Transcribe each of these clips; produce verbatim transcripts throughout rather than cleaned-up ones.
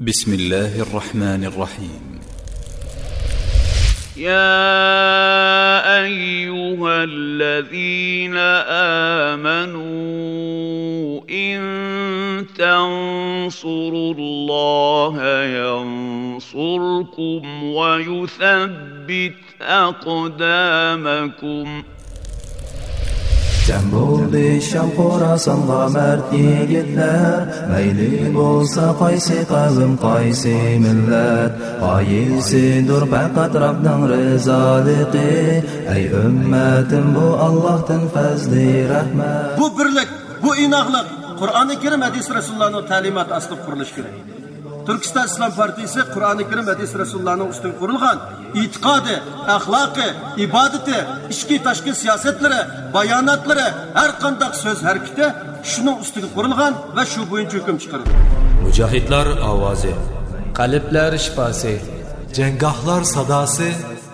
بسم الله الرحمن الرحيم. يا أيها الذين آمنوا إن تنصروا الله ينصركم ويثبت أقدامكم. جەم بولدى شام خوراسانغا مەرد يىگىتلەر، مەيلى بولسا قايسى قەۋم، قايسى مىللەت، غايىسىدۇر پەقەت رەبنىڭ رىزالىقى. ئەي ئۈممەتىم، بۇ ئاللاھتىن پەزلى رەھمەت. بۇ بىرلىك، بۇ ئىناقلىق قۇرئانى كەرىم، ھەدىس رەسۇلۇللانىڭ تەلىماتى ئاستىدا قۇرۇلۇشى كېرەك. تۈركىستان ئىسلام پارتىيىسى قۇرئانى كەرىم، ھەدىس رەسۇلۇللانىڭ ئۈستىگە قۇرۇلغان ئېتىقادى، ئەخلاقى، ئىبادىتى، ئىچكى تاشقى سىياسەتلىرى، باياناتلىرى، ھەر قانداق سۆز ھەرىكىتى شۇنىڭ ئۈستىگە قۇرۇلغان ۋە شۇ بويىچە ھۆكۈم چىقىرىدۇ. مۇجاھىدلار ئاۋازى. قەلبلەر شىپاسى. جەڭگاھلار ساداسى.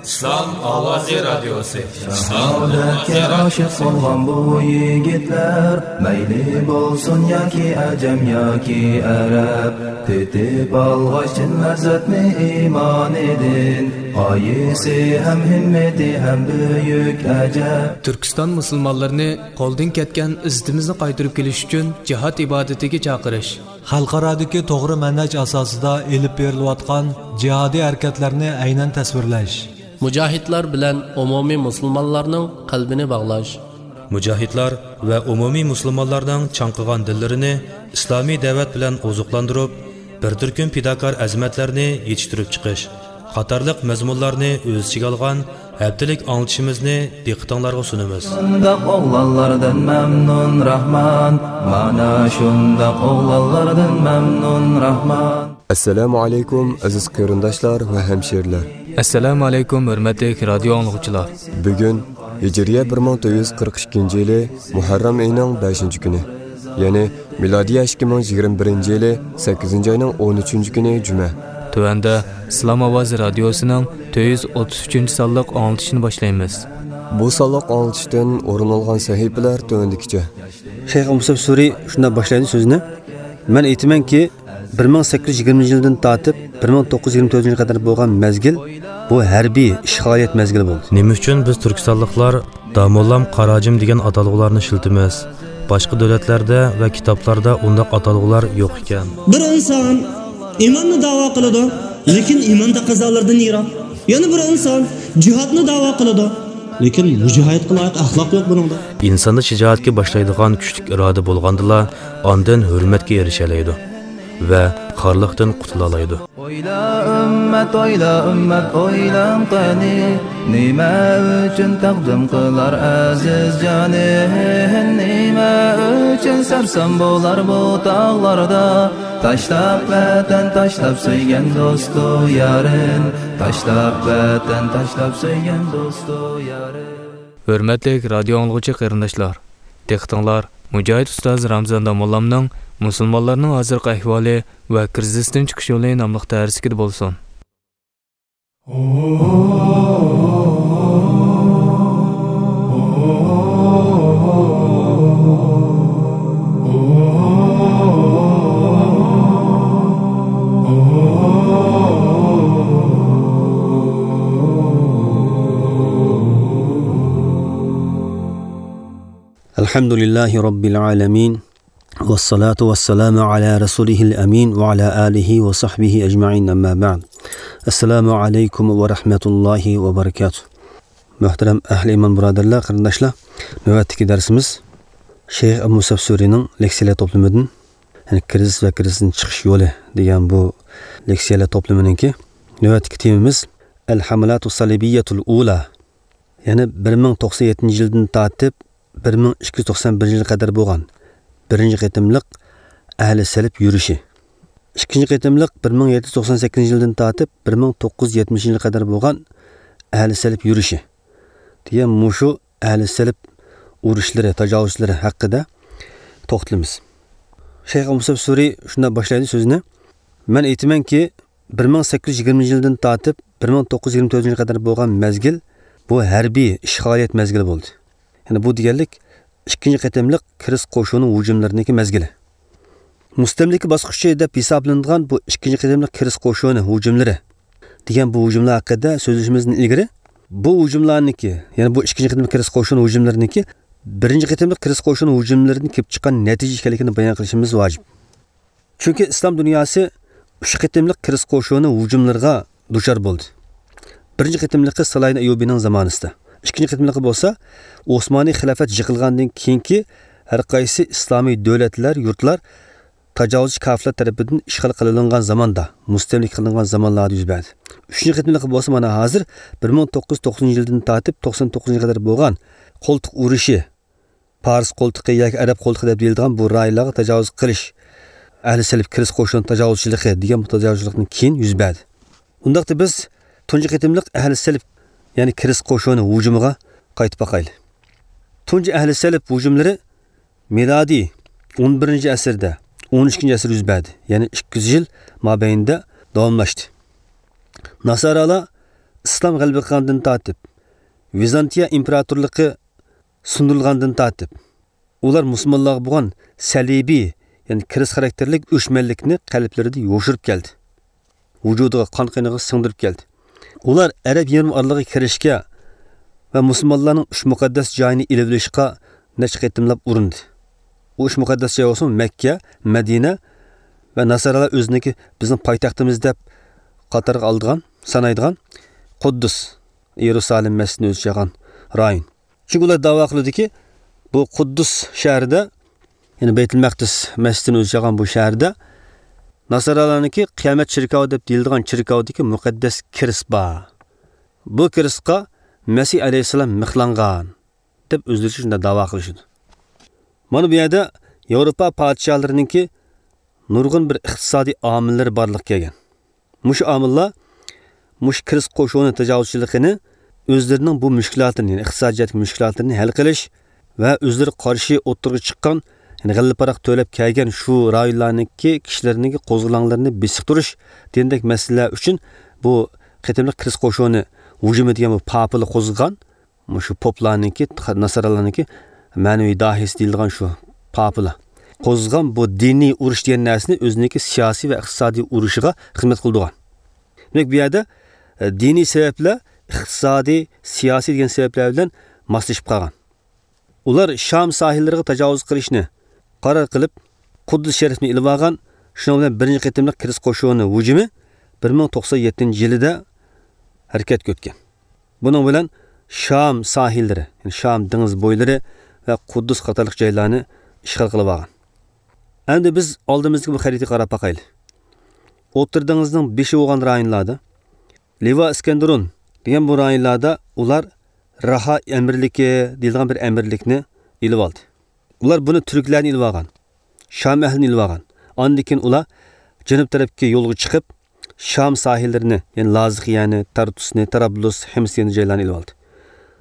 ئىسلام ئاۋازى رادىيوسى. شاھادەتكە ئاشىق بولغان بۇ يىگىتلەر، مەيلى بولسۇن ياكى ئەجەم ياكى ئەرەب، تېتىپ ئالغاچ چىن لەززەتنى ئىمانىدىن، غايىسى ھەم ھىممىتى ھەم بۈيۈك ئەجەب. تۈركىستان مۇسۇلمانلىرىنى قولدىن كەتكەن ئىززىتىمىزنى قايتۇرۇپ كېلىش ئۈچۈن جىھاد ئىبادىتىگە چاقىرىش. خەلقئارادىكى توغرا مەنھەج ئاساسىدا ئېلىپ بېرىلىۋاتقان جىھادىي ھەرىكەتلەرنى ئەينەن تەسۋىرلەش. مۇجاھىدلار بىلەن ئومۇمىي مۇسۇلمانلارنىڭ قەلبىنى باغلاش. مۇجاھىدلار ۋە ئومۇمىي مۇسۇلمانلارنىڭ چاڭقىغان دىللىرىنى ئىسلامىي دەۋەت بىلەن ئوزۇقلاندۇرۇپ، بىر تۈركۈم پىداكار ئەزىمەتلەرنى يېتىشتۈرۈپ چىقىش قاتارلىق مەزمۇنلارنى ئۆز ئىچىگە ئالغان ھەپتىلىك ئاڭلىتىشىمىزنى دىققىتىڭلارغا سۇنىمىز. شۇنداق ئوغلانلاردىن مەمنۇن راھمان، مانا شۇنداق ئوغلانلاردىن مەمنۇن راھمان. ئەسسالامۇ ئەلەيكۇم، ئەزىز قېرىنداشلار ۋە ھەمشىرىلەر. ئەسسالامۇ ئەلەيكۇم، ھۆرمەتلىك رادىيو ئاڭلىغۇچىلار. بۈگۈن ھىجرىيە بىر مىڭ تۆت يۈز قىرىق ئىككىنچى يىلى مۇھەررەم ئېيىنىڭ بەشىنچى كۈنى، يەنى مىلادىيە ئىككى مىڭ يىگىرمە بىرىنچى يىلى سەككىزىنچى ئاينىڭ ئون ئۈچىنچى كۈنى جۈمە. تۆۋەندە ئىسلام ئاۋازى رادىيوسىنىڭ تۆت يۈز ئوتتۇز ئۈچىنچى سانلىق ئاڭلىتىشنى باشلايمىز. بۇ سانلىق ئاڭلىتىشتىن ئورۇن ئالغان سەھىپىلەر تۆۋەندىكىچە. شەيخ مۇسەپ سۈرى شۇنداق باشلايدۇ سۆزىنى: مەن ئېيتىمەنكى، بىر مىڭ سەككىز يۈز يىگىرمىنچى يىلدىن تارتىپ بىر مىڭ توققۇز يۈز يىگىرمە تۆتىنچى يىلغا قەدەر بولغان مەزگىل، بۇ ھەربىي ئىشغالىيەت مەزگىلى بولدى. نېمە ئۈچۈن بىز تۈركىستانلىقلار داموللام، قاراجىم دېگەن ئاتالغۇلارنى ئىشلىتىمىز؟ باشقا دۆلەتلەردە ۋە كىتابلاردا ئۇنداق ئاتالغۇلار يوق ئىكەن. بىر ئىنسان ئىماننى داۋا قىلىدۇ، لېكىن ئىمان تەقەززالىرىدىن يىراق. يەنە بىر ئىنسان جىھادنى داۋا قىلىدۇ، لېكىن مۇجاھىدقا لايىق ئەخلاق يوق بۇنىڭدا. ئىنساندا شىجائەتكە باشلايدىغان كۈچلۈك ئىرادە بولغاندىلا، ئاندىن ھۆرمەتكە ئېرىشەلەيدۇ ۋە خارلىقتىن قۇتۇلالايدۇ. ئويلا ئۈممەت، ئويلا ئۈممەت، ئويلاڭ قېنى، نېمە ئۈچۈن تەقدىم قىلار ئەزىز جانى؟ نېمە ئۈچۈن سەرسان بولار بۇ تاغلاردا؟ تاشلاپ ۋەتەن، تاشلاپ سۆيگەن دوستۇ يارىن، تاشلاپ ۋەتەن، تاشلاپ سۆيگەن دوستۇ يارىن. ھۆرمەتلىك رادىيو ئاڭلىغۇچى قېرىنداشلار، دىققىتىڭلار مۇجاھىد ئۇستاز رامزان داموللامنىڭ مۇسۇلمانلارنىڭ ھازىرقى ئەھۋالى ۋە كىرىزىستىن چىقىش يولى ناملىق دەرسلىكىدە بولسۇن. الحمد لله رب العالمين. والصلاة والسلام على رسوله الأمين وعلى آله وصحبه أجمعين، أما بعد. السلام عليكم ورحمة الله وبركاته. مۆھتەرەم ئەھلى ئىمان بۇرادەرلەر، قېرىنداشلار، نۆۋەتتىكى دەرسىمىز شەيخ ئەبۇ مۇسەب سۈرىنىڭ لېكسىيەلەر توپلىمىدىن، يەنى كىرىزىس ۋە كىرىزىستىن چىقىش يولى دېگەن بۇ لېكسىيەلەر توپلىمىنىڭكى نۆۋەتتىكى تېمىمىز الحملات الصليبية الأولى، يەنى بىر مىڭ توقسان يەتتىنچى يىلدىن تارتىپ بىر مىڭ ئىككى يۈز توقسان بىرىنچى يىلغا قەدەر بولغان بىرىنچى قېتىملىق ئەھلى سەلىپ يۈرۈشى. ئىككىنچى قېتىملىق بىر مىڭ يەتتە يۈز توقسان سەككىزىنچى يىلدىن تارتىپ بىر مىڭ توققۇز يۈز يەتمىشىنچى يىلغا قەدەر بولغان ئەھلى سەلىپ يۈرۈشى دېگەن مۇشۇ ئەھلى سەلىپ ئۇرۇشلىرى، تاجاۋۇزچىلىرى ھەققىدە توختىلىمىز. شەيخ مۇسەب سۈرى شۇنداق باشلايدۇ سۆزىنى: مەن ئېيتىمەنكى، بىر مىڭ سەككىز يۈز يىگىرمىنچى يىلدىن تارتىپ بىر مىڭ توققۇز يۈز يىگىرمە تۆتىنچى يىلغا قەدەر بولغان مەزگىل، بۇ ھەربىي ئىشغالىيەت مەزگىلى بولدى. يەنى بۇ دېگەنلىك ئىككىنچى قېتىملىق كىرىزىس قوشۇنىنىڭ ھۇجۇملىرىنىڭكى مەزگىلى. مۇستەملىكە باسقۇچى دەپ ھېسابلىنىدىغان بۇ ئىككىنچى قېتىملىق كىرىس قوشۇنى ھۇجۇملىرى دېگەن بۇ ھۇجۇملار ھەققىدە سۆزلىشىمىزدىن ئىلگىرى، بۇ ھۇجۇملارنىڭكى، يەنى بۇ ئىككىنچى قېتىملىق كىرىس قوشۇنى ھۇجۇملىرىنىڭكى بىرىنچى قېتىملىق كىرىس قوشۇنى ھۇجۇملىرىدىن كېلىپ چىققان نەتىجە ئىكەنلىكىنى بايان قىلىشىمىز ۋاجىپ. چۈنكى ئىسلام دۇنياسى ئۈچ قېتىملىق كىرىس قوشۇنى ھۇجۇملىرىغا دۇچار بولدى. بىرىنچى قېتىملىقى سالاھىدىن ئەييۇبىنىڭ زامانىسىدا. ئىككىنچى قېتىملىقى بولسا ئوسمانىي خىلاپەت يىقىلغاندىن كېيىنكى ھەر قايسى ئىسلامىي دۆلەتلەر، يۇرتلار تاجاۋۇزچى كاپىرلار تەرىپىدىن ئىشغال قىلىنغان زاماندا، مۇستەملىكە قىلىنغان زامانلاردا يۈز بەردى. ئۈچىنچى قېتىملىقى بولسا مانا ھازىر بىر مىڭ توققۇز يۈز توقسىنىنچى يىلدىن تارتىپ توقسان توققۇزىنچى يىلغا قەدەر بولغان قولتۇق ئۇرۇشى، پارس قولتۇقى ياكى ئەرەب قولتۇقى دەپ دېيىلىدىغان بۇ رايونلارغا تاجاۋۇز قىلىش، ئەھلى سەلىپ كىرىس قوشۇن تاجاۋۇزچىلىقى دېگەن بۇ تاجاۋۇزچىلىقتىن كېيىن يۈز بەردى. ئۇنداقتا بىز تۇنجى قېتىملىق ئەھلى سەلىپ، يەنى كىرىس قوشۇنى ھۇجۇمىغا قايتىپ باقايلى. تۇنجى ئەھلى سەلىپ ھۇجۇملىرى مىلادىي ئون بىرىنچى ئەسىردە، ئون ئىككىنچى ئەسىردە يۈز بەردى. يەنى ئىككى يۈز يىل مابەينىدە داۋاملاشتى. ناسارالار ئىسلام غەلىبە قىلغاندىن تارتىپ، ۋىزانتىيە ئىمپېراتورلۇقى سۇندۇرۇلغاندىن تارتىپ، ئۇلار مۇسۇلمانلارغا بولغان سەلىبىي، يەنى كىرىس خاراكتېرلىك ئۆچمەنلىكنى قەلبلىرىدە يوشۇرۇپ كەلدى. ۋۇجۇدىغا، قان قېنىغا سىڭدۈرۈپ كەلدى. ئۇلار ئەرەب يېرىم ئارىلىغا كىرىشكە ۋە مۇسۇلمانلارنىڭ ئۈچ مۇقەددەس جايىنى ئېلىۋېلىشقا نەچچە قېتىملاپ ئۇرۇندى. ئۇ ئۈچ مۇقەددەس جاي بولسىمۇ مەككە، مەدىنە ۋە ناسارالار ئۆزىنىڭكى، بىزنىڭ پايتەختىمىز دەپ قاتارغا ئالىدىغان، سانايدىغان قۇددۇس، يېرۇسالىم مەسچىتىنى ئۆز ئىچىگە ئالغان رايون. چۈنكى ئۇلار دەۋا قىلىدۇكى، بۇ قۇددۇس شەھىرىدە، يەنى بەيتۇل مەقدىس مەسچىتىنى ئۆز ئىچىگە ئالغان بۇ شەھەردە ناسارالارنىڭكى قىيامەت چېركاۋى دەپ دېيىلىدىغان چېركاۋدىكى مۇقەددەس كىرىس بار. بۇ كىرىسقا مەسىھ ئەلەيھىسسالام مىخلانغان دەپ ئۆزلىرىچە شۇنداق دەۋا قىلىشىدۇ. مانا بۇ يەردە ياۋروپا پادىشاھلىرىنىڭكى نۇرغۇن بىر ئىقتىسادىي ئامىللىرى بارلىققا كەلگەن. مۇشۇ ئامىللار مۇشۇ كىرىس قوشۇنى تاجاۋۇزچىلىقىنى ئۆزلىرىنىڭ بۇ مۈشكۈلاتىنى، يەنى ئىقتىسادىي جەھەتتىكى مۈشكۈلاتلىرىنى ھەل قىلىش ۋە ئۆزلىرىگە قارشى ئوتتۇرىغا چىققان، يەنى غەللە پاراق تۆلەپ كەلگەن شۇ رايونلارنىڭكى كىشىلىرىنىڭكى قوزغىلاڭلىرىنى بېسىقتۇرۇش دېگەندەك مەسىلىلەر ئۈچۈن بۇ قېتىملىق كىرىس قوشۇنى ھۇجۇمى دېگەن بۇ پاپىلا قوزغىغان. مۇشۇ پوپلارنىڭكى، ناسارالارنىڭكى مەنىۋى داھىيسى دېيىلىدىغان شۇ پاپىلا قوزغىغان بۇ دىنىي ئۇرۇش دېگەن نەرسىنى ئۆزىنىڭكى سىياسىي ۋە ئىقتىسادىي ئۇرۇشىغا خىزمەت قىلىدىغان. دېمەك، بۇ يەردە، ئە، دىنىي سەۋەبلەر ئىقتىسادىي، سىياسىي دېگەن سەۋەبلەر بىلەن ماسلىشىپ قالغان. ئۇلار شام ساھىللىرىغا تاجاۋۇز قىلىشنى قارار قىلىپ، قۇددۇس شەرىپنى ئېلىۋالغان. شۇنىڭ بىلەن بىرىنچى قېتىملىق كىرىس قوشۇنى ھۇجۇمى بىر مىڭ توقسان يەتتىنچى يىلىدا ھەرىكەتكە ئۆتكەن. بۇنىڭ بىلەن شام ساھىللىرى، يەنى شام دېڭىز بويلىرى ۋە قۇددۇس قاتارلىق جايلارنى ئىشغال قىلىپ ئالغان. ئەمدى بىز ئالدىمىزدىكى بۇ خەرىتىگە قاراپ باقايلى. ئوتتۇرا دېڭىزنىڭ بېشى بولغان رايونلاردا، لىۋا ئىسكەندەرۇن دېگەن بۇ رايونلاردا ئۇلار راھا ئەمىرلىكى دېيىلىدىغان بىر ئەمىرلىكنى ئېلىپ ئالدى. ئۇلار بۇنى تۈركلەرنى ئېلىۋالغان، شام ئەھلىنى ئېلىۋالغان. ئاندىن كېيىن ئۇلار جەنۇب تەرەپكە يولغا چىقىپ، شام ساھىللىرىنى، يەنى لازىقىيەنى، تارتۇسنى، تارابلۇس، ھىمس دېگەن جايلارنى ئېلىۋالدى.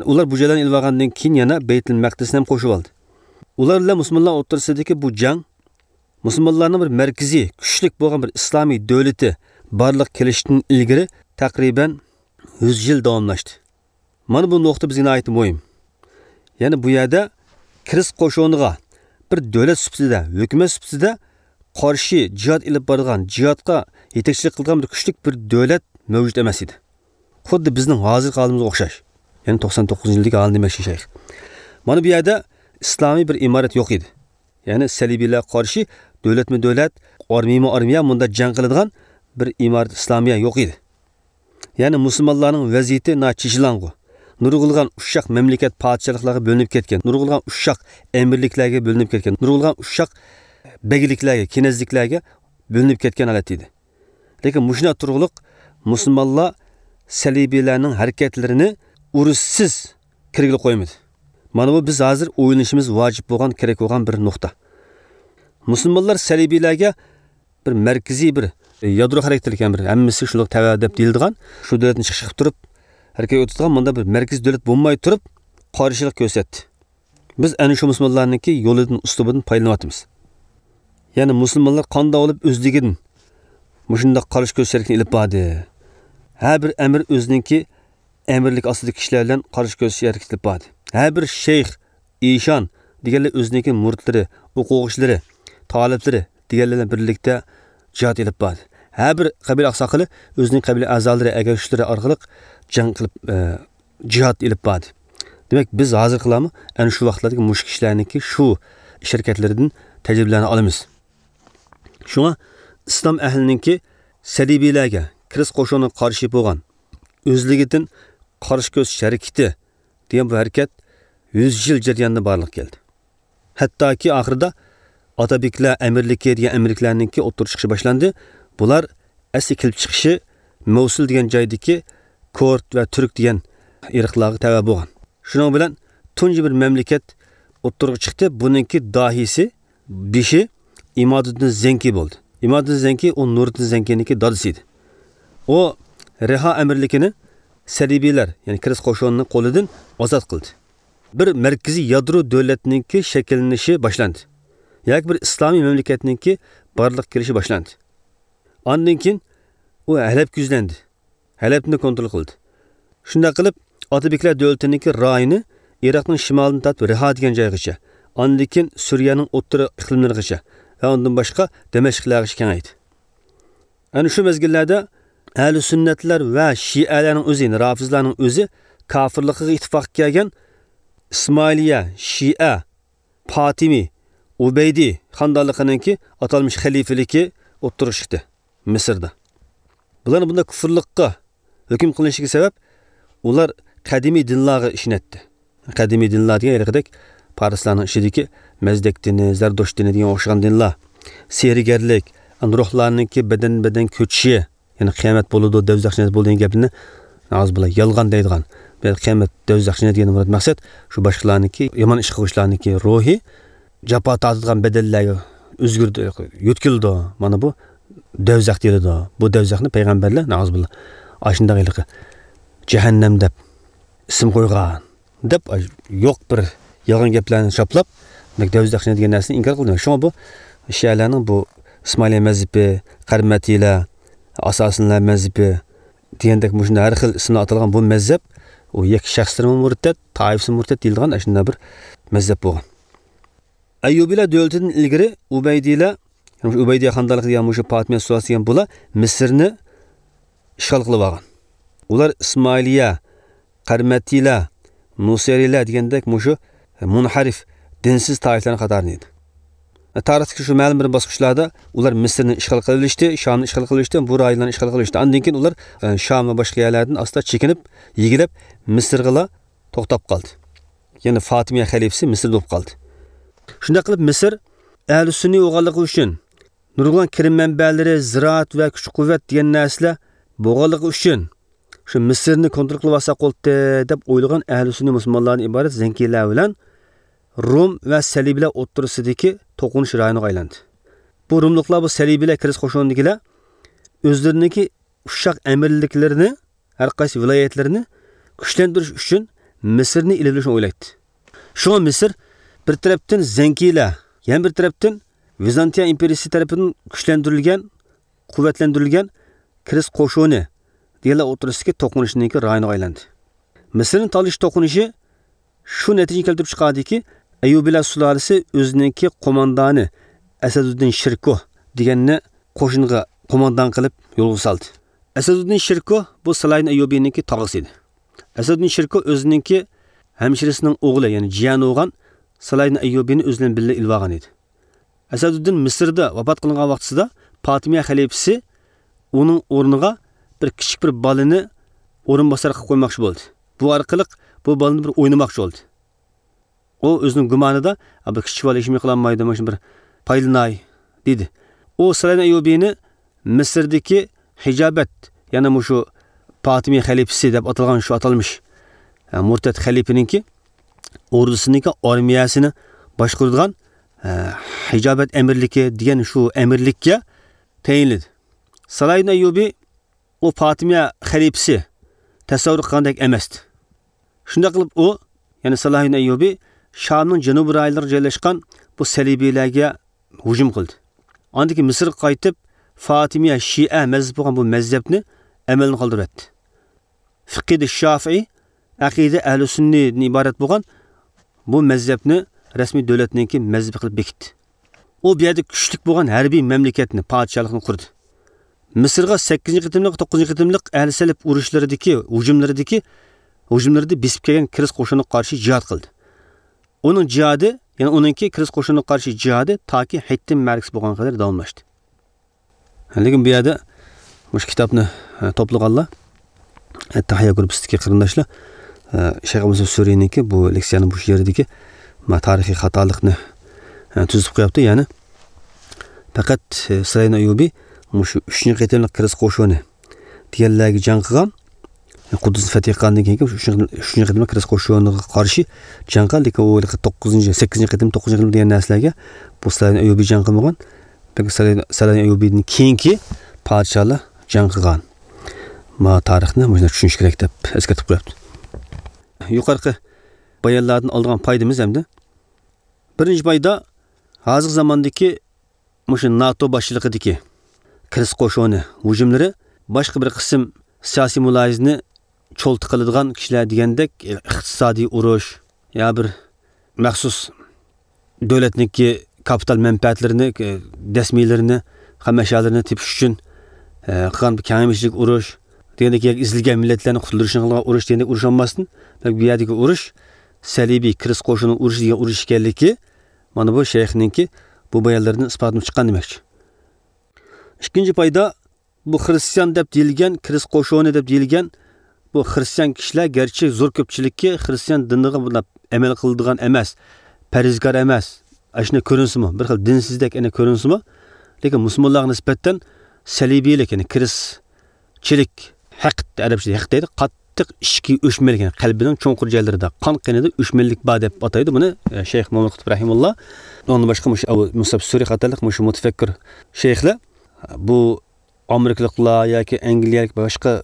ئۇلار بۇ جايلارنى ئېلىۋالغاندىن كېيىن يەنە بەيتۇل مەقدىسنى ھەم قوشۇۋالدى. ئۇلار بىلەن مۇسۇلمانلار ئوتتۇرىسىدىكى بۇ جەڭ مۇسۇلمانلارنىڭ بىر مەركىزىي، كۈچلۈك بولغان بىر ئىسلامىي دۆلىتى بارلىققا كېلىشتىن ئىلگىرى تەقرىبەن يۈز يىل داۋاملاشتى. مانا بۇ نۇقتا بىزگە ناھايىتى مۇھىم. يەنى بۇ يەردە كىرىس قوشۇنىغا بىر دۆلەت سۈپىتىدە، ھۆكۈمەت سۈپىتىدە قارشى جىھاد ئېلىپ بارىدىغان، جىھادقا يېتەكچىلىك قىلىدىغان بىر كۈچلۈك بىر دۆلەت مەۋجۇت ئەمەس ئىدى. خۇددى بىزنىڭ ھازىرقى ھالىمىزغا ئوخشاش. يەنى توقسان توققۇزىنچى يىلدىكى ھالنى دېمەكچى شەيخ. مانا بۇ يەردە ئىسلامىي بىر ئىمارەت يوق ئىدى. يەنى سەلىبىيلەرگە قارشى دۆلەتمۇ دۆلەت، ئارمىيىمۇ ئارمىيە مۇنداق جەڭ قىلىدىغان بىر ئىمارەت ئىسلامىيە يوق ئىدى. يەنى مۇسۇلمانلارنىڭ ۋەزىيىتى ناھايىتى چېچىلاڭغۇ. نۇرغۇنلىغان ئۇششاق مەملىكەت پادىشاھلىقلارغا بۆلۈنۈپ كەتكەن، نۇرغۇنلىغان ئۇششاق ئەمىرلىكلەرگە بۆلۈنۈپ كەتكەن، نۇرغۇنلىغان ئۇششاق بەگلىكلەرگە، كېنەزلىكلەرگە بۆلۈنۈپ كەتكەن ھالەتتە ئىدى. لېكىن مۇشۇنداق تۇرۇقلۇق مۇسۇلمانلار سەلىبىيلەرنىڭ ھەرىكەتلىرىنى ئۇرۇشسىز كىرگىلى قويمىدى. مانا بۇ بىز ھازىر ئويلىنىشىمىز ۋاجىپ بولغان، كېرەك بولغان بىر نۇقتا. مۇسۇلمانلار سەلىبىيلەرگە بىر مەركىزىي، بىر يادرو خاراكتېرلىك، يەنى بىر ھەممىسى شۇنداق تەۋە دەپ دېيىلىدىغان، شۇ دۆلەتنى چىقىش قىلىپ تۇرۇپ ھەرىكەت ئۆتىدىغان مۇنداق بىر مەركىزىي دۆلەت بولماي تۇرۇپ قارشىلىق كۆرسەتتى. بىز ئەنە شۇ مۇسۇلمانلارنىڭكى يولىدىن، ئۇسلۇبىدىن پايدىلىنىۋاتىمىز. يەنى مۇسۇلمانلار قانداق بولۇپ ئۆزلۈكىدىن مۇشۇنداق قارشى كۆرۈش ھەرىكىتىنى ئېلىپ باردى؟ ھەر بىر ئەمىر ئۆزىنىڭكى ئەمىرلىك ئاستىدىكى كىشىلەر بىلەن قارشى كۆرۈش ھەرىكىتى ئېلىپ باردى. ھەر بىر شەيخ، ئىشان دېگەنلەر ئۆزىنىڭكى مۇرىتلىرى، ئوقۇغۇچىلىرى، تالىپلىرى، دېگەنلەر بىلەن بىرلىكتە جىھاد ئېلىپ باردى. ھەر بىر قەبىلە ئاقساقىلى ئۆزىنىڭ قەبىلە ئەزالىرى، ئەگەشكۈچىلىرى ئارقىلىق جەڭ قىلىپ، ئە، جىھاد ئېلىپ باردى. دېمەك، بىز ھازىرقىلارمۇ ئەنە شۇ ۋاقىتلاردىكى مۇشۇ كىشىلەرنىڭكى شۇ ئىش ھەرىكەتلىرىدىن تەجرىبىلەرنى ئالىمىز. شۇڭا ئىسلام ئەھلىنىڭكى سەلىبىيلەرگە، كىرىست قوشۇنىغا قارشى بولغان ئۆزلۈكىدىن قارشى كۆرسىتىش ھەرىكىتى دېگەن بۇ ھەرىكەت يۈز يىل جەريانىدا بارلىققا كەلدى. ھەتتاكى ئاخىرىدا ئاتابېكلەر ئەمىرلىكى دېگەن ئەمىرلىكلەرنىڭكى ئوتتۇرىغا چىقىشى باشلاندى. بۇلار ئەسلى كېلىپ چىقىشى مەۋسۇل دېگەن جايدىكى كورد ۋە تۈرك دېگەن ئىرقلارغا تەۋە بولغان. شۇنىڭ بىلەن تۇنجى بىر مەملىكەت ئوتتۇرىغا چىقتى. بۇنىڭكى داھىيسى، بېشى ئىمادۇددىن زەنكى بولدى. ئىمادۇددىن زەنكى ئۇ نۇرۇددىن زەنكىنىڭكى دادىسى ئىدى. ئۇ رىھا ئەمىرلىكىنى سەلىبىيلەر، يەنى كىرىست قوشۇنىنىڭ قولىدىن ئازاد قىلدى. بىر مەركىزىي يادرو دۆلەتنىڭكى شەكىللىنىشى باشلاندى. ياكى بىر ئىسلامىي مەملىكەتنىڭكى بارلىققا كېلىشى باشلاندى. ئاندىن كېيىن ئۇ ھەلەپكە يۈزلەندى. ھەلەپنى كونترول قىلدى. شۇنداق قىلىپ، ئاتابېكلەر دۆلىتىنىڭكى رايونى ئىراقنىڭ شىمالىدىن تارتىپ رىھا دېگەن جايغىچە، ئاندىن كېيىن سۈرىيەنىڭ ئوتتۇرا ئىقلىملىرىغىچە ۋە ئۇندىن باشقا دىمەشقلەرگىچە كېڭەيدى. ئەنە شۇ مەزگىللەردە ئەھلى سۈننەتلەر ۋە شىئەلەرنىڭ ئۆزى، يەنى رافىزلارنىڭ ئۆزى كاپىرلىقىغا ئىتتىپاققا كەلگەن ئىسمائىلىيە، شىئە، پاتىمى، ئۇبەيدى خاندانلىقىنىڭكى ئاتالمىش خەلىپىلىكى ئوتتۇرىغا چىقتى مىسىردا. بۇلارنىڭ بۇنداق كۇفرلۇققا ھۆكۈم قىلىنىشىگە سەۋەب، ئۇلار قەدىمىي دىنلارغا ئىشىنەتتى. قەدىمىي دىنلار دېگەن ھېلىقىدەك پارسلارنىڭ ئىچىدىكى مەزدەك دىنى، زەردۇشت دىنى دېگەن ئوخشىغان دىنلار. سېھىرگەرلىك، ئەمدى روھلارنىڭكى بەدەن-بەدەن كۆچۈشى، يەنى قىيامەت بولىدۇ، دوزاخ جەننەت بولىدۇ دېگەن گەپلىرىنى نازۇبىللا يالغان دەيدىغان. بۇ يەردە قىيامەت، دوزاخ جەننەت دېگەندىن مۇراد مەقسەت شۇ باشقىلارنىڭكى، يامان ئىش قىلغۇچىلارنىڭكى روھى جاپا تارتىدىغان بەدەللەرگە ئۆزگىرىدۇ، يۆتكىلىدۇ. مانا بۇ دوزاخ دېيىلىدۇ. بۇ دوزاخنى پەيغەمبەرلەر نازۇبىللا ئاشۇنداق ھېلىقى جەھەننەم دەپ ئىسىم قويغان. دەپ، يوق بىر يالغان گەپلەرنى چاپلاپ، دەۋزەخشىنى دېگەن نەرسىنى ئىنكار قىلدى. شۇڭا بۇ شىئەلەرنىڭ بۇ ئىسمائىلىيە مەزھىپى، قەرمەتىيلەر، ئاساسىنلار مەزھىپى دېگەندەك مۇشۇنداق ھەر خىل ئىسىملار ئاتالغان بۇ مەزھەپ، ئۇ يەككە شەخسلىرىمۇ مۇرتەت، تائىفىسى مۇرتەت دېيىلىدىغان ئاشۇنداق بىر مەزھەپ بولغان. ئەييۇبىيلار دۆلىتىدىن ئىلگىرى ئۇبەيدىيلەر، يەنى مۇشۇ ئۇبەيدىيە خاندانلىقى دېگەن مۇشۇ پاتىمىيە سۇلالىسى دېگەن بۇلار مىسىرنى ئىشغال قىلىۋالغان. ئۇلار ئىسمائىلىيە، قەرمەتىيلەر، نۇسەيرىيلەر دېگەندەك مۇشۇ مۇنھەرىف، دىنسىز تائىپىلەرنىڭ قاتارىدا ئىدى. تارىختىكى شۇ مەلۇم بىر باسقۇچلاردا ئۇلار مىسىرنى ئىشغال قىلىۋېلىشتى، شامنى ئىشغال قىلىۋېلىشتى، بۇ رايونلارنى ئىشغال قىلىۋېلىشتى. ئاندىن كېيىن ئۇلار، ئە، شام ۋە باشقا يەرلەردىن ئاستا چېكىنىپ، يېگىلەپ مىسىرغىلا توختاپ قالدى. يەنى فاتىمىيە خەلىپىسى مىسىردا بولۇپ قالدى. شۇنداق قىلىپ مىسىر ئەھلى سۈننىي بولغانلىقى ئۈچۈن، نۇرغۇن كىرىم مەنبەلىرى، زىرائەت ۋە كۈچ-قۇۋۋەت دېگەن نەرسىلەر بولغانلىقى ئۈچۈن، شۇ مىسىرنى كونترول قىلىۋالساق بولدى دەپ ئويلىغان ئەھلى سۈننىي مۇسۇلمانلاردىن ئىبارەت زەنكىيلەر بىلەن روم ۋە سەلىبىيلەر ئوتتۇرىسىدىكى توقۇنۇش رايونىغا ئايلاندى. بۇ روملۇقلار، بۇ سەلىبىيلەر، كىرىست قوشۇنىدىكىلەر ئۆزلىرىنىڭكى ئۇششاق ئەمىرلىكلىرىنى، ھەر قايسى ۋىلايەتلىرىنى كۈچلەندۈرۈش ئۈچۈن مىسىرنى ئېلىۋېلىشنى ئويلايتتى. شۇڭا مىسىر بىر تەرەپتىن زەنكىيلەر، يەنە بىر تەرەپتىن ۋىزانتىيە ئىمپېرىيىسى تەرىپىدىن كۈچلەندۈرۈلگەن، قۇۋۋەتلەندۈرۈلگەن كىرىست قوشۇنى دېگەنلەر ئوتتۇرىسىدىكى توقۇنۇشنىڭكى رايونىغا ئايلاندى. مىسىرنى تالىشىش توقۇنۇشى شۇ نەتىجىنى كەلتۈرۈپ چىقاردىكى، ئەييۇبىيلار سۇلالىسى ئۆزىنىڭكى قوماندانى ئەسەدۇددىن شىركۇھ دېگەننى قوشۇنغا قوماندان قىلىپ يولغا سالدى. ئەسەدۇددىن شىركۇھ بۇ سالاھىدىن ئەييۇبىنىڭكى تاغىسى ئىدى. ئەسەدۇددىن شىركۇھ ئۆزىنىڭكى ھەمشىرىسىنىڭ ئوغلى، يەنى جىيەنى بولغان سالاھىدىن ئەييۇبىنى ئۆزى بىلەن بىللە ئېلىۋالغان ئىدى. ئەسەدۇددىن مىسىردا ۋاپات قىلغان ۋاقتىسىدا پاتىمىيە خەلىپىسى ئۇنىڭ ئورنىغا بىر كىچىك بىر بالىنى ئورۇنباسار قىلىپ قويماقچى بولدى. بۇ ئارقىلىق بۇ بالىنى بىر ئوينىماقچى بولدى. ئۇ ئۆزىنىڭ گۇمانىدا، «ئا، بىر كىچىك بالا ھېچنېمە قىلالمايدۇ، مانا شۇ بىر پايدىلىناي» دېدى. ئۇ سالاھىدىن ئەييۇبىنى مىسىردىكى ھىجابەت، يەنى مۇشۇ پاتىمىي خەلىپىسى دەپ ئاتالغان شۇ ئاتالمىش، ئە، مۇرتەت خەلىپىنىڭكى ئوردىسىنىڭكى ئارمىيەسىنى باشقۇرىدىغان، ئە، ھىجابەت ئەمىرلىكى دېگەن شۇ ئەمىرلىككە تەيىنلىدى. سالاھىدىن ئەييۇبى ئۇ پاتىمىيە خەلىپىسى تەسەۋۋۇر قىلغاندەك ئەمەستى. شۇنداق قىلىپ ئۇ، يەنى سالاھىدىن ئەييۇبى شامنىڭ جەنۇبىي رايونلىرىغا جايلاشقان بۇ سەلىبىيلەرگە ھۇجۇم قىلدى. ئاندىن كېيىن مىسىرغا قايتىپ، فاتىمىيە شىئە مەزھىپى بولغان بۇ مەزھەپنى ئەمەلدىن قالدۇرۇۋەتتى. فىقھىدە شافىئىي، ئەقىدە ئەھلى سۈننىدىن ئىبارەت بولغان بۇ مەزھەپنى رەسمىي دۆلەتنىڭكى مەزھىپى قىلىپ بېكىتتى. ئۇ بۇ يەردە كۈچلۈك بولغان ھەربىي مەملىكەتنى، پادىشاھلىقنى قۇردى. مىسىرغا سەككىزىنچى قېتىملىق، توققۇزىنچى قېتىملىق ئەھلى سەلىپ ئۇرۇشلىرىدىكى، ھۇجۇملىرىدىكى، ھۇجۇملىرىدا بېسىپ كەلگەن كىرىس قوشۇنىغا قارشى جىھاد قىلدى. ئۇنىڭ جىھادى، يەنى ئۇنىڭكى كىرىس قوشۇنىغا قارشى جىھادى تاكى ھىتتىم مەركىسى بولغانغا قەدەر داۋاملاشتى. لېكىن بۇ يەردە مۇشۇ كىتابنى، ئە، توپلىغانلار، ئەتتەھىيا گۇرۇپپىسىدىكى قېرىنداشلار، ئە، شەيخ ئەبۇ مۇسەب سۈرىنىڭكى بۇ لېكسىيەنىڭ بۇ يېرىدىكى، ما، تارىخىي خاتالىقنى، ئە، تۈزىتىپ قويۇپتۇ. يەنى پەقەت، ئە، سەلەھىدىن ئەييۇبى مۇشۇ ئۈچىنچى قېتىملىق كىرىس قوشۇنى دېگەنلەرگە جەڭ قىلغان، قۇددۇسنى فەتھ قىلغاندىن كېيىنكى ئۈچىنچى، ئۈچىنچى قېتىملىق كىرىس قوشۇنىغا قارشى جەڭ قىلغان، لېكىن ئۇ ھېلىقى توققۇزىنچى، سەككىزىنچى قېتىم، توققۇزىنچى قېتىم دېگەن نەرسىلەرگە بۇ سەلەھىدىن ئەييۇبى جەڭ قىلمىغان. بەلكى سەلەھىدىن ئەييۇبىدىن كېيىنكى پادىشاھلار جەڭ قىلغان. ما تارىخنى مۇشۇنداق چۈشىنىش كېرەك دەپ ئەسكەرتىپ قويۇپتۇ. يۇقىرىقى بايانلاردىن ئالىدىغان پايدىمىز ئەمدى. بىرىنچى پايدا، ھازىرقى زاماندىكى مۇشۇ ناتو باشچىلىقىدىكى كىرىس قوشۇنى ھۇجۇملىرى باشقا بىر قىسىم سىياسىي مۇلاھىزىنى چولتا قىلىدىغان كىشىلەر دېگەندەك ئىقتىسادىي ئۇرۇش يا بىر مەخسۇس دۆلەتنىڭكى كاپىتال مەنپەئەتلىرىنى، دەسمىلىرىنى، خام ئەشيالىرىنى تېپىش ئۈچۈن، ئە، قىلغان بىر كەڭ ئەمىشلىك ئۇرۇش دېگەندەك، ياكى ئېزىلگەن مىللەتلەرنى قۇتۇلدۇرۇشنى قىلغان ئۇرۇش دېگەندەك ئۇرۇش بولماستىن، بەلكى بۇ يەردىكى ئۇرۇش سەلىبىي كىرىس قوشۇنىنىڭ ئۇرۇشى دېگەن ئۇرۇش ئىكەنلىكى، مانا بۇ شەيخنىڭكى بۇ بايانلىرىدىن ئىسپاتلىنىپ چىققان دېمەكچى. ئىككىنچى پايدا، بۇ خرىستىيان دەپ دېيىلگەن، كىرىس قوشۇنى دەپ دېيىلگەن بۇ خرىستىيان كىشىلەر، گەرچە زور كۆپچىلىككە خرىستىيان دىنىغا بۇنداق ئەمەل قىلىدىغان ئەمەس، پەرھىزكار ئەمەس، ئاشۇنداق كۆرۈنسىمۇ، بىر خىل دىنسىزدەك ئەنە كۆرۈنسىمۇ، لېكىن مۇسۇلمانلارغا نىسبەتەن سەلىبىيلىك، يەنى كىرىسچىلىك، ھەقد، ئەرەبچىدە ھەقد دەيدۇ، قاتتىق ئىچكى ئۆچمەنلىك، يەنى قەلبىنىڭ چوڭقۇر جايلىرىدا، قان قېنىدا ئۆچمەنلىك بار دەپ ئاتايدۇ بۇنى، ئە، شەيخ مۇھەممەد قۇتۇپ رەھىمۇللا. ئۇنىڭدىن باشقا مۇشۇ ئەبۇ مۇسەب سۈرى قاتارلىق مۇشۇ مۇتەپەككۇر شەيخلەر بۇ ئامېرىكىلىقلار ياكى ئەنگلىيەلىك، باشقا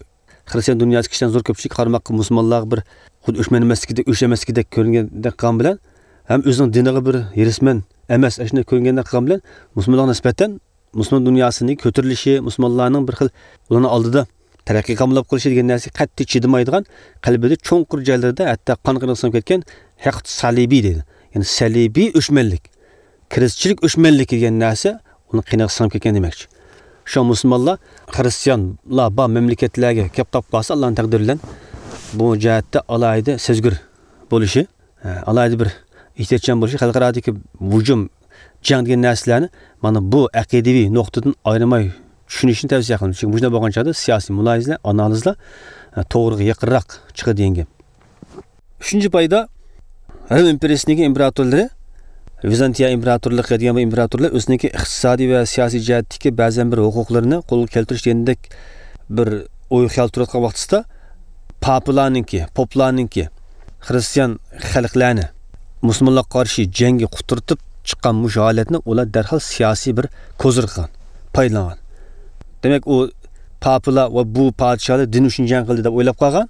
خرىستىيان دۇنياسى كىشىلەرنىڭ زور كۆپچىلىكى قارىماققا مۇسۇلمانلارغا بىر خۇددى ئۆچمەن ئەمەسلىكىدەك، ئۆچ ئەمەسلىكىدەك كۆرۈنگەندەك قىلغان بىلەن، ھەم ئۆزىنىڭ دىنىغا بىر ھېرىسمەن ئەمەس، ئاشۇنداق كۆرۈنگەندەك قىلغان بىلەن، مۇسۇلمانلارغا نىسبەتەن مۇسۇلمان دۇنياسىنىڭ كۆتۈرۈلۈشى، مۇسۇلمانلارنىڭ بىر خىل ئۇلارنىڭ ئالدىدا تەرەققىي قاملاپ قېلىشى دېگەن نەرسىگە قەتئىي چىدىمايدىغان، قەلبىدە چوڭقۇر جايلىرىدا ھەتتا قان قېنىغا سىڭىپ كەتكەن ھەقد سەلىبىي دەيدۇ. يەنى سەلىبىي ئۆچمەنلىك. كىرىسچىلىك ئۆچمەنلىكى دېگەن نەرسە ئۇنىڭ قېنىغا سىڭىپ كەتكەن دېمەكچى. شۇڭا مۇسۇلمانلار خرىستىيانلار بار مەملىكەتلەرگە كەپ قاپقالسا، ئاللانىڭ تەقدىرى بىلەن بۇ جەھەتتە ئالاھىدە سەزگۈر بولۇشى، ئالاھىدە بىر ئېھتىياتچان بولۇشى، خەلقئارادىكى ھۇجۇم، جەڭ دېگەن نەرسىلەرنى مانا بۇ ئەقىدىۋى نۇقتىدىن ئايرىماي چۈشىنىشنى تەۋسىيە قىلىمىز. چۈنكى مۇشۇنداق بولغان چاغدا سىياسىي مۇلاھىزىلەر، ئانالىزلار، ئە، توغرىغا يېقىنراق چىقىدۇ دېگەن گەپ. ئۈچىنچى پايدا، رىم ئىمپېرىيىسىنىڭكى ئىمپېراتورلىرى، ۋىزانتىيە ئىمپېراتورلۇقى دېگەن بۇ ئىمپېراتورلار ئۆزىنىڭكى ئىقتىسادىي ۋە سىياسىي جەھەتتىكى بەزەن بىر ھوقۇقلىرىنى قولغا كەلتۈرۈش دېگەندەك بىر ئوي خىيال تۇرۇۋاتقان ۋاقتىسىدا، پاپىلارنىڭكى، پوپلارنىڭكى، خرىستىيان خەلقلەرنى مۇسۇلمانلارغا قارشى جەڭگە قۇترىتىپ چىققان مۇشۇ ھالەتنى ئۇلار دەرھال سىياسىي بىر كوزىر قىلغان، پايدىلانغان. دېمەك، ئۇ پاپىلار ۋە بۇ پادىشاھلار دىن ئۈچۈن جەڭ قىلدى دەپ ئويلاپ قالغان.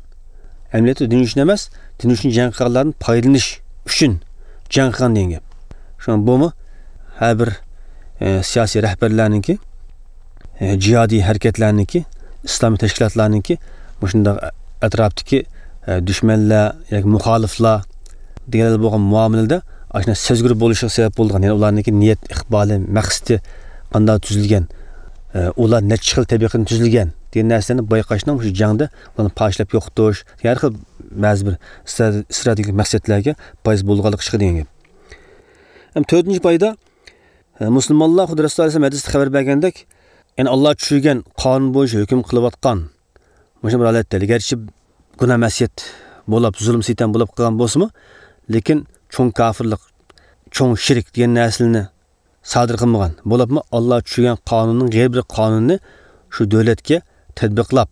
ئەمەلىيەتتە دىن ئۈچۈن ئەمەس، دىن ئۈچۈن جەڭ قىلغانلاردىن پايدىلىنىش ئۈچۈن جەڭ قىلغان دېگەن گەپ. شۇڭا بۇمۇ ھەر بىر، ئە، سىياسىي رەھبەرلەرنىڭكى، ئە، جىھادىي ھەرىكەتلەرنىڭكى، ئىسلامىي تەشكىلاتلارنىڭكى مۇشۇنداق ئەتراپتىكى، ئە، دۈشمەنلەر ياكى مۇخالىپلار دېگەنلەر بولغان مۇئامىلىدە ئاشۇنداق سەزگۈر بولۇشىغا سەۋەب بولىدىغان، يەنى ئۇلارنىڭكى نىيەت ئىقبالى، مەقسىتى قانداق تۈزۈلگەن، ئە، ئۇلار نەچچە خىل تەبىقىدىن تۈزۈلگەن دېگەن نەرسىلەرنى بايقاشنىڭ مۇشۇ جەڭدە ئۇلارنى پارچىلاپ يوقىتىش، ھەر خىل بەزى بىر ئىسترا-، ئىستراتېگىك مەقسەتلەرگە پايدىسى بولىدىغانلىقى چىقىدۇ دېگەن گەپ. ھەم تۆتىنچى پايدا، ئە، مۇسۇلمانلار خۇددى رەسۇلۇللاھ ئەلەيھىسسالام ھەدىستە خەۋەر بەرگەندەك، يەنى ئاللاھ چۈشۈرگەن قانۇن بويىچە ھۆكۈم قىلىۋاتقان مۇشۇ بىر ھالەتتە، گەرچە گۇناھ مەسىيەت بولۇپ، زۇلۇم سىتەم بولۇپ قالغان بولسىمۇ، لېكىن چوڭ كاپىرلىق، چوڭ شىرك دېگەن نەرسىلەرنى سادىر قىلمىغان، بولۇپمۇ ئاللاھ چۈشۈرگەن قانۇننىڭ غەيرىي بىر قانۇنىنى شۇ دۆلەتكە تەتبىقلاپ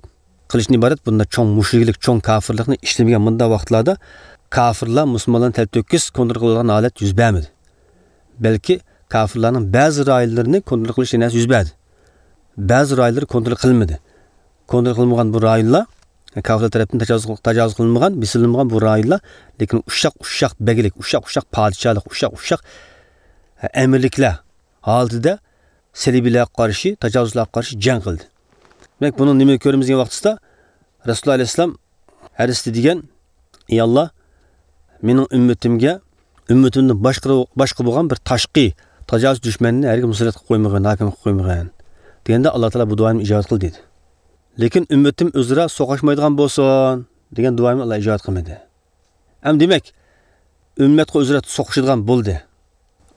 قىلىشتىن ئىبارەت بۇنداق چوڭ مۇشرىكلىق، چوڭ كاپىرلىقنى ئىشلىمىگەن مۇنداق ۋاقىتلاردا كاپىرلار مۇسۇلمانلارنى تەلتۆكۈس كونترول قىلىدىغان ھالەت يۈز بەرمىدى. بەلكى كاپىرلارنىڭ بەزى رايونلىرىنى كونترول قىلىش نەرسە يۈز بەردى. بەزى رايونلىرى كونترول قىلمىدى. كونترول قىلمىغان بۇ رايونلار، كاپىرلار تەرەپتىن تاجاۋۇز، تاجاۋۇز قىلىنمىغان، بېسىلمىغان بۇ رايونلار، لېكىن ئۇششاق، ئۇششاق بەگلىك، ئۇششاق، ئۇششاق پادىشاھلىق، ئۇششاق، ئۇششاق ئەمىرلىكلەر ھالىتىدە سەلىبىيلەرگە قارشى، تاجاۋۇزچىلارغا قارشى جەڭ قىلدى. دېمەك، بۇنىڭ نېمىگە كۆرىمىز دېگەن ۋاقتىسىدا، رەسۇلۇللاھ ئەلەيھىسسالام ھەدىستە دېگەن، ئى ئاللاھ، مېنىڭ ئۈممىتىمگە، ئۈممىتىمدىن باشقا، باشقا بولغان بىر تاشقى تاجاۋۇزچى دۈشمەننى ھەرگىز مۇسەللەت قىلىپ قويمىغىن، ھاكىم قىلىپ قويمىغىن، دېگەندە، ئاللا تائالا بۇ دۇئانى ئىجابەت قىلدى دېدى. لېكىن ئۈممىتىم ئۆزئارا سوقۇشمايدىغان بولسۇن دېگەن دۇئانى ئاللا ئىجابەت قىلمىدى. ئەمدى دېمەك، ئۈممەتقە ئۆزئارا سوقۇشىدىغان بولدى.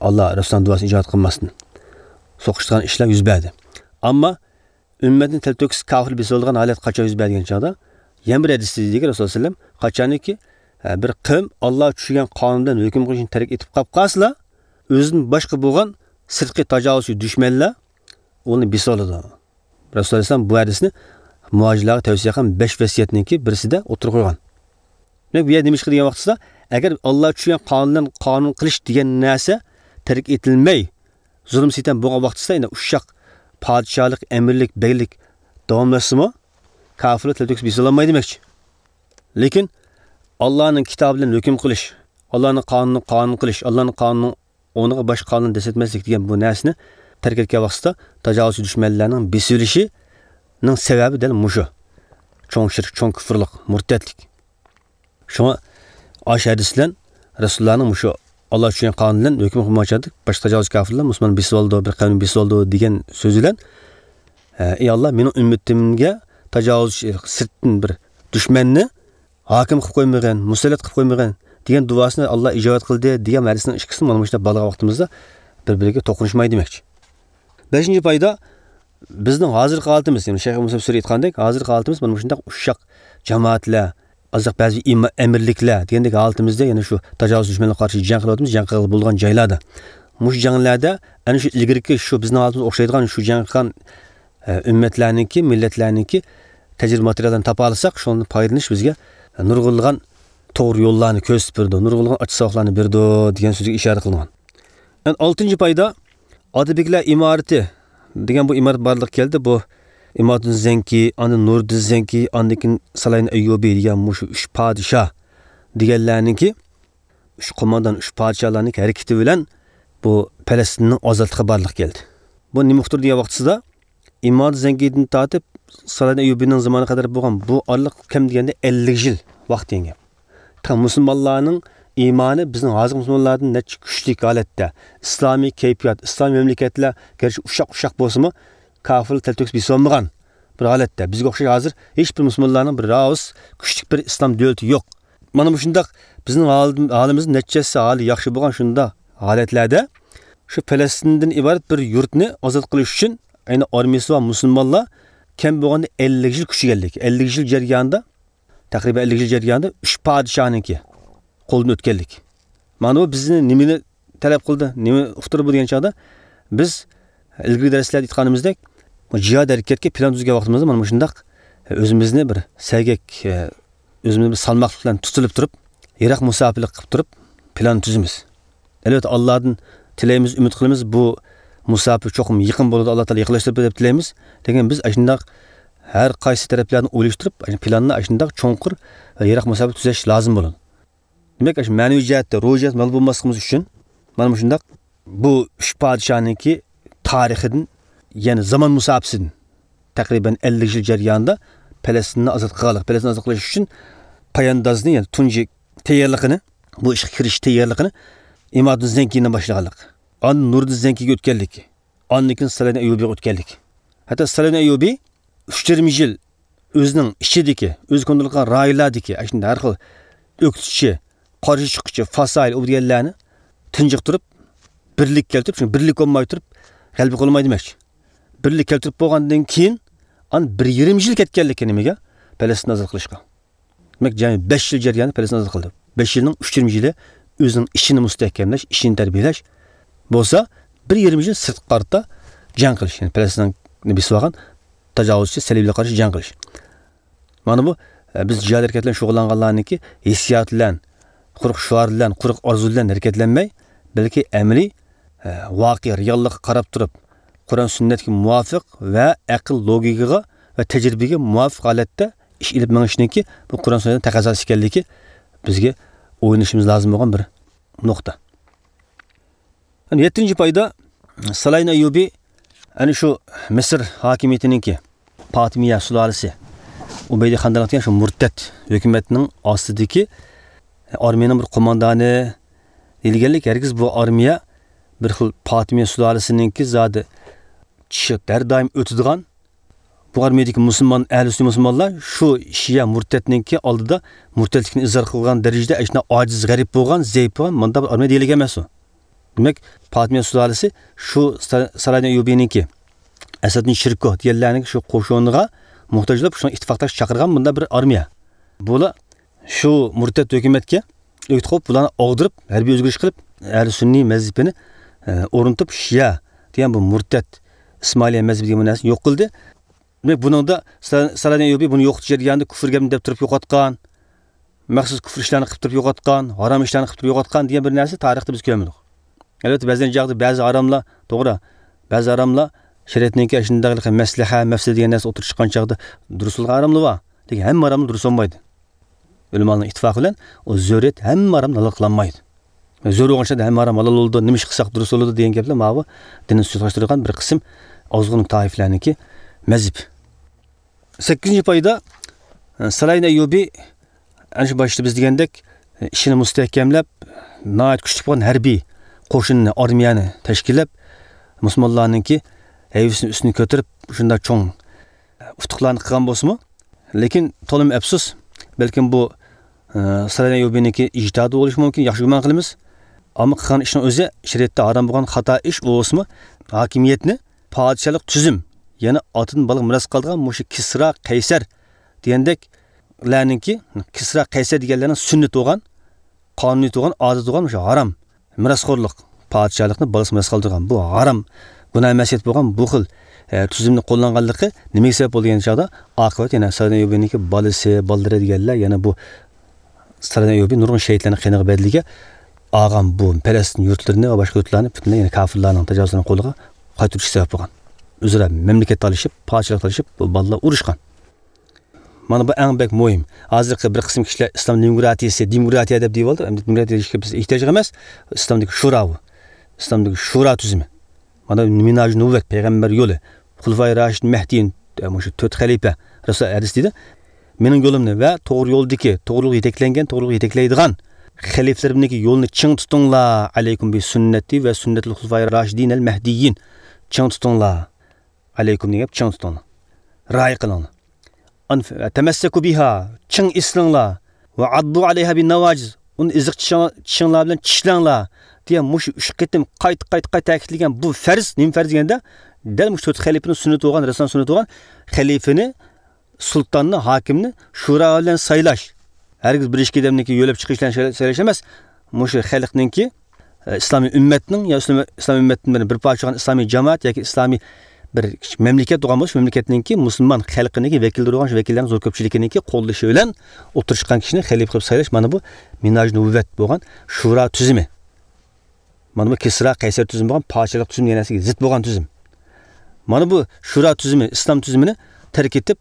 ئاللا رەسۇلنىڭ دۇئاسىنى ئىجابەت قىلماستىن سوقۇشىدىغان ئىشلار يۈز بەردى. ئەمما ئۈممەتنى تەلتۆكۈس كاپىر بېسىۋالىدىغان ھالەت قاچان يۈز بەردى دېگەن چاغدا، يەنە بىر ھەدىستە دېدىكى، رەسۇلۇللا سەللەللاھۇ ئەلەيھى ۋەسەللەم، قاچانكى، ئە، بىر قەۋم ئاللا چۈشۈرگەن قانۇن بىلەن ھۆكۈم قىلىشنى تەرك ئېتىپ قاپ قالسىلا، ئۆزىدىن باشقا بولغان سىرتقى تاجاۋۇزچى دۈشمەنلەر ئۇنى بېسىۋالىدۇ. رەسۇلۇللا ئەلەيھىسسالام بۇ ھەدىسنى مۇھاجىرلارغا تەۋسىيە قىلغان بەش ۋەسىيەتنىڭكى بىرسىدە ئوتتۇرىغا قويغان. دېمەك، بۇ يەردە نېمە ئىش قىلدى دېگەن ۋاقتىسىدا، ئەگەر ئاللا چۈشۈرگەن قانۇن بىلەن قانۇن قىلىش دېگەن نەرسە تەرك ئېتىلمەي، زۇلۇم سىتەم بولغان ۋاقتىسىدا، يەنە ئۇششاق پادىشاھلىق، ئەمىرلىك، بەگلىك داۋاملاشسىمۇ، كاپىرلار تەلتۆكۈس بېسىۋالالمايدۇ دېمەكچى. لېكىن ئاللانىڭ كىتابى بىلەن ھۆكۈم قىلىش، ئاللانىڭ قانۇنىنى قانۇن قىلىش، ئاللانىڭ قانۇنىنىڭ ئورنىغا باشقا قانۇن دەسسەتمەسلىك دېگەن بۇ نەرسىنى تەرك ئەتكەن ۋاقتىسىدا تاجاۋۇزچى دۈشمەنلەرنىڭ بېسىۋېلىشىنىڭ سەۋەبى دەل مۇشۇ. چوڭ شىرك، چوڭ كۇفرلۇق، مۇرتەتلىك. شۇڭا ئاشۇ ھەدىس بىلەن رەسۇلۇللانىڭ مۇشۇ ئاللا چۈشۈرگەن قانۇن بىلەن ھۆكۈم قىلمايچاقتى، باشقا تاجاۋۇزچى كاپىرلار مۇسۇلماننى بېسىۋالىدۇ، بىر قەۋمنى بېسىۋالىدۇ دېگەن سۆزى بىلەن، ئە، ئى ئاللا، مېنىڭ ئۈممىتىمگە تاجاۋۇزچى، سىرتتىن بىر دۈشمەننى ھاكىم قىلىپ قويمىغىن، مۇسەللەت قىلىپ قويمىغىن دېگەن دۇئاسىنى ئاللا ئىجابەت قىلدى دېگەن ھەدىسنىڭ ئىككىسىنى مانا مۇشۇنداق باغلىغان ۋاقتىمىزدا بىر-بىرىگە توقۇنۇشمايدۇ دېمەكچى. بەشىنچى پايدا، بىزنىڭ ھازىرقى ھالىتىمىز، يەنى شەيخ مۇسا سۈرى ئېيتقاندەك، ھازىرقى ھالىتىمىز مانا مۇشۇنداق ئۇششاق جامائەتلەر، ئازراق بەزى ئىما-، ئەمىرلىكلەر دېگەندەك ھالىتىمىزدە، يەنە شۇ تاجاۋۇز دۈشمەنلەرگە قارشى جەڭ قىلىۋاتىمىز، جەڭ قىلغىلى بولىدىغان جايلاردا. مۇشۇ جەڭلەردە ئەنە شۇ ئىلگىرىكى شۇ بىزنىڭ ھالىتىمىزغا ئوخشايدىغان شۇ جەڭ قىلغان، ئە، ئۈممەتلەرنىڭكى، مىللەتلەرنىڭكى تەجرىبە ماتېرىياللىرىنى تاپالىساق، شۇنىڭدىن پايدىلىنىش بىزگە نۇرغۇنلىغان توغرا يوللارنى كۆرسىتىپ بېرىدۇ، نۇرغۇنلىغان ئاچچىق ساۋاقلارنى بېرىدۇ دېگەن سۆزگە ئىشارە قىلىنغان. يەنى ئالتىنچى پايدا، ئاتىبېگلەر ئىمارىتى دېگەن بۇ ئىمارەت بارلىققا كەلدى. بۇ ئىمادۇددىن زەنكى، ئاندىن نۇرىدىن زەنكى، ئاندىن كېيىن سالاھىدىن ئەييۇبى دېگەن مۇشۇ ئۈچ پادىشاھ دېگەنلەرنىڭكى، ئۈچ قوماندان، ئۈچ پادىشاھلارنىڭكى ھەرىكىتى بىلەن بۇ پەلەستىننىڭ ئازادلىقى بارلىققا كەلدى. بۇ نېمە ئۇقتۇردى دېگەن ۋاقتىسىدا، ئىمادۇددىن زەنكىدىن تارتىپ سالاھىدىن ئەييۇبىنىڭ زامانىغا قەدەر بولغان بۇ ئارىلىق كەم دېگەندە ئەللىك يىل ۋاقىت دېگەن گەپ. تا مۇسۇلمانلارنىڭ ئىمانى بىزنىڭ ھازىرقى مۇسۇلمانلاردىن نەچچە كۈچلۈك ھالەتتە، ئىسلامىي كەيپىيات، ئىسلامىي مەملىكەتلەر گەرچە ئۇششاق-ئۇششاق بولسىمۇ، كاپىرلار تەلتۆكۈس بېسىۋالمىغان بىر ھالەتتە. بىزگە ئوخشاش ھازىر ھېچبىر مۇسۇلمانلارنىڭ بىر راۋۇس كۈچلۈك بىر ئىسلام دۆلىتى يوق. مانا مۇشۇنداق بىزنىڭ ھال-، ھالىمىز نەچچە ھەسسە ھالى ياخشى بولغان شۇنداق ھالەتلەردە شۇ پەلەستىندىن ئىبارەت بىر يۇرتنى ئازاد قىلىش ئۈچۈن ئەينى ئارمىيىسى بار مۇسۇلمانلار كەم بولغاندا ئەللىك يىل كۈچىگەنلىك، ئەللىك يىل جەريانىدا، تەقرىبەن ئەللىك يىل جەريانىدا ئۈچ پادىشاھنىڭكى قولىدىن ئۆتكەنلىك. مانا بۇ بىزنى نېمىنى تەلەپ قىلدى، نېمە ئۇقتۇردى بۇ دېگەن چاغدا، بىز ئىلگىرىكى دەرسلەردە ئېيتقىنىمىزدەك، جىھاد ھەرىكەتكە پىلان تۈزگەن ۋاقتىمىزدا مانا مۇشۇنداق ئۆزىمىزنى بىر سەگەك، ئۆزىمىزنى بىر سالماقلىق بىلەن تۇتۇلۇپ تۇرۇپ، يىراق مۇساپىلىك قىلىپ تۇرۇپ پىلان تۈزىمىز. ئەلۋەتتە، ئاللادىن تىلەيمىز، ئۈمىد قىلىمىز، بۇ مۇساپە چوقۇم يېقىن بولىدۇ، ئاللا تائالا يېقىنلاشتۇرۇپ بېرىدۇ دەپ تىلەيمىز. لېكىن بىز ئاشۇنداق ھەر قايسى تەرەپلەرنى ئويلاشتۇرۇپ، پىلاننى ئاشۇنداق چوڭقۇر ۋە يىراق مۇساپە تۈزەش لازىم بولىدۇ. دېمەك، ئاشۇ مەنىۋى جەھەتتە، روھىي جەھەتتە مەغلۇپ بولماسلىقىمىز ئۈچۈن، مانا مۇشۇنداق بۇ ئۈچ پادىشاھنىڭكى تارىخىدىن، يەنى زامان مۇساپىسىدىن تەقرىبەن ئەللىك يىل جەريانىدا پەلەستىننى ئازاد قىلغانلىق، پەلەستىننى ئازاد قىلىش ئۈچۈن پاياندازنى، يەنى تۇنجى تەييارلىقىنى، بۇ ئىشقا كىرىشىش تەييارلىقىنى ئىمادۇددىن زەنكىدىن باشلىغانلىق، ئاندىن نۇرىدىن زەنكىگە ئۆتكەنلىك، ئاندىن كېيىن سالاھىدىن ئەييۇبىغا ئۆتكەنلىك. ھەتتا سالاھىدىن ئەييۇبى ئۈچ يېرىم يىل ئۆزىنىڭ ئىچىدىكى، ئۆزى كونترول قىلغان رايونلاردىكى ئاشۇنداق ھەر خىل ئۆكتىچى، قارشى چىققۇچى، فاسايىل ئۇ دېگەنلەرنى تىنجىقتۇرۇپ، بىرلىك كەلتۈرۈپ، چۈنكى بىرلىك بولماي تۇرۇپ غەلىبە قىلالمايدۇ دېمەكچى. بىرلىك كەلتۈرۈپ بولغاندىن كېيىن، ئاندىن بىر يېرىم يىل كەتكەنلىكى نېمىگە؟ پەلەستىننى ئازاد قىلىشقا. دېمەك، جەمئىي بەش يىل جەريانى پەلەستىن ئازاد قىلدى. بەش يىلنىڭ ئۈچ يېرىم يىلى ئۆزىنىڭ ئىچىنى مۇستەھكەملەش، ئىچىنى تەربىيەلەش بولسا، بىر يېرىم يىل سىرتقا قارىتا جەڭ قىلىش، يەنى پەلەستىننى بېسىپ ئالغان تاجاۋۇزچى سەلىبىلەرگە قارشى جەڭ قىلىش. مانا بۇ، ئە، بىز جىھاد ھەرىكەت بىلەن شۇغۇللانغانلارنىڭكى ھېسسىيات بىلەن، قۇرۇق شوئار بىلەن، قۇرۇق ئارزۇ بىلەن ھەرىكەتلەنمەي، بەلكى ئەمەلىي، ئە، ۋاقىئە، رېئاللىققا قاراپ تۇرۇپ، قۇرئان سۈننەتكە مۇۋاپىق ۋە ئەقىل لوگىكىغا ۋە تەجرىبىگە مۇۋاپىق ھالەتتە ئىش ئېلىپ مېڭىشنىڭكى بۇ قۇرئان سۈننەتنىڭ تەقەززاسى ئىكەنلىكى بىزگە ئويلىنىشىمىز لازىم بولغان بىر نۇقتا. يەتتىنچى پايدا، سالاھىدىن ئەييۇبى ئەنە شۇ مىسىر ھاكىمىيىتىنىڭكى پاتىمىيە سۇلالىسى ئۇبەيدى خاندانلىق دېگەن شۇ مۇرتەت ھۆكۈمەتنىڭ ئاستىدىكى ئارمىيەنىڭ بىر قوماندانى دېيىلگەنلىك، ھەرگىز بۇ ئارمىيە بىر خىل پاتىمىيە سۇلالىسىنىڭكى زادى چىشى ھەر دائىم ئۆتىدىغان، بۇ ئارمىيەدىكى مۇسۇلمان، ئەھلى سۈننە مۇسۇلمانلار شۇ شىئە مۇرتەتنىڭكى ئالدىدا مۇرتەتلىكنى ئىزھار قىلغان دەرىجىدە ئەشۇنداق ئاجىز، غەرىب بولغان، زەئىپ بولغان مۇنداق بىر ئارمىيە دېيىلگەن ئەمەس ئۇ. دېمەك، پاتىمىيە سۇلالىسى شۇ سا-، سالاھىدىن ئەييۇبىنىڭكى، ئەسەدۇددىن شىركو دېگەنلەرنىڭ شۇ قوشۇنىغا موھتاج بولۇپ، شۇنىڭ ئىتتىپاقداش چاقىرغان مۇنداق بىر ئارمىيە. بۇلار شۇ مۇرتەت ھۆكۈمەتكە ئۆكتە قويۇپ، بۇلارنى ئاغدۇرۇپ، ھەربىي ئۆزگىرىش قىلىپ، ئەھلى سۈننىي مەزھىپىنى، ئە، ئورنىتىپ، شىئە دېگەن بۇ مۇرتەت ئىسمائىلىيە مەزھىپى دېگەن بۇ نەرسىنى يوق قىلدى. دېمەك، بۇنىڭدا سا-، سالاھىدىن ئەييۇبى بۇنى يوقىتىش جەريانىدا كۇفر گەپنى دەپ تۇرۇپ يوقاتقان، مەخسۇس كۇفر ئىشلارنى قىلىپ تۇرۇپ يوقاتقان، ھارام ئىشلارنى قىلىپ تۇرۇپ يوقاتقان دېگەن بىر نەرسە تارىختا بىز كۆرمىدۇق. ئەلۋەتتە، بەزى چاغدا بەزى ھاراملار، توغرا، بەزى ھاراملار شەرىئەتنىڭكى ئاشۇنداق مەسلىھە، مەفسىدە دېگەن نەرسە ئوتتۇرىغا چىققان چاغدا دۇرۇس بولغان ھاراملار بار. لېكىن ھەممە ھاراملار دۇرۇس بولمايدۇ. ئۆلىمالارنىڭ ئىتتىپاقى بىلەن ئۇ زۆرۈرىيەت ھەممە ھارامنى ھالال قىلالمايدۇ. زۆرۈر بولغان چاغدا ھەممە ھارام ھالال بولىدۇ، نېمە ئىش قىلساق دۇرۇس بولىدۇ دېگەن گەپلەر ماۋۇ دىننى سۇسلاشتۇرىدىغان بىر قىسىم ئازغۇن تائىپىلەرنىڭكى مەزھىپى. سەككىزىنچى پايدا، سالاھىدىن ئەييۇبى، ئەنە شۇ باشتا بىز دېگەندەك، ئىشىنى مۇستەھكەملەپ، ناھايىتى كۈچلۈك بولغان ھەربىي قوشۇننى، ئارمىيەنى تەشكىللەپ، مۇسۇلمانلارنىڭكى ھەيۋىسىنى ئۈستۈنگە كۆتۈرۈپ، شۇنداق چوڭ ئۇتۇقلارنى قىلغان بولسىمۇ، لېكىن تولىمۇ ئەپسۇس، بەلكىم بۇ، ئە، سالاھىدىن ئەييۇبىنىڭكى ئىجتىھادى بولۇشى مۇمكىن، ياخشى گۇمان قىلىمىز. ئەمما قىلغان ئىشنىڭ ئۆزى شەرىئەتتە ھارام بولغان خاتا ئىش بولسىمۇ، ھاكىمىيەتنى پادىشاھلىق تۈزۈم، يەنى ئاتىدىن بالىغا مىراس قالىدىغان مۇشۇ كىسرا، قەيسەر دېگەندەكلەرنىڭكى، كىسرا، قەيسەر دېگەنلەرنىڭ سۈننىتى بولغان، قانۇنىيىتى بولغان، ئادىتى بولغان مۇشۇ ھارام مىراسخورلۇق، پادىشاھلىقنى بالىسىغا مىراس قالدۇرغان بۇ ھارام، گۇناھ مەسىيەت بولغان بۇ خىل، ئە، تۈزۈمنى قوللانغانلىقى نېمىگە سەۋەب بولدى دېگەن چاغدا، ئاقىۋەت يەنە سالاھىدىن ئەييۇبىنىڭكى بالىسى، بالىلىرى دېگەنلەر يەنە بۇ سالاھىدىن ئەييۇبى نۇرغۇن شېھىتلەرنىڭ قېنىغا بەدىلىگە ئالغان بۇ پەلەستىن يۇرتلىرىنى ۋە باشقا يۇرتلارنى پۈتۈنلەي يەنە كافىرلارنىڭ تاجاۋۇزلىرىنىڭ قولىغا قايتۇرۇشقا سەۋەب بولغان. ئۆزئارا مەملىكەت تالىشىپ، پادىشاھلىق تالىشىپ، بۇ بالىلار ئۇرۇشقان. مانا بۇ ئەڭ بەك مۇھىم. ھازىرقى بىر قىسىم كىشىلەر ئىسلام دېموكراتىيىسى، دېموكراتىيە دەپ دېيىۋالدى. ئەمدى دېموكراتىيە دېيىشكە بىز ئېھتىياج يوق ئەمەس. ئىسلامدىكى شورا بۇ. ئىسلامدىكى شورا تۈزۈمى. مانا مىنھاج نۇبۇۋۋەت، پەيغەمبەر يولى، خۇلىفائى راشىدىن مەھدىيىن، مۇشۇ تۆت خەلىپە، رەسۇل ھەدىس دېدى. مېنىڭ يولۇمنى ۋە توغرا يولدىكى، توغرىلىققا يېتەكلەنگەن، توغرىلىققا يېتەكلەيدىغان خەلىپىلىرىمنىڭكى يولىنى چىڭ تۇتۇڭلار. ئەلەيكۇم بى سۈننەتى ۋە سۈننەتىل خۇلىفائى راشىدىن ئەل مەھدىيىن. چىڭ تۇتۇڭلار. ئەلەيكۇم دېگەن گەپ چىڭ تۇتۇڭلار. رىئايە قىلىڭلار. ئەن-، تەمەسسەكۇ بىھا، چىڭ ئېسىلىڭلار. ۋە ئەززۇ ئەلەيھا بىن نەۋاجىز، ئۇنى ئېزىق چىشىڭ-، چىشىڭلار بىلەن چىشلەڭلار دېگەن مۇشۇ ئۈچ قېتىم قايتا، قايتا، قايتا تەكىتلىگەن بۇ پەرز، نېمە پەرز دېگەندە، دەل مۇشۇ تۆت خەلىپىنىڭ سۈننىتى بولغان، رەسۇلۇللانىڭ سۈننىتى بولغان، خەلىپىنى، سۇلتاننى، ھاكىمنى شورا بىلەن سايلاش. ھەرگىز بىر ئىككى ئادەمنىڭكى يۆلەپ چىقىش بىلەن سايلاش ئەمەس. مۇشۇ خەلقنىڭكى ئىسلامىي ئۈممەتنىڭ يا ئىسلام، ئىسلام ئۈممەتتىن بىر، بىر پارچە بولغان ئىسلامىي جامائەت ياكى ئىسلامىي بىر مەملىكەت بولغان بولسا، شۇ مەملىكەتنىڭكى مۇسۇلمان خەلقىنىڭكى ۋەكىللىرى بولغان، شۇ ۋەكىللەرنىڭ زور كۆپچىلىكىنىڭكى قوللىشى بىلەن ئوتتۇرىغا چىققان كىشىنى خەلىپە قىلىپ سايلاش، مانا بۇ مىنھاج نۇبۇۋۋەت بولغان شورا تۈزۈمى. مانا بۇ كىسرا، قەيسەر تۈزۈمى بولغان پادىشاھلىق تۈزۈمى دېگەن نەرسىگە زىت بولغان تۈزۈم. مانا بۇ شورا تۈزۈمى، ئىسلام تۈزۈمىنى تەرك ئېتىپ،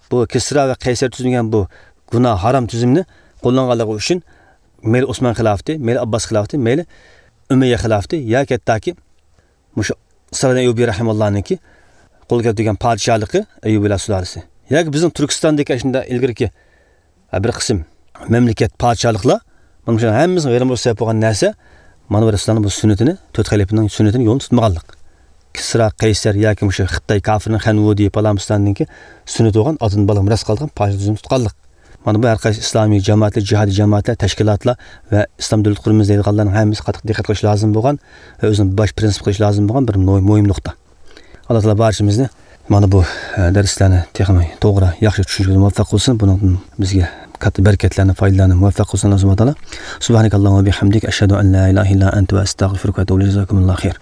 بۇ كىسرا ۋە قەيسەر تۈزۈمى دېگەن بۇ گۇناھ، ھارام تۈزۈمنى قوللانغانلىقى ئۈچۈن مەيلى ئوسمان خىلاپىتى، مەيلى ئابباس خىلاپىتى، مەيلى ئۇمەييە خىلاپىتى ياكى ھەتتاكى مۇشۇ سالاھىدىن ئەييۇبى رەھىمەللانىڭكى قولغا كەلتۈرگەن پادىشاھلىقى، ئەييۇبىلار سۇلالىسى ياكى بىزنىڭ تۈركىستاندىكى ئاشۇنداق ئىلگىرىكى ھە، بىر قىسىم مەملىكەت، پادىشاھلىقلار، مانا شۇنىڭ ھەممىسىنىڭ ۋەيران بولۇشىغا سەۋەب بولغان نەرسە، مانا بۇ رەسۇلۇللانىڭ بۇ سۈننىتىنى، تۆت خەلىپىنىڭ سۈننىتىنى يولىنى تۇتمىغانلىق. كىسرا، قەيسەر ياكى مۇشۇ خىتاي كافىرنىڭ خەنۋۇدى، پالان پۇستاننىڭكى سۈننىتى بولغان ئاتىدىن بالىغا مىراس قالىدىغان پادىشاھلىق تۈزۈمىنى تۇتقانلىق. مانا بۇ ھەر قايسى ئىسلامىي جامائەتلەر، جىھادىي جامائەتلەر، تەشكىلاتلار ۋە ئىسلام دۆلىتى قۇرىمىز دەيدىغانلارنىڭ ھەممىسى قاتتىق دىققەت قىلىشى لازىم بولغان ۋە ئۆزىنىڭ باش پىرىنسىپ قىلىشى لازىم بولغان بىر مۇ-، مۇھىم نۇقتا. ئاللا تائالا بارچىمىزنى مانا بۇ، ئە، دەرسلەرنى تېخىمۇ توغرا، ياخشى چۈشىنىشكە مۇۋەپپەق قىلسۇن. بۇنىڭدىن بىزگە كاتتا بەرىكەتلەرنى، پايدىلارنى مۇۋەپپەق قىلسۇن ئاللا سۇبھانەھۇ ۋە تائالا. سۇبھانەكاللاھۇممە ۋە بىھەمدىك، ئەشھەدۇ ئەن لا ئىلاھە ئىللا ئەنتە ۋە ئەستەغفىرۇكە ۋە ئەتۇبۇ ئىلەيك. جازاكۇمۇللاھۇ خەير.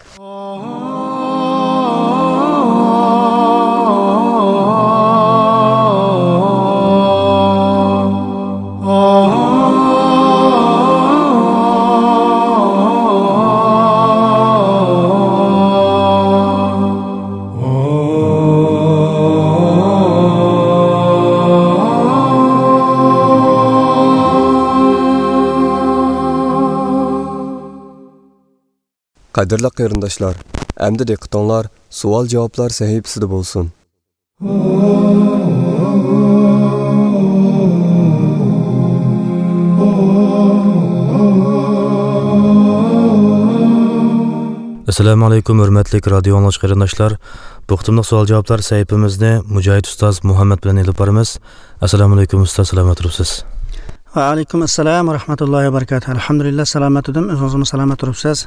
قەدىرلىك قېرىنداشلار، ئەمدى دىققىتىڭلار سوئال-جاۋابلار سەھىپىسىدە بولسۇن. ئەسسالامۇ ئەلەيكۇم، ھۆرمەتلىك رادىيو ئاڭلىغۇچى قېرىنداشلار. بۇ قېتىملىق سوئال-جاۋابلار سەھىپىمىزنى مۇجاھىد ئۇستاز مۇھەممەد بىلەن ئېلىپ بارىمىز. ئەسسالامۇ ئەلەيكۇم ئۇستاز، سالامەت تۇرۇپسىز؟ ۋەئەلەيكۇم ئەسسالام ۋە رەھمەتۇللاھى ۋە بەرىكاتۇھ. ئەلھەمدۇلىللا، سالامەت تۇردۇم. ئۆزىڭىزمۇ سالامەت تۇرۇپسىز؟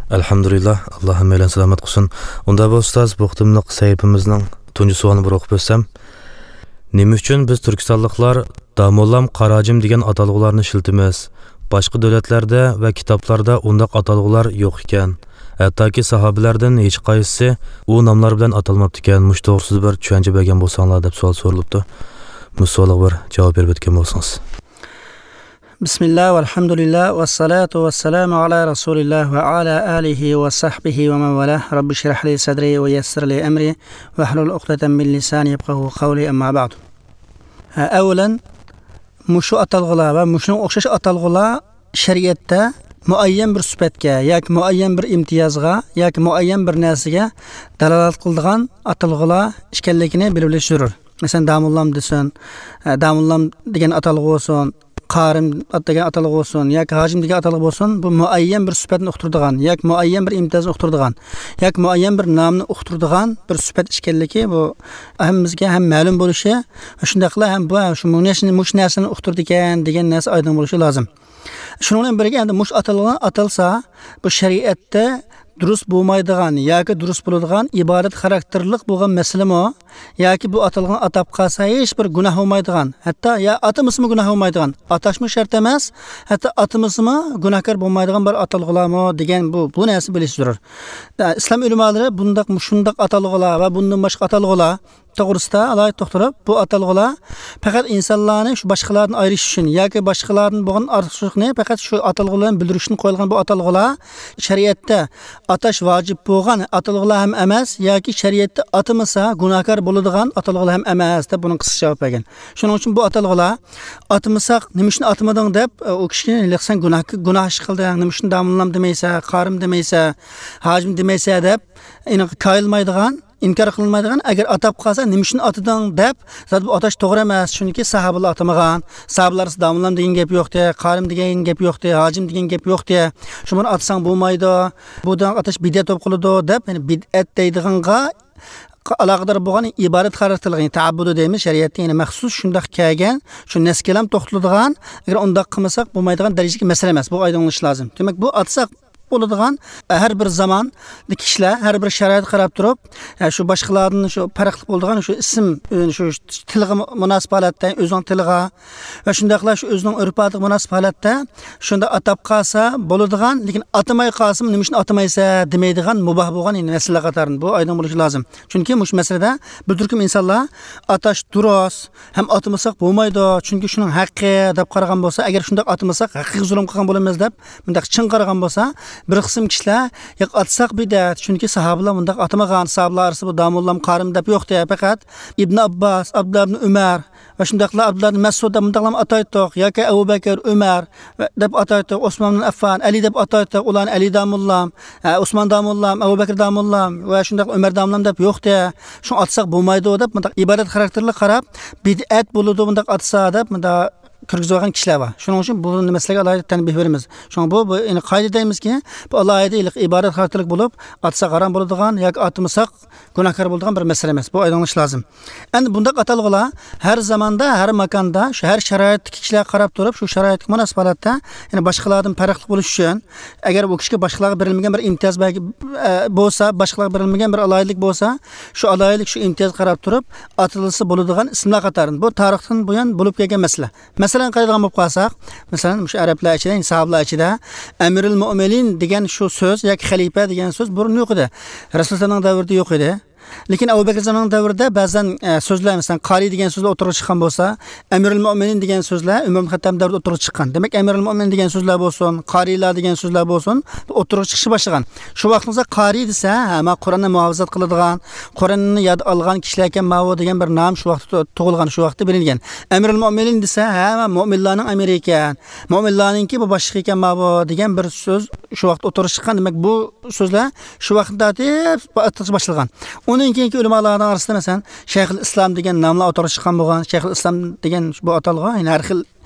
ئەلھەمدۇلىللا، ئاللا ھەممەيلەن سالامەت قىلسۇن. ئۇندا بولسا ئۇستاز، بۇ قېتىملىق سەھىپىمىزنىڭ تۇنجى سوئالىنى بىر ئوقۇپ ئۆتسەم، نېمە ئۈچۈن بىز تۈركىستانلىقلار داموللام، قاراجىم دېگەن ئاتالغۇلارنى ئىشلىتىمىز؟ باشقا دۆلەتلەردە ۋە كىتابلاردا ئۇنداق ئاتالغۇلار يوق ئىكەن. ھەتتاكى ساھابىلەردىن ھېچقايسىسى ئۇ ناملار بىلەن ئاتالماپتىكەن. مۇشۇ توغرىسىدا بىر چۈشەنچە بەرگەن بولساڭلار، دەپ سوئال سورىلىپتۇ. مۇشۇ سوئالغا بىر جاۋاب بېرىپ ئۆتكەن بولسىڭىز. بسم الله والحمد لله والصلاة والسلام على رسول الله وعلى آله وصحبه ومن والاه. رب اشرح لي صدري ويسر لي أمري واحلل عقدة من لساني يفقهوا قولي، أما بعد. ئەۋۋەلەن، مۇشۇ ئاتالغۇلار ۋە مۇشۇنىڭغا ئوخشاش ئاتالغۇلار شەرىئەتتە مۇئەييەن بىر سۈپەتكە ياكى مۇئەييەن بىر ئىمتىيازغا ياكى مۇئەييەن بىر نەرسىگە دالالەت قىلىدىغان ئاتالغۇلار ئىكەنلىكىنى بىلىپ ئېلىش زۆرۈر. مەسىلەن، داموللام دېسۇن، ئە، داموللام دېگەن ئاتالغۇ بولسۇن، قارىم ئات دېگەن ئاتالغۇ بولسۇن ياكى ھاجىم دېگەن ئاتالغۇ بولسۇن، بۇ مۇئەييەن بىر سۈپەتنى ئۇقتۇرىدىغان ياكى مۇئەييەن بىر ئىمتىيازنى ئۇقتۇرىدىغان ياكى مۇئەييەن بىر نامنى ئۇقتۇرىدىغان بىر سۈپەت ئىكەنلىكى، بۇ ھەممىمىزگە ھەم مەلۇم بولۇشى، شۇنداقلا ھەم بۇ، شۇ، مۇشۇ نەرسىنى، مۇشۇ نەرسىنى ئۇقتۇرىدىكەن دېگەن نەرسە ئايدىڭ بولۇشى لازىم. شۇنىڭ بىلەن بىرگە، ئەمدى مۇشۇ ئاتالغۇ ئاتالسا، بۇ شەرىئەتتە دۇرۇس بولمايدىغان ياكى دۇرۇس بولىدىغان ئىبادەت خاراكتېرلىق بولغان مەسىلىمۇ ياكى بۇ ئاتالغۇنى ئاتاپ قالسا ھېچ بىر گۇناھ بولمايدىغان، ھەتتا يا ئاتىمىسىمۇ گۇناھ بولمايدىغان، ئاتاشمۇ شەرت ئەمەس، ھەتتا ئاتىمىسىمۇ گۇناھكار بولمايدىغان بىر ئاتالغۇلارمۇ دېگەن بۇ، بۇ نەرسە بىلىش زۆرۈر. ئىسلام ئۆلىمالىرى بۇنداق، مۇشۇنداق ئاتالغۇلار ۋە بۇندىن باشقا ئاتالغۇلار توغرىسىدا ئالاھىدە توختىلىپ، بۇ ئاتالغۇلار پەقەت ئىنسانلارنى شۇ باشقىلاردىن ئايرىش ئۈچۈن ياكى باشقىلاردىن بولغان ئارتۇقچىلىقنى پەقەت شۇ ئاتالغۇ بىلەن بىلدۈرۈش ئۈچۈن قويۇلغان بۇ ئاتالغۇلار شەرىئەتتە ئاتاش ۋاجىپ بولغان ئاتالغۇلار ھەم ئەمەس ياكى شەرىئەتتە ئاتىمىسا گۇناھكار بولىدىغان ئاتالغۇلار ھەم ئەمەس، دەپ بۇنىڭ قىسقىچە جاۋاب بەرگەن. شۇنىڭ ئۈچۈن بۇ ئاتالغۇلار ئاتىمىساق، نېمە ئۈچۈن ئاتىمىدىڭ دەپ، ئۇ كىشىنى، ھېلىقى سەن گۇناھ، گۇناھ ئىش قىلدىڭ، نېمە ئۈچۈن داموللام دېمەيسەن، قارىم دېمەيسەن، ھاجىم دېمەيسەن دەپ، ئېنىق كايىلمايدىغان، ئىنكار قىلىنمايدىغان، ئەگەر ئاتاپ قالسا، نېمە ئۈچۈن ئاتىدىڭ دەپ، زادى بۇ ئاتاش توغرا ئەمەس. چۈنكى ساھابىلار ئاتىمىغان. ساھابىلار ئارىسىدا داموللام دېگەن گەپ يوقتى، قارىم دېگەن گەپ يوقتى، ھاجىم دېگەن گەپ يوقتى. شۇ بۇنى ئاتىساڭ بولمايدۇ. بۇ دېگەن ئاتاش بىدئەت بولۇپ قالىدۇ دەپ، يەنى بىدئەت دەيدىغانغا ئالاقىدار بولغان ئىبادەت خاراكتېرلىق، يەنى تەئەببۇدۇ دەيمىز، شەرىئەتتە يەنى مەخسۇس شۇنداق كەلگەن، شۇ نەسكىلام توختىلىدىغان، ئەگەر ئۇنداق قىلمىساق بولمايدىغان دەرىجىدىكى مەسىلە ئەمەس. بۇ ئايدىڭ بولۇشى لازىم. دېمەك، بۇ ئاتىساق بولىدىغان، ھەر بىر زاماندىكى كىشىلەر، ھەر بىر شارائىتقا قاراپ تۇرۇپ، شۇ باشقىلاردىن شۇ پەرقلىق بولىدىغان شۇ ئىسىم، شۇ تىلغا مۇناسىپ ھالەتتە، ئۆزىنىڭ تىلىغا ۋە شۇنداقلا شۇ ئۆزىنىڭ ئۆرپ-ئادىتىگە مۇناسىپ ھالەتتە شۇنداق ئاتاپ قالسا بولىدىغان، لېكىن ئاتىماي قالسىمۇ، نېمە ئۈچۈن ئاتىمايسەن دېمەيدىغان مۇباھ بولغان، يەنى، مەسىلىلەر قاتارىدىن بۇ ئايدىڭ بولۇشى لازىم. چۈنكى مۇشۇ مەسىلىدە بىر تۈركۈم ئىنسانلار ئاتاش دۇرۇس، ھەم ئاتىمىساق بولمايدۇ، چۈنكى شۇنىڭ ھەققى دەپ قارىغان بولسا، ئەگەر شۇنداق ئاتىمىساق ھەققىگە زۇلۇم قىلغان بولىمىز دەپ مۇنداق چىڭ قارىغان بولسا، بىر قىسىم كىشىلەر ياق ئاتىساق بىدئەت، چۈنكى ساھابىلار مۇنداق ئاتىمىغان، ساھابىلار ئارىسىدا بۇ داموللام، قارىم دەپ يوقتى، پەقەت ئىبن ئابباس، ئابدۇللا ئىبن ئۆمەر ۋە شۇنداقلا ئابدۇللا ئىبن مەسئۇد دەپ مۇنداقلام ئاتايتتۇق، ياكى ئەبۇ بەكىر، ئۆمەر ۋە دەپ ئاتايتتۇق، ئوسمان ئىبن ئەففان، ئەلى دەپ ئاتايتتۇق، ئۇلارنى ئەلى داموللام، ھە، ئوسمان داموللام، ئەبۇ بەكىر داموللام ۋە شۇنداق ئۆمەر داموللام دەپ يوقتى. شۇڭا ئاتىساق بولمايدۇ دەپ مۇنداق ئىبادەت خاراكتېرلىك قاراپ، بىدئەت بولىدۇ مۇنداق ئاتىسا دەپ مۇنداق كىرگۈزۈۋالغان كىشىلەر بار. شۇنىڭ ئۈچۈن بۇ مەسىلىگە ئالاھىدە تەنبىھ بېرىمىز. شۇڭا بۇ، بۇ، يەنى قايدا دەيمىزكى، بۇ ئالاھىدە ھېلىقى ئىبادەت خاراكتېرلىك بولۇپ، ئاتىساق ھارام بولىدىغان ياكى ئاتىمىساق گۇناھكار بولىدىغان بىر مەسىلە ئەمەس. بۇ ئايدىڭلىشى لازىم. ئەمدى بۇنداق ئاتالغۇلار ھەر زاماندا، ھەر ماكاندا، شۇ ھەر شارائىتتىكى كىشىلەرگە قاراپ تۇرۇپ، شۇ شارائىتقا مۇناسىپ ھالەتتە، يەنى باشقىلاردىن پەرقلىق بولۇش ئۈچۈن، ئەگەر ئۇ كىشىگە باشقىلارغا بېرىلمىگەن بىر ئىمتىياز بەلگە، ئە، بولسا، باشقىلارغا بېرىلمىگەن بىر ئالاھىدىلىك بولسا، شۇ ئالاھىدىلىك، شۇ ئىمتىيازغا قاراپ تۇرۇپ ئاتىلىسا بولىدىغان ئىسىملار قاتارىدىن. بۇ تارىختىن بۇيان بولۇپ كەلگەن مەسىلە. مەسىلەن، قارايدىغان بولۇپ قالساق، مەسىلەن، مۇشۇ ئەرەبلەر ئىچىدە، يەنى ساھابىلار ئىچىدە ئەمىرۇل مۆمىنىن دېگەن شۇ سۆز ياكى خەلىپە دېگەن سۆز بۇرۇن يوق ئىدى. رەسۇلۇللانىڭ دەۋرىدە يوق ئىدى. لېكىن ئەبۇ بەكرىزادىنىڭ دەۋرىدە بەزەن، ئە، سۆزلەر، مەسىلەن، قارى دېگەن سۆزلەر ئوتتۇرىغا چىققان بولسا، ئەمىرۇل مۆمىنىن دېگەن سۆزلەر ئۆمەر ئىبن خەتتاب دەۋرىدە ئوتتۇرىغا چىققان. دېمەك، ئەمىرۇل مۆمىنىن دېگەن سۆزلەر بولسۇن، قارىيلار دېگەن سۆزلەر بولسۇن، ئوتتۇرىغا چىقىشقا باشلىغان. شۇ ۋاقىتتا قارى دېسە، ھە، ما قۇرئاننى مۇھاپىزەت قىلىدىغان، قۇرئاننى ياد ئالغان كىشىلەركەن ماۋۇ دېگەن بىر نام شۇ ۋاقىتتا تۇغۇلغان، شۇ ۋاقىتتا بىلىنگەن. ئەمىرۇل مۆمىنىن دېسە، ھە، ما مۆمىنلارنىڭ ئەمىرى ئىكەن، مۆمىنلارنىڭكى بۇ باشلىقى ئىكەن ماۋۇ دېگەن بىر سۆز شۇ ۋاقىتتا ئوتتۇرىغا چىققان. دېمەك، بۇ سۆزلەر شۇ ۋاقىتتا تارتىپ ئاتىلىشقا باشلىغان. ئۇنىڭ كېيىنكى ئۆلىمالارنىڭ ئارىسىدا، مەسىلەن، شەيخۇل ئىسلام دېگەن ناملار ئوتتۇرىغا چىققان بولغان. شەيخۇل ئىسلام دېگەن بۇ ئاتالغۇ، يەنى ھەر خىل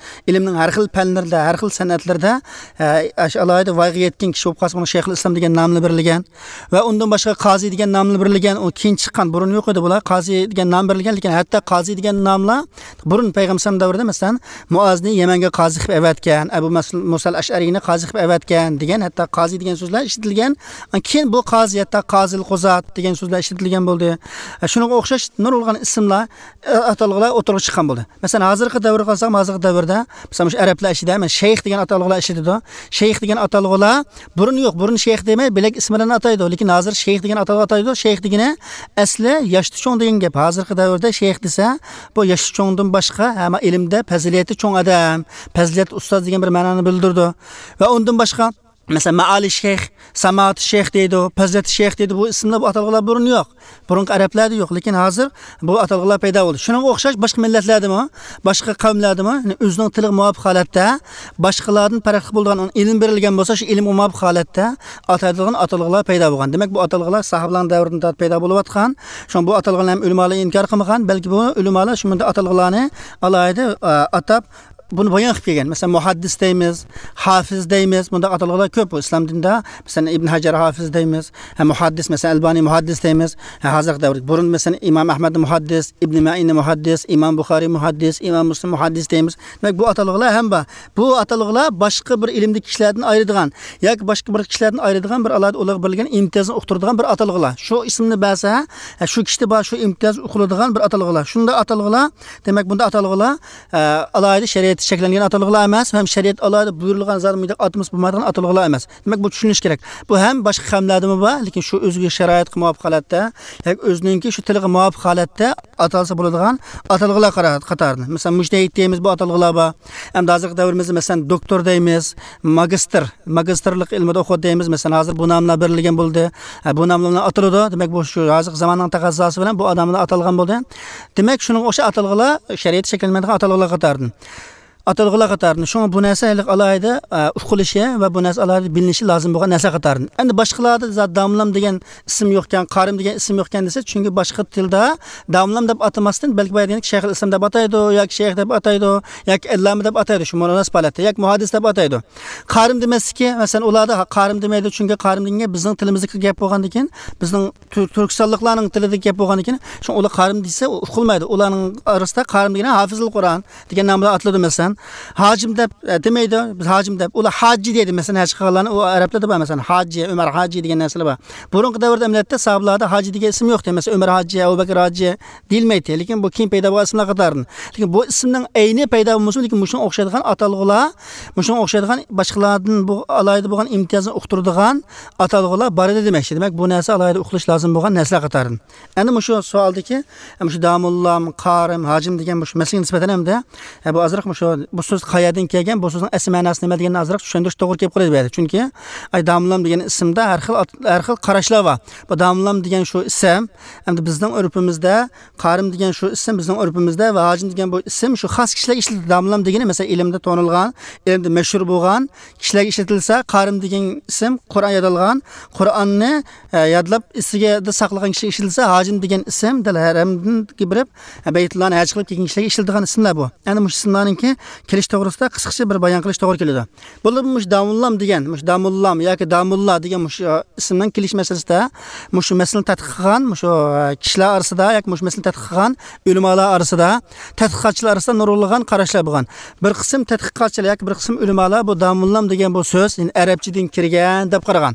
ئىلىمنىڭ ھەر خىل پەنلىرىدە، ھەر خىل سەنئەتلىرىدە، ئە، ئاشۇ ئالاھىدە ۋايغا يەتكەن كىشى بولۇپ قالسا، بۇنىڭ شەيخۇل ئىسلام دېگەن نامنى بېرىلگەن. ۋە ئۇندىن باشقا قازى دېگەن نامنى بېرىلگەن. ئۇ كېيىن چىققان، بۇرۇن يوق ئىدى بۇلار. قازى دېگەن نام بېرىلگەن، لېكىن ھەتتا قازى دېگەن ناملار بۇرۇن پەيغەمبەر دەۋرىدە، مەسىلەن، مۇئازنى يەمەنگە قازى قىلىپ ئەۋەتكەن، ئەبۇ مەس-، مۇسال ئەشئەرىنى قازى قىلىپ ئەۋەتكەن دېگەن، ھەتتا قازى دېگەن سۆزلەر ئىشلىتىلگەن. كېيىن بۇ قازى، ھەتتا قازىل قۇزات دېگەن سۆزلەر ئىشلىتىلگەن بولدى. شۇنىڭغا ئوخشاش نۇرغۇنلىغان ئىسىملار، ئاتالغۇلار ئوتتۇرىغا چىققان بولدى. مەسىلەن، ھازىرقى دەۋرگە قارىساق، ھازىرقى دەۋردە، مىسال، مۇشۇ ئەرەبلەر ئىچىدە، مەسىلەن، شەيخ دېگەن ئاتالغۇلار ئىشلىتىدۇ. شەيخ دېگەن ئاتالغۇلار بۇرۇن يوق، بۇرۇن شەيخ دېمەي، بۆلەك ئىسىم بىلەن ئاتايدۇ. لېكىن ھازىر شەيخ دېگەن ئاتالغۇ ئاتايدۇ. شەيخ دېگىنى ئەسلى ياشتا چوڭ دېگەن گەپ. ھازىرقى دەۋردە شەيخ دېسە، بۇ ياشتا چوڭدىن باشقا، ھەممە ئىلىمدە پەزىلىتى چوڭ ئادەم، پەزىلەتلىك ئۇستاز دېگەن بىر مەنانى بىلدۈرىدۇ. ۋە ئۇندىن باشقا، مەسىلەن، مائالى شەيخ، سامائەت شەيخ دەيدۇ، پەزىلەت شەيخ دەيدۇ. بۇ ئىسىملار، بۇ ئاتالغۇلار بۇرۇن يوق. بۇرۇنقى ئەرەبلەردە يوق، لېكىن ھازىر بۇ ئاتالغۇلار پەيدا بولدى. شۇنىڭغا ئوخشاش باشقا مىللەتلەردىمۇ، باشقا قەۋملەردىمۇ، يەنى ئۆزىنىڭ تىلىغا مۇۋاپىق ھالەتتە، باشقىلاردىن پەرقلىق بولىدىغان ئىلىم بېرىلگەن بولسا، شۇ ئىلىمگە مۇۋاپىق ھالەتتە ئاتايدىغان ئاتالغۇلار پەيدا بولغان. دېمەك، بۇ ئاتالغۇلار ساھابىلەرنىڭ دەۋرىدىن تارتىپ پەيدا بولۇۋاتقان. شۇڭا بۇ ئاتالغۇلارنى ھەم ئۆلىمالار ئىنكار قىلمىغان، بەلكى بۇ ئۆلىمالار شۇ مۇنداق ئاتالغۇلارنى ئالاھىدە، ئە، ئاتاپ، بۇنى بايان قىلىپ كەلگەن. مەسىلەن، مۇھەددىس دەيمىز، ھافىز دەيمىز. مۇنداق ئاتالغۇلار كۆپ بۇ ئىسلام دىنىدا. مەسىلەن، ئىبن ھەجەر ھافىز دەيمىز، ھە، مۇھەددىس، مەسىلەن، ئەلبانى مۇھەددىس دەيمىز. ھە، ھازىرقى دەۋردە بۇرۇن، مەسىلەن، ئىمام ئەھمەد مۇھەددىس، ئىبن مەئىن مۇھەددىس، ئىمام بۇخارى مۇھەددىس، ئىمام مۇسلىم مۇھەددىس دەيمىز. دېمەك، بۇ ئاتالغۇلار ھەم بار. بۇ ئاتالغۇلار باشقا بىر ئىلىمدىكى كىشىلەردىن ئايرىدىغان ياكى باشقا بىر كىشىلەردىن ئايرىدىغان بىر ئالاھىدە ئۇلارغا بېرىلگەن ئىمتىيازنى ئۇقتۇرىدىغان بىر ئاتالغۇلار. شۇ ئىسىمنى بەرسە، ھە، شۇ كىشىدە بار شۇ ئىمتىياز ئۇقۇلىدىغان بىر ئاتالغۇلار. شۇنداق ئاتالغۇلار، دېمەك، بۇنداق ئاتالغۇلار ئە، ئالاھىدە شەرىئەتتە چەكلەنگەن ئاتالغۇلار ئەمەس، ھەم شەرىئەت ئالاھىدە بۇيرۇلغان زادى مۇنداق ئاتىمىز بولمايدىغان ئاتالغۇلار ئەمەس. دېمەك، بۇ چۈشىنىش كېرەك. بۇ ھەم باشقا قەۋملەردىمۇ بار، لېكىن شۇ ئۆزىگە شارائىتقا مۇۋاپىق ھالەتتە، ياكى ئۆزىنىڭكى شۇ تىلىغا مۇۋاپىق ھالەتتە ئاتالسا بولىدىغان ئاتالغۇلار قارا-، قاتارىدىن. مەسىلەن، مۇجتەھىد دەيمىز، بۇ ئاتالغۇلار بار. ئەمدى ھازىرقى دەۋرىمىزدە، مەسىلەن، دوكتور دەيمىز، ماگىستىر، ماگىستىرلىق ئىلمىدا ئوقۇدى دەيمىز. مەسىلەن، ھازىر بۇ ناملار بېرىلگەن بولدى. ھە، بۇ ناملار بىلەن ئاتىلىدۇ. دېمەك، بۇ شۇ ھازىرقى زاماننىڭ تەقەززاسى بىلەن بۇ ناملار ئاتالغان بولدى. دېمەك، شۇنىڭغا ئوخشاش ئاتالغۇلار شەرىئەتتە شەكىللەنمەيدىغان ئاتالغۇلار قاتارىدىن. ئاتالغۇلار قاتارىدىن. شۇڭا بۇ نەرسە ھېلىقى ئالاھىدە، ئە، ئۇقۇلۇشى ۋە بۇ نەرسە ئالاھىدە بىلىنىشى لازىم بولغان نەرسە قاتارىدىن. ئەمدى باشقىلاردا زادى داموللام دېگەن ئىسىم يوقكەن، قارىم دېگەن ئىسىم يوقكەن دېسە، چۈنكى باشقا تىلدا داموللام دەپ ئاتىماستىن، بەلكى بايا دېگەندەك شەيخۇل ئىسلام دەپ ئاتايدۇ، ياكى شەيخ دەپ ئاتايدۇ، ياكى ئەللامە دەپ ئاتايدۇ، شۇ مۇناسىپ ھالەتتە، ياكى مۇھەددىس دەپ ئاتايدۇ. قارىم دېمەسلىكى، مەسىلەن، ئۇلاردا ھا-، قارىم دېمەيدۇ، چۈنكى قارىم دېگەن گەپ بىزنىڭ تىلىمىزدىكى گەپ بولغاندىكىن، بىزنىڭ تۈر-، تۈركىستانلىقلارنىڭ تىلىدىكى گەپ بولغاندىكىن، شۇڭا ئۇلار قارىم دېسە، ئۇ ئۇقۇلمايدۇ. ئۇلارنىڭ ئارىسىدا قارىم دېگەن ھافىزۇل قۇرئان دېگەن نام بىلەن ئاتىلىدۇ، مەسىلەن. ھاجىم دەپ، ئە، دېمەيدۇ، بىز ھاجى دەيدۇ، مەسىلەن، ھەج قىلغانلارنى، ئۇ ئەرەبلەردە بار، مەسىلەن، ھاجى، ئۆمەر ھاجى دېگەن نەرسىلەر بار. بۇرۇنقى دەۋردە ئەمەلىيەتتە ساھابىلاردا ھاجى دېگەن ئىسىم يوقتى، مەسىلەن، ئۆمەر ھاجى، ئەبۇبەكىر ھاجى دېيىلمەيتتى. لېكىن بۇ كېيىن پەيدا بولغان ئىسىملار قاتارىدىن. لېكىن بۇ ئىسىمنىڭ ئەينى پەيدا بولمىسىمۇ، لېكىن مۇشۇنىڭغا ئوخشايدىغان ئاتالغۇلار، مۇشۇنىڭغا ئوخشايدىغان باشقىلاردىن بۇ ئالاھىدە بولغان ئىمتىيازنى ئۇقتۇرىدىغان ئاتالغۇلار بار ئىدى دېمەكچى. دېمەك، بۇ نەرسە ئالاھىدە ئۇقۇلۇش لازىم بولغان نەرسىلەر قاتارىدىن. ئەنە مۇشۇ سوئالدىكى، مۇشۇ داموللام، قارىم، ھاجىم دېگەن مۇشۇ مەسىلىگە نىسبەتەن ھەمدە، ئە، بۇ ئازراق مۇشۇ، بۇ سۆز قەيەردىن كەلگەن، بۇ سۆزنىڭ ئەسلى مەناسى نېمە دېگەننى ئازراق چۈشەندۈرۈش توغرا كېلىپ قالىدۇ بۇ يەردە. چۈنكى، ئاي، داموللام دېگەن ئىسىمدا ھەر خىل ئات-، ھەر خىل قاراشلار بار. بۇ داموللام دېگەن شۇ ئىسىم، ئەمدى بىزنىڭ ئۆرپىمىزدە قارىم دېگەن شۇ ئىسىم بىزنىڭ ئۆرپىمىزدە ۋە ھاجىم دېگەن بۇ ئىسىم شۇ خاس كىشىلەرگە ئىشلىتىلىدۇ. داموللام دېگىنى، مەسىلەن، ئىلىمدە تونۇلغان، ئىلىمدە مەشھۇر بولغان كىشىلەرگە ئىشلىتىلسە، قارىم دېگەن ئىسىم قۇرئان يادالغان، قۇرئاننى، ئە، يادلاپ ئېسىگە ساقلىغان كىشىگە ئىشلىتىلسە، ھاجىم دېگەن ئىسىم دەل ھەرەمگە بېرىپ، ئە، بەيتۇللانى ھەج قىلىپ كەلگەن كىشىلەرگە ئىشلىتىلىدىغان ئىسىملار بۇ. ئەنە مۇشۇ ئىسىملارنىڭكى كېلىش توغرىسىدا قىسقىچە بىر بايان قىلىش توغرا كېلىدۇ. بولۇپمۇ مۇشۇ داموللام دېگەن، مۇشۇ داموللام ياكى داموللا دېگەن مۇشۇ ئىسىمنىڭ كېلىش مەسىلىسىدە، مۇشۇ مەسىلىنى تەتقىق قىلغان، مۇشۇ، ئە، كىشىلەر ئارىسىدا ياكى مۇشۇ مەسىلىنى تەتقىق قىلغان ئۆلىمالار ئارىسىدا، تەتقىقاتچىلار ئارىسىدا نۇرغۇنلىغان قاراشلار بولغان. بىر قىسىم تەتقىقاتچىلار ياكى بىر قىسىم ئۆلىمالار بۇ داموللام دېگەن بۇ سۆز، يەنى ئەرەبچىدىن كىرگەن دەپ قارىغان.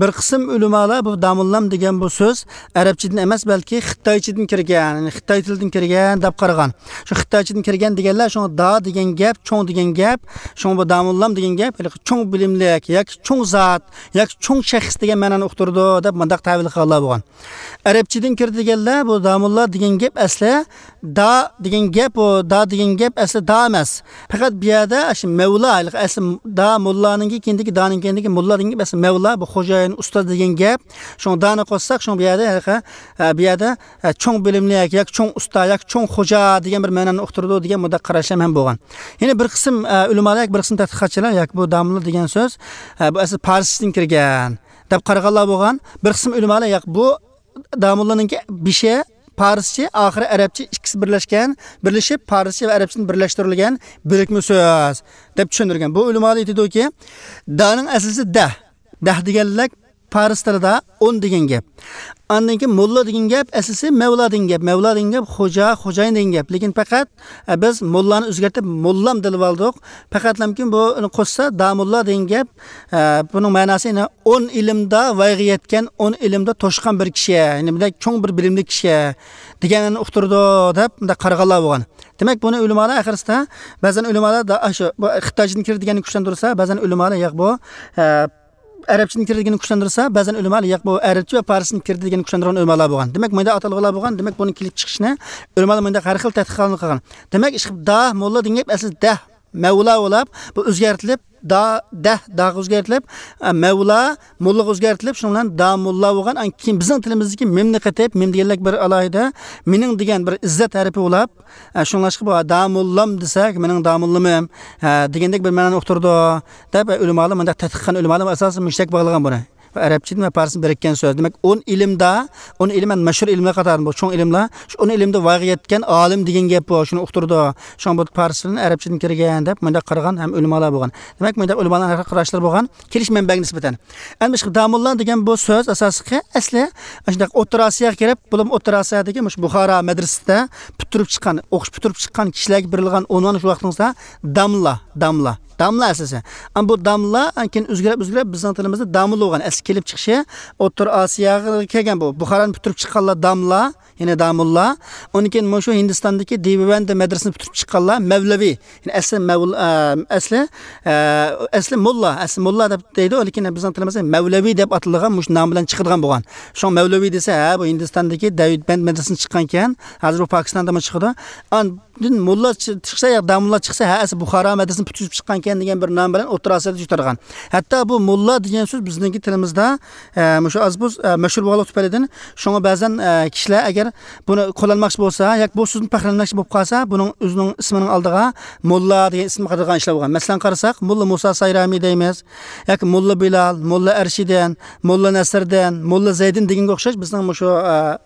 بىر قىسىم ئۆلىمالار بۇ داموللام دېگەن بۇ سۆز ئەرەبچىدىن ئەمەس، بەلكى خىتايچىدىن كىرگەن، يەنى خىتاي تىلىدىن كىرگەن دەپ قارىغان. شۇ خىتايچىدىن كىرگەن دېگەنلەر، شۇڭا دا دېگەن گەپ، چوڭ دېگەن گەپ، شۇڭا بۇ داموللام دېگەن گەپ، ھېلىقى چوڭ بىلىملىك ياكى چوڭ زات ياكى چوڭ شەخس دېگەن مەنانى ئۇقتۇرىدۇ دەپ مۇنداق تەۋىل قىلغانلار بولغان. ئەرەبچىدىن كىردى دېگەنلەر، بۇ داموللا دېگەن گەپ ئەسلى دا دېگەن گەپ، ئۇ دا دېگەن گەپ ئەسلى دا ئەمەس. پەقەت بۇ يەردە شۇ مەۋلا، ھېلىقى ئەسلى دا موللانىڭكى كېيىندىكى، دانىڭ كېيىندىكى موللا دېگەن گەپ ئەسلى مەۋلا، بۇ خوجايىن، ئۇستاز دېگەن گەپ. شۇڭا دانى قوشساق، شۇڭا بۇ يەردە ھېلىقى، ھە، بۇ يەردە، ھە، چوڭ بىلىملىك ياكى چوڭ ئۇستا ياكى چوڭ خوجا دېگەن بىر مەنانى ئۇقتۇرىدۇ دېگەن مۇنداق قاراشلار ھەم بولغان. يەنە بىر قىسىم، ئە، ئۆلىمالار ياكى بىر قىسىم تەتقىقاتچىلار ياكى بۇ داموللا دېگەن سۆز، ھە، بۇ ئەسلى پارسچىدىن كىرگەن دەپ قارىغانلار بولغان. بىر قىسىم ئۆلىمالار ياق، بۇ داموللانىڭكى بېشى پارسچە، ئاخىرى ئەرەبچە، ئىككىسى بىرلەشكەن، بىرلىشىپ پارسچە ۋە ئەرەبچىدىن بىرلەشتۈرۈلگەن بىرىكمە سۆز دەپ چۈشەندۈرگەن. بۇ ئۆلىمالار ئېيتىدۇكى، دانىڭ ئەسلىسى دە. دە دېگەنلىك پارس تىلىدا ئون دېگەن گەپ. ئاندىن كېيىن موللا دېگەن گەپ، ئەسلىسى مەۋلا دېگەن گەپ. مەۋلا دېگەن گەپ خوجا، خوجايىن دېگەن گەپ. لېكىن پەقەت، ئە، بىز موللانى ئۆزگەرتىپ موللام دېيىپ ئالدۇق. پەقەتلەمكىن بۇنى قوشسا داموللا دېگەن گەپ، ئە، بۇنىڭ مەناسى يەنە ئون ئىلىمدا ۋايغا يەتكەن، ئون ئىلىمدا توشقان بىر كىشى، يەنى بىردەك چوڭ بىر بىلىملىك كىشى دېگەننى ئۇقتۇرىدۇ دەپ مۇنداق قارىغانلار بولغان. دېمەك، بۇنى ئۆلىمالار ئاخىرسىدا، بەزەن ئۆلىمالار دا-، ئاشۇ، بۇ خىتايچىدىن كىرىدىگەننى كۈچلەندۈرسە، بەزەن ئۆلىمالار ياق بۇ، ئە، ئەرەبچىدىن كىرىدىگەننى كۈچلەندۈرسە، بەزەن ئۆلىمالار ياق بۇ ئەرەبچە ۋە پارسچىدىن كىرىدىگەننى كۈچلەندۈرگەن ئۆلىمالار بولغان. دېمەك، مۇنداق ئاتالغۇلار بولغان. دېمەك، بۇنىڭ كېلىپ چىقىشىنى ئۆلىمالار مۇنداق ھەر خىل تەتقىقاتلار قىلغان. دېمەك، ئىشقىلىپ دا موللا دېگەن گەپ ئەسلى دە، مەۋلا بولاپ، بۇ ئۆزگەرتىلىپ، دا، دە، داغا ئۆزگەرتىلىپ، ئە، مەۋلا، موللىغا ئۆزگەرتىلىپ، شۇنىڭ بىلەن داموللا بولغان. ئان كېيىن بىزنىڭ تىلىمىزدىكى مىمنى قېتىپ، مىم دېگەنلىك بىر ئالاھىدە، مېنىڭ دېگەن بىر ئىززەت ھەرپى بولاپ، ئە، شۇڭلاشقا بۇ داموللام دېسەك، مېنىڭ داموللىمىم، ئە، دېگەندەك بىر مەنانى ئۇقتۇرىدۇ، دەپ، ئە، ئۆلىمالار مۇنداق تەتقىق قىلغان ئۆلىمالار ئاساسەن مۇشۇندەك باغلىغان بۇنى. ئەرەبچىدىن ۋە پارسچىدىن بىرىككەن سۆز. دېمەك، ئون ئىلىمدا، ئون ئىلىم، مەشھۇر ئىلىملەر قاتارىدىن بۇ چوڭ ئىلىملار، شۇ ئون ئىلىمدا ۋايغا يەتكەن ئالىم دېگەن گەپ بۇ، شۇنى ئۇقتۇرىدۇ. شۇڭا بۇ پارس تىلىدىن ئەرەبچىدىن كىرگەن دەپ مۇنداق قارىغان ھەم ئۆلىمالار بولغان. دېمەك، مۇنداق ئۆلىمالارنىڭ ھەر خىل قاراشلىرى بولغان، كېلىش مەنبەگە نىسبەتەن. ئەمدى شۇ داموللا دېگەن بۇ سۆز ئاساسلىقى ئەسلى شۇنداق ئوتتۇرا ئاسىياغا كىرىپ، بولۇپمۇ ئوتتۇرا ئاسىيادىكى مۇشۇ بۇخارا مەدرىسىدە پۈتتۈرۈپ چىققان، ئوقۇش پۈتتۈرۈپ چىققان كىشىلەرگە بېرىلغان ئۇنۋان شۇ ۋاقتىڭىزدا داملا، داملا، داملا ئەسلىسى. ئەمما بۇ داملا كېيىن ئۆزگىرىپ، ئۆزگىرىپ بىزنىڭ تىلىمىزدا داملا بولغان. ئەسلى كېلىپ چىقىشى ئوتتۇرا ئاسىياغا كەلگەن بۇ. بۇخارانى پۈتتۈرۈپ چىققانلار داملا، يەنى داموللا. ئۇندىن كېيىن مۇشۇ ھىندىستاندىكى دېۋبەند مەدرىسىنى پۈتتۈرۈپ چىققانلار مەۋلەۋى. يەنى ئەسلى مەۋل-، ئە، ئەسلى، ئە، ئەسلى موللا، ئەسلى موللا دەپ دەيدۇ، لېكىن بىزنىڭ تىلىمىزدا مەۋلەۋى دەپ ئاتىلىدىغان مۇشۇ نام بىلەن چىقىدىغان بولغان. شۇڭا مەۋلەۋى دېسە، ھە، بۇ ھىندىستاندىكى دېۋبەند مەدرىسىدىن چىققانكەن، ھازىر بۇ پاكىستاندىمۇ چىقىدۇ. ئاندىن موللا چى-، چىقسا يا داموللا چىقسا، ھە، ئەسلى بۇخارا مەدرىسىدىن پۈتتۈرۈپ چىققانكەن دېگەن بىر نام بىلەن ئوتتۇرا ئاسىيادا يۈز تۇرغان. ھەتتا بۇ موللا دېگەن سۆز بىزنىڭكى تىلىمىزدا، ئە، مۇشۇ ئاز بۇز، ئە، مەشھۇر بولغانلىق تۈپەيلىدىن، شۇڭا بەزەن، ئە، كىشىلەر ئەگەر بۇنى قوللانماقچى بولسا ياكى بۇ سۆزدىن پەخىرلەنمەكچى بولۇپ قالسا، بۇنىڭ ئۆزىنىڭ ئىسمىنىڭ ئالدىغا موللا دېگەن ئىسىمنى قاتىدىغان ئىشلار بولغان. مەسىلەن قارىساق، موللا مۇسا سايرامى دەيمىز ياكى موللا بىلال، موللا ئەرشىدىن، موللا نەسىردىن، موللا زەيدىن دېگەنگە ئوخشاش بىزنىڭ مۇشۇ، ئە،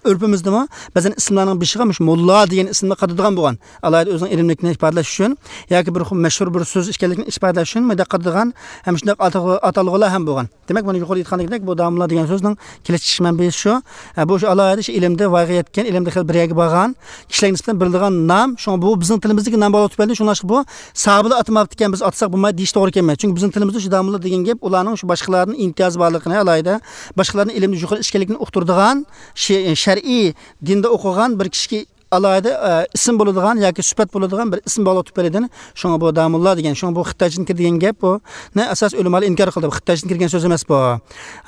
ئۆرپىمىزدىمۇ بەزەن ئىسىملارنىڭ بېشىغا مۇشۇ موللا دېگەن ئىسىمنى قاتىدىغان بولغان. ئالاھىدە ئۆزىنىڭ ئىلىملىكىنى ئىپادىلەش ئۈچۈن ياكى بىر خىل مەشھۇر بىر سۆز ئىكەنلىكىنى ئىپادىلەش ئۈچۈن مۇنداق قاتىدىغان ھەم شۇنداق ئاتالغۇ-، ئاتالغۇلار ھەم بولغان. دېمەك، مانا يۇقىرىدا ئېيتقاندەك، بۇ داموللا دېگەن سۆزنىڭ كېلىپ چىقىش مەنبىسى شۇ. ئە، بۇ شۇ ئالاھىدە شۇ ئىلىمدە ۋايغا يەتكەن، ئىلىمدە خېلى بىر يەرگە بارغان كىشىلەرگە نىسبەتەن بېرىلىدىغان نام. شۇڭا بۇ بىزنىڭ تىلىمىزدىكى نام بولغانلىقى تۈپەيلىدىن، شۇڭلاشقا بۇ ساھابىلار ئاتىماپتىكەن، بىز ئاتىساق بولمايدۇ دېيىش توغرا كەلمەيدۇ. چۈنكى بىزنىڭ تىلىمىزدا شۇ داموللا دېگەن گەپ ئۇلارنىڭ شۇ باشقىلاردىن ئىمتىيازى بارلىقىنى، ئالاھىدە باشقىلاردىن ئىلىمدە يۇقىرى ئىكەنلىكىنى ئۇقتۇرىدىغان شە-، شەرئىي دىندا ئوقۇغان بىر كىشىگە ئالاھىدە، ئە، ئىسىم بولىدىغان ياكى سۈپەت بولىدىغان بىر ئىسىم بولغانلىقى تۈپەيلىدىن، شۇڭا بۇ داموللا دېگەن، شۇڭا بۇ خىتايچىدىن كىردى دېگەن گەپ، بۇنى ئاساس ئۆلىمالار ئىنكار قىلدى. بۇ خىتايچىدىن كىرگەن سۆز ئەمەس بۇ.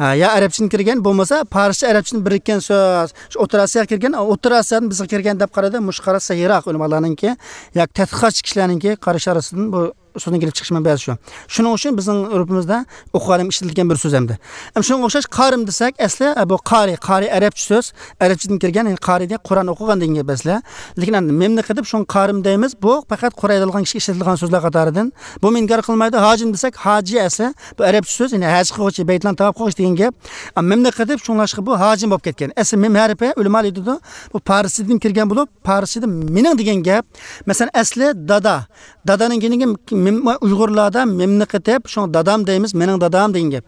ئە، يا ئەرەبچىدىن كىرگەن، بولمىسا پارسچە ئەرەبچىدىن بىرىككەن سۆز. شۇ ئوتتۇرا ئاسىياغا كىرگەن، ئوتتۇرا ئاسىيادىن بىزگە كىرگەن دەپ قارىدى. مۇشۇ قاراش سەھىيراق ئۆلىمالارنىڭكى ياكى تەتقىقاتچى كىشىلەرنىڭكى قارىشى ئارىسىدىن بۇ سۆزنىڭ كېلىپ چىقىش مەنبەسى شۇ. شۇنىڭ ئۈچۈن بىزنىڭ ئۆرپىمىزدە ئوقۇغان ئادەم ئىشلىتىلگەن بىر سۆز ئەمدى. ئەمدى شۇنىڭغا ئوخشاش قارىم دېسەك، ئەسلى، ئە، بۇ قارى، قارى ئەرەبچە سۆز، ئەرەبچىدىن كىرگەن، يەنى قارى دېگەن قۇرئان ئوقۇغان دېگەن گەپ ئەسلى. لېكىن ئەمدى مىمنى قېتىپ شۇڭا قارىم دەيمىز، بۇ پەقەت قۇرئان ئوقۇيدىغان كىشىگە ئىشلىتىلىدىغان سۆزلەر قاتارىدىن. بۇمۇ ئىنكار قىلمايدۇ. ھاجىم دېسەك، ھاجى ئەسلى، بۇ ئەرەبچە سۆز، يەنى ھەج قىلغۇچى، بەيتلارنى تاۋاپ قىلغۇچى دېگەن گەپ. ئە، مىمنى قېتىپ شۇڭلاشقا بۇ ھاجىم بولۇپ كەتكەن. ئەسلى مىم ھەرپى ئۆلىمالار ئېيتىدۇ، بۇ پارسچىدىن كىرگەن بولۇپ، پارسچىدا مېنىڭ دېگەن گەپ. مەسىلەن، ئەسلى دادا. دادانىڭ كېيىنىگە مىم-، ئۇيغۇرلاردا مىمنى قېتىپ، شۇڭا دادام دەيمىز، مېنىڭ دادام دېگەن گەپ.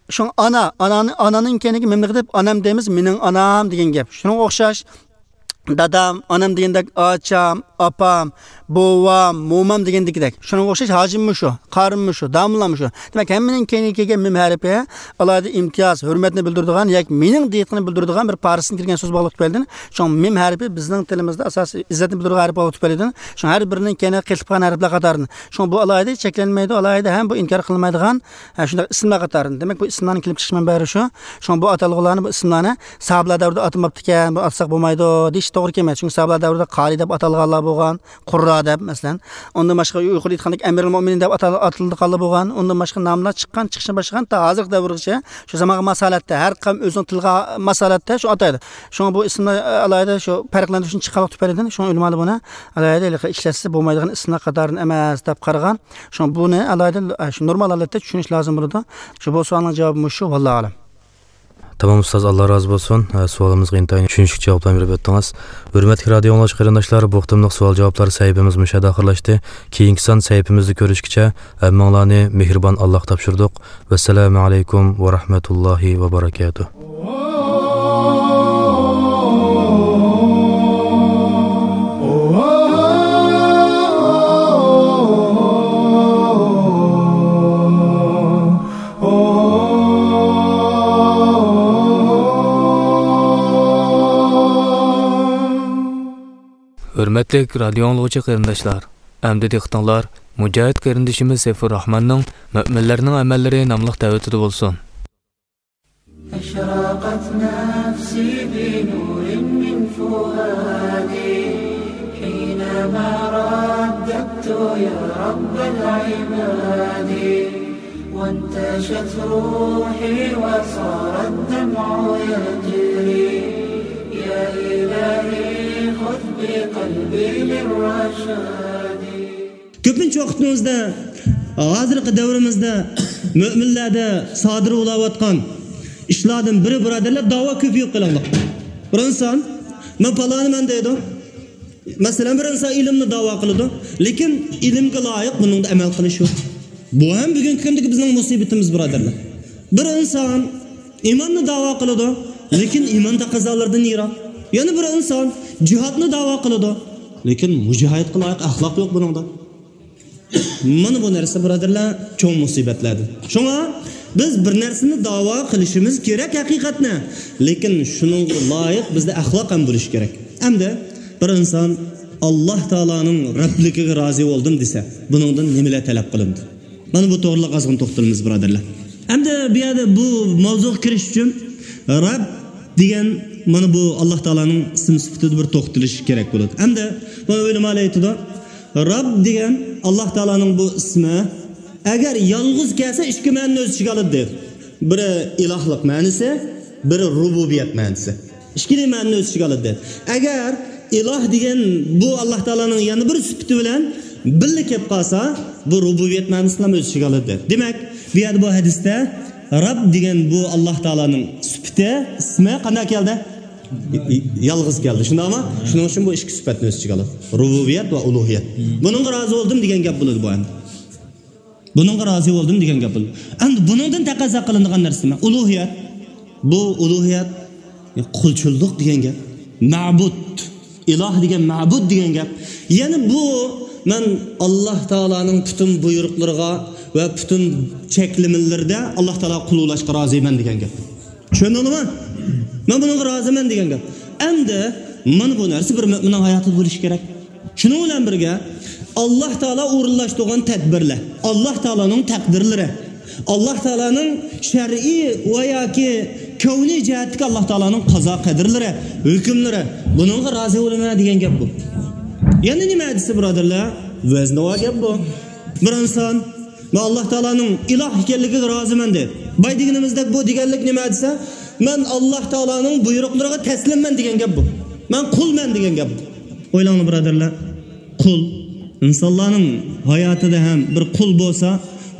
شۇڭا ئانا، ئانانى-، ئانانىڭ كېيىنىگە مىمنى قېتىپ، ئانام دەيمىز، مېنىڭ ئانام دېگەن گەپ. شۇنىڭغا ئوخشاش، دادام، ئانام دېگەندەك، ئاچام، ئاپام، بوۋام، مومام دېگەندىكىدەك. شۇنىڭغا ئوخشاش ھاجىممۇ شۇ، قارىممۇ شۇ، داموللاممۇ شۇ. دېمەك، ھەممىنىڭ كەينىگە كەلگەن مىم ھەرپى ئالاھىدە ئىمتىياز، ھۆرمەتنى بىلدۈرىدىغان ياكى مېنىڭ دېيىشنى بىلدۈرىدىغان بىر پارسچىدىن كىرگەن سۆز بولغانلىقى تۈپەيلىدىن، شۇڭا مىم ھەرپى بىزنىڭ تىلىمىزدا ئاساسىي ئىززەتنى بىلدۈرىدىغان ھەرپ بولغانلىقى تۈپەيلىدىن، شۇڭا ھەر بىرىنىڭ كەينىگە قېتىپ قالغان ھەرپلەر قاتارىدىن. شۇڭا بۇ ئالاھىدە چەكلەنمەيدۇ، ئالاھىدە ھەم بۇ ئىنكار قىلىنمايدىغان، ھە، شۇنداق ئىسىملار قاتارىدىن. دېمەك، بۇ ئىسىملارنىڭ كېلىپ چىقىش مەنبەلىرى شۇ. شۇڭا بۇ ئاتالغۇلارنى، بۇ ئىسىملارنى ساھابىلەر دەۋرىدە ئاتىماپتىكەن، بۇ ئاتىساق بولمايدۇ دېيىش توغرا كەلمەيدۇ. چۈنكى ساھابىلەر دەۋرىدە قارى دەپ ئاتالغانلار بولغان. قۇررا دەپ، مەسىلەن. ئۇندىن باشقا يۇقىرىدا ئېيتقاندەك ئەمىرۇل مۆمىنىن دەپ ئاتال-، ئاتىلىدىغانلار بولغان. ئۇندىن باشقا ناملار چىققان، چىقىشتىن باشلىغان تا ھازىرقى دەۋرگىچە شۇ زامانغا ماس ھالەتتە، ھەر قەۋم ئۆزىنىڭ تىلىغا ماس ھالەتتە شۇ ئاتايدۇ. شۇڭا بۇ ئىسىملار ئالاھىدە شۇ پەرقلەندۈرۈشنى چىقارغانلىقى تۈپەيلىدىن، شۇڭا ئۆلىمالار بۇنى ئالاھىدە ھېلىقى ئىشلەتسە بولمايدىغان ئىسىملار قاتارىدىن ئەمەس دەپ قارىغان. شۇڭا بۇنى ئالاھىدە شۇ نورمال ھالەتتە چۈشىنىش لازىم بولىدۇ. شۇ بۇ سوئالنىڭ جاۋابى مۇشۇ، ۋاللاھۇ ئەلەم. تامام ئۇستاز، ئاللا رازى بولسۇن. ھە، سوئالىمىزغا ئىنتايىن چۈشىنىشلىك جاۋابلارنى بېرىپ ئۆتتىڭىز. ھۆرمەتلىك رادىيو ئاڭلىغۇچى قېرىنداشلار، بۇ قېتىملىق سوئال جاۋابلار سەھىپىمىز مۇشۇ يەردە ئاخىرلاشتى. كېيىنكى سان سەھىپىمىزدە كۆرۈشكىچە ھەممىڭلارنى مېھرىبان ئاللاغا تاپشۇردۇق. ۋەسسالامۇ ئەلەيكۇم ۋە رەھمەتۇللاھى ۋە بەرەكاتۇھ. ھۆرمەتلىك رادىيو ئاڭلىغۇچى قېرىنداشلار، ئەمدى دىققىتىڭلار مۇجاھىد قېرىندىشىمىز سەيپۇرراھماننىڭ مۆمىنلەرنىڭ ئەمەللىرى ناملىق دەۋىتىدە بولسۇن. أشرقت نفسي بنور من فؤادي حينما رددت يا رب العباد، وانتشت روحي وصار الدمع يجري، يا إلهي خذ بقلبي للرشاد. كۆپىنچە ۋاقتىمىزدا، ھازىرقى دەۋرىمىزدە مۆمىنلەردە سادىر بولاۋاتقان ئىشلاردىن بىرى، بۇرادەرلەر، داۋا كۆپىيىپ قېلىڭلار. بىر ئىنسان، مەن پالانىمەن دەيدۇ. مەسىلەن، بىر ئىنسان ئىلىمنى داۋا قىلىدۇ، لېكىن ئىلىمگە لايىق بۇنىڭدا ئەمەل قىلىش يوق. بۇ ھەم بۈگۈنكى كۈندىكى بىزنىڭ مۇسىبىتىمىز، بۇرادەرلەر. بىر ئىنسان ئىماننى داۋا قىلىدۇ، لېكىن ئىمان تەقەززالىرىدىن يىراق. يەنە بىر ئىنسان جىھادنى داۋا قىلىدۇ، لېكىن مۇجاھىدقا لايىق ئەخلاق يوق بۇنىڭدا. مانا بۇ نەرسە، بۇرادەرلەر، چوڭ مۇسىبەتلەردىن. شۇڭا بىز بىر نەرسىنى داۋا قىلىشىمىز كېرەك ھەقىقەتنى، لېكىن شۇنىڭغا لايىق بىزدە ئەخلاق ھەم بولۇشى كېرەك. ئەمدى بىر ئىنسان ئاللاھ تائالانىڭ رەبلىكىگە رازى بولدۇم دېسە، بۇنىڭدىن نېمىلەر تەلەپ قىلىنىدۇ؟ مانا بۇ توغرىلىق ئازغىنە توختىلىمىز، بۇرادەرلەر. ئەمدى بۇ يەردە بۇ ماۋزۇغا كىرىش ئۈچۈن رەب دېگەن مانا بۇ ئاللاھ تائالانىڭ ئىسىم سۈپىتىدە بىر توختىلىش كېرەك بولىدۇ. ئەمدى بۇ ئۆلىمالار ئېيتىدۇ، رەب دېگەن ئاللاھ تائالانىڭ بۇ ئىسمى، ئەگەر يالغۇز كەلسە، ئىككى مەنىنى ئۆز ئىچىگە ئالىدۇ دەيدۇ. بىرى ئىلاھلىق مەنىسى، بىرى رۇبۇبىيەت مەنىسى. ئىككىلا مەنىنى ئۆز ئىچىگە ئالىدۇ. ئەگەر ئىلاھ دېگەن بۇ ئاللاھ تائالانىڭ يەنە بىر سۈپىتى بىلەن بىللە كەپ قالسا، بۇ رۇبۇبىيەت مەنىسىنى ھەم ئۆز ئىچىگە ئالىدۇ. دېمەك، بۇ يەردە بۇ ھەدىستە رەب دېگەن بۇ ئاللاھ تائالانىڭ سۈپىتى، ئىسمى قانداق كەلدى؟ يالغۇز كەلدى. شۇنداقمۇ؟ شۇنىڭ ئۈچۈن بۇ ئىككى سۈپەتنى ئۆز ئىچىگە ئالىدۇ. رۇبۇبىيەت ۋە ئۇلۇھىيەت. بۇنىڭغا رازى بولدۇم دېگەن گەپ بولىدۇ بۇ ئەمدى. بۇنىڭغا رازى بولدۇم دېگەن گەپ بولىدۇ. ئەمدى بۇنىڭدىن تەقەززا قىلىنىدىغان نەرسە نېمە؟ ئۇلۇھىيەت. بۇ ئۇلۇھىيەت، قۇلچىللىق دېگەن گەپ. مەبۇد. ئىلاھ دېگەن، مەبۇد دېگەن گەپ. يەنى بۇ، مەن ئاللاھ تائالانىڭ پۈتۈن بۇيرۇقلىرىغا ۋە پۈتۈن چەكلىمىلىرىدە ئاللاھ تائالاغا قۇل بولۇشقا رازىمەن دېگەن گەپ. چۈشەندىڭلارمۇ؟ مەن بۇنىڭغا رازىمەن دېگەن گەپ. ئەمدى مانا بۇ نەرسە بىر مۆمىننىڭ ھاياتىدا بولۇشى كېرەك. شۇنىڭ بىلەن بىرگە، ئاللاھ تائالا ئورۇنلاشتۇرغان تەدبىرلەر، ئاللاھ تائالانىڭ تەقدىرلىرى، ئاللاھ تائالانىڭ شەرئىي ۋە ياكى كەۋنىي جەھەتتىكى ئاللاھ تائالانىڭ قازا قەدىرلىرى، ھۆكۈملىرى، بۇنىڭغا رازى بولىمەن دېگەن گەپ بۇ. يەنە نېمە دېسە، بۇرادەرلەر؟ ۋەزنىۋا گەپ بۇ. بىر ئىنسان، مەن ئاللاھ تائالانىڭ ئىلاھ ئىكەنلىكىگە رازىمەن دەيدۇ. بايا دېگىنىمىزدەك، بۇ دېگەنلىك نېمە دېسە، مەن ئاللاھ تائالانىڭ بۇيرۇقلىرىغا تەسلىممەن دېگەن گەپ بۇ. مەن قۇلمەن دېگەن گەپ بۇ. ئويلاڭلار، بۇرادەرلەر. قۇل. ئىنسانلارنىڭ ھاياتىدا ھەم بىر قۇل بولسا،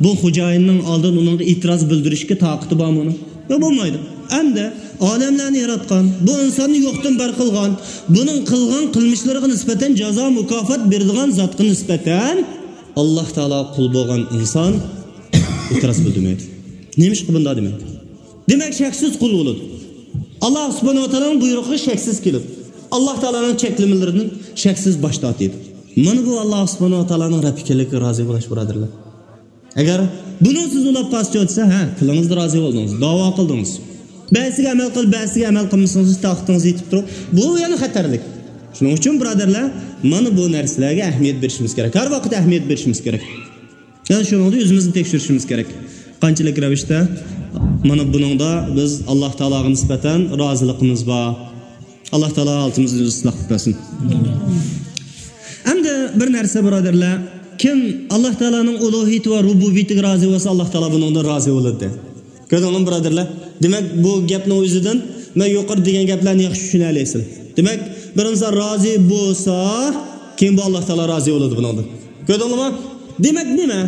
بۇ خوجايىننىڭ ئالدىدا ئۇنىڭغا ئېتىراز بىلدۈرۈشكە تاقىتى بارمۇ ئۇنىڭ؟ يوق، بولمايدۇ. ئەمدى ئالەملەرنى ياراتقان، بۇ ئىنساننى يوقتىن بار قىلغان، بۇنىڭ قىلغان قىلمىشلىرىغا نىسبەتەن جازا مۇكاپات بېرىدىغان زاتقا نىسبەتەن ئاللاھ تائالاغا قۇل بولغان ئىنسان ئېتىراز بىلدۈرمەيدۇ. نېمىشقا بۇنداق دېمەيدۇ؟ دېمەك، شەكسىز قۇل بولىدۇ. ئاللاھ سۇبھانەھۇ ۋە تائالانىڭ بۇيرۇقىغا شەكسىز كېلىدۇ. ئاللاھ تائالانىڭ چەكلىمىلىرىدىن شەكسىز باش تارتىدۇ. مانا بۇ ئاللاھ سۇبھانەھۇ ۋە تائالانىڭ رەب ئىكەنلىكىگە رازى بولۇش، بۇرادەرلەر. ئەگەر بۇنىڭ سىز ئۇلاپ قالسا دېسە، ھە، تىلىڭىزدا رازى بولدىڭىز، داۋا قىلدىڭىز. بەزىسىگە ئەمەل قىلىپ، بەزىسىگە ئەمەل قىلمىسىڭىز، تاقىتىڭىز يېتىپ تۇرۇپ، بۇ يەنە خەتەرلىك. شۇنىڭ ئۈچۈن، بۇرادەرلەر، مانا بۇ نەرسىلەرگە ئەھمىيەت بېرىشىمىز كېرەك. ھەر ۋاقىت ئەھمىيەت بېرىشىمىز كېرەك. يەنى شۇنىڭدا ئۆزىمىزنى تەكشۈرۈشىمىز كېرەك. قانچىلىك رەۋىشتە مانا بۇنىڭدا بىز ئاللاھ تائالاغا نىسبەتەن رازىلىقىمىز بار. ئاللاھ تائالا ھالىتىمىزنى ئىسلاھ قىلىپ بەرسۇن. ئەمدى بىر نەرسە، بۇرادەرلەر، كىم ئاللاھ تائالانىڭ ئۇلۇھىيىتى ۋە رۇبۇبىيىتىگە رازى بولسا، ئاللاھ تائالا بۇنىڭدىن رازى بولىدۇ. كۆردۈڭلارمۇ، بۇرادەرلەر؟ دېمەك، بۇ گەپنىڭ ئۆزىدىن مەن يۇقىرىدا دېگەن گەپلەرنى ياخشى چۈشىنەلەيسىلەر. دېمەك، بىر ئىنسان رازى بولسا، كېيىن بۇ ئاللاھ تائالا رازى بولىدۇ بۇنىڭدىن. كۆردۈڭلارمۇ؟ دېمەك نېمە؟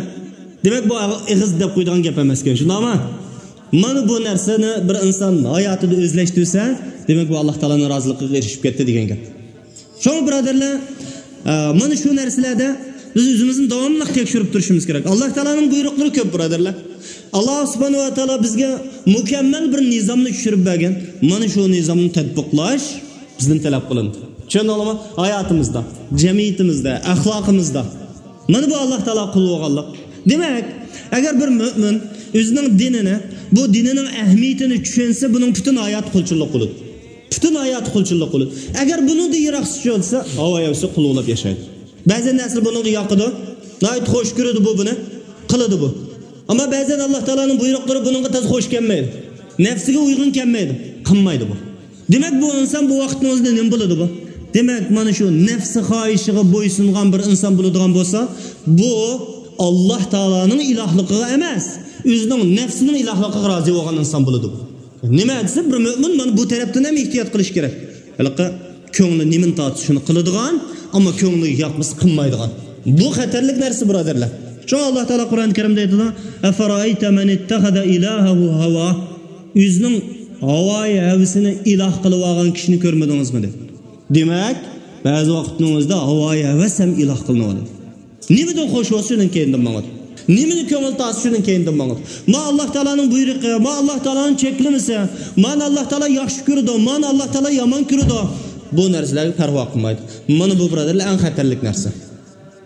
دېمەك، بۇ ئېغىز دەپ قويىدىغان گەپ ئەمەسكەن، شۇنداقمۇ؟ مانا بۇ نەرسىنى بىر ئىنسان ھاياتىدا ئۆزلەشتۈرسە، دېمەك، بۇ ئاللا تائالانىڭ رازىلىقىغا ئېرىشىپ كەتتى دېگەن گەپ. شۇڭا، بۇرادەرلەر، ئە، مانا شۇ نەرسىلەردە بىز ئۆزىمىزنى داۋاملىق تەكشۈرۈپ تۇرۇشىمىز كېرەك. ئاللا تائالانىڭ بۇيرۇقلىرى كۆپ، بۇرادەرلەر. ئاللا سۇبھانەھۇ ۋە تائالا بىزگە مۇكەممەل بىر نىزامنى چۈشۈرۈپ بەرگەن. مانا شۇ نىزامنى تەتبىقلاش بىزدىن تەلەپ قىلىنىدۇ. چۈشەندىڭلارمۇ؟ ھاياتىمىزدا، جەمئىيىتىمىزدە، ئەخلاقىمىزدا. مانا بۇ ئاللا تائالا قۇل بولغانلىق. دېمەك، ئەگەر بىر مۆمىن ئۆزىنىڭ دىنىنى، بۇ دىنىنىڭ ئەھمىيىتىنى چۈشەنسە، بۇنىڭ پۈتۈن ھاياتى قۇلچىلىق بولىدۇ. پۈتۈن ھاياتى قۇلچىلىق بولىدۇ. ئەگەر بۇنىڭدىن يىراق چۈشۈۋالسا، ھاۋا ھەۋىسى قۇل بولۇپ ياشايدۇ. بەزى نەرسىلەر بۇنىڭغا ياقىدۇ. ناھايىتى خوش كۆرىدۇ بۇ بۇنى. قىلىدۇ بۇ. ئەمما بەزەن ئاللا تائالانىڭ بۇيرۇقلىرى بۇنىڭغا تازا خوش كەلمەيدۇ. نەپسىگە ئۇيغۇن كەلمەيدۇ. قىلمايدۇ بۇ. دېمەك، بۇ ئىنسان بۇ ۋاقىتنىڭ ئۆزىدە نېمە بولىدۇ بۇ؟ دېمەك، مانا شۇ نەپسى خاھىشىغا بويسۇنغان بىر ئىنسان بولىدىغان بولسا، بۇ ئاللا تائالانىڭ ئىلاھلىقىغا ئەمەس، ئۆزىنىڭ نەپسىنىڭ ئىلاھلىقىغا رازى بولغان ئىنسان بولىدۇ بۇ. نېمە دېسە، بىر مۆمىن مانا بۇ تەرەپتىن ھەم ئېھتىيات قىلىش كېرەك. ھېلىقى كۆڭلى نېمىنى تارتسا، شۇنى قىلىدىغان، ئەمما كۆڭلىگە ياقمىسا، قىلمايدىغان. بۇ خەتەرلىك نەرسە، بۇرادەرلەر. شۇڭا ئاللا تائالا قۇرئان كەرىمدە ئېيتىدۇ، «ئەفەرەئەيتە مەن ئىتتەخەزە ئىلاھەھۇ ھەۋا.» ئۆزىنىڭ ھاۋايى ھەۋىسىنى ئىلاھ قىلىۋالغان كىشىنى كۆرمىدىڭىزمۇ؟ دېدى. دېمەك، بەزى ۋاقىتنىڭ ئۆزىدە ھاۋايى ھەۋەس ھەم ئىلاھ قىلىنىۋالىدۇ. نېمىدىن خوش بولسا، شۇنىڭ كەينىدىن ماڭىدۇ. نېمىنى كۆڭۈل تارتسا، شۇنىڭ كەينىدىن ماڭىدۇ. ما ئاللا تائالانىڭ بۇيرۇقى، ما ئاللا تائالانىڭ چەكلىمىسى، مانى ئاللا تائالا ياخشى كۆرىدۇ، مانى ئاللا تائالا يامان كۆرىدۇ. بۇ نەرسىلەرگە پەرۋا قىلمايدۇ. مانا بۇ، بۇرادەرلەر، ئەڭ خەتەرلىك نەرسە.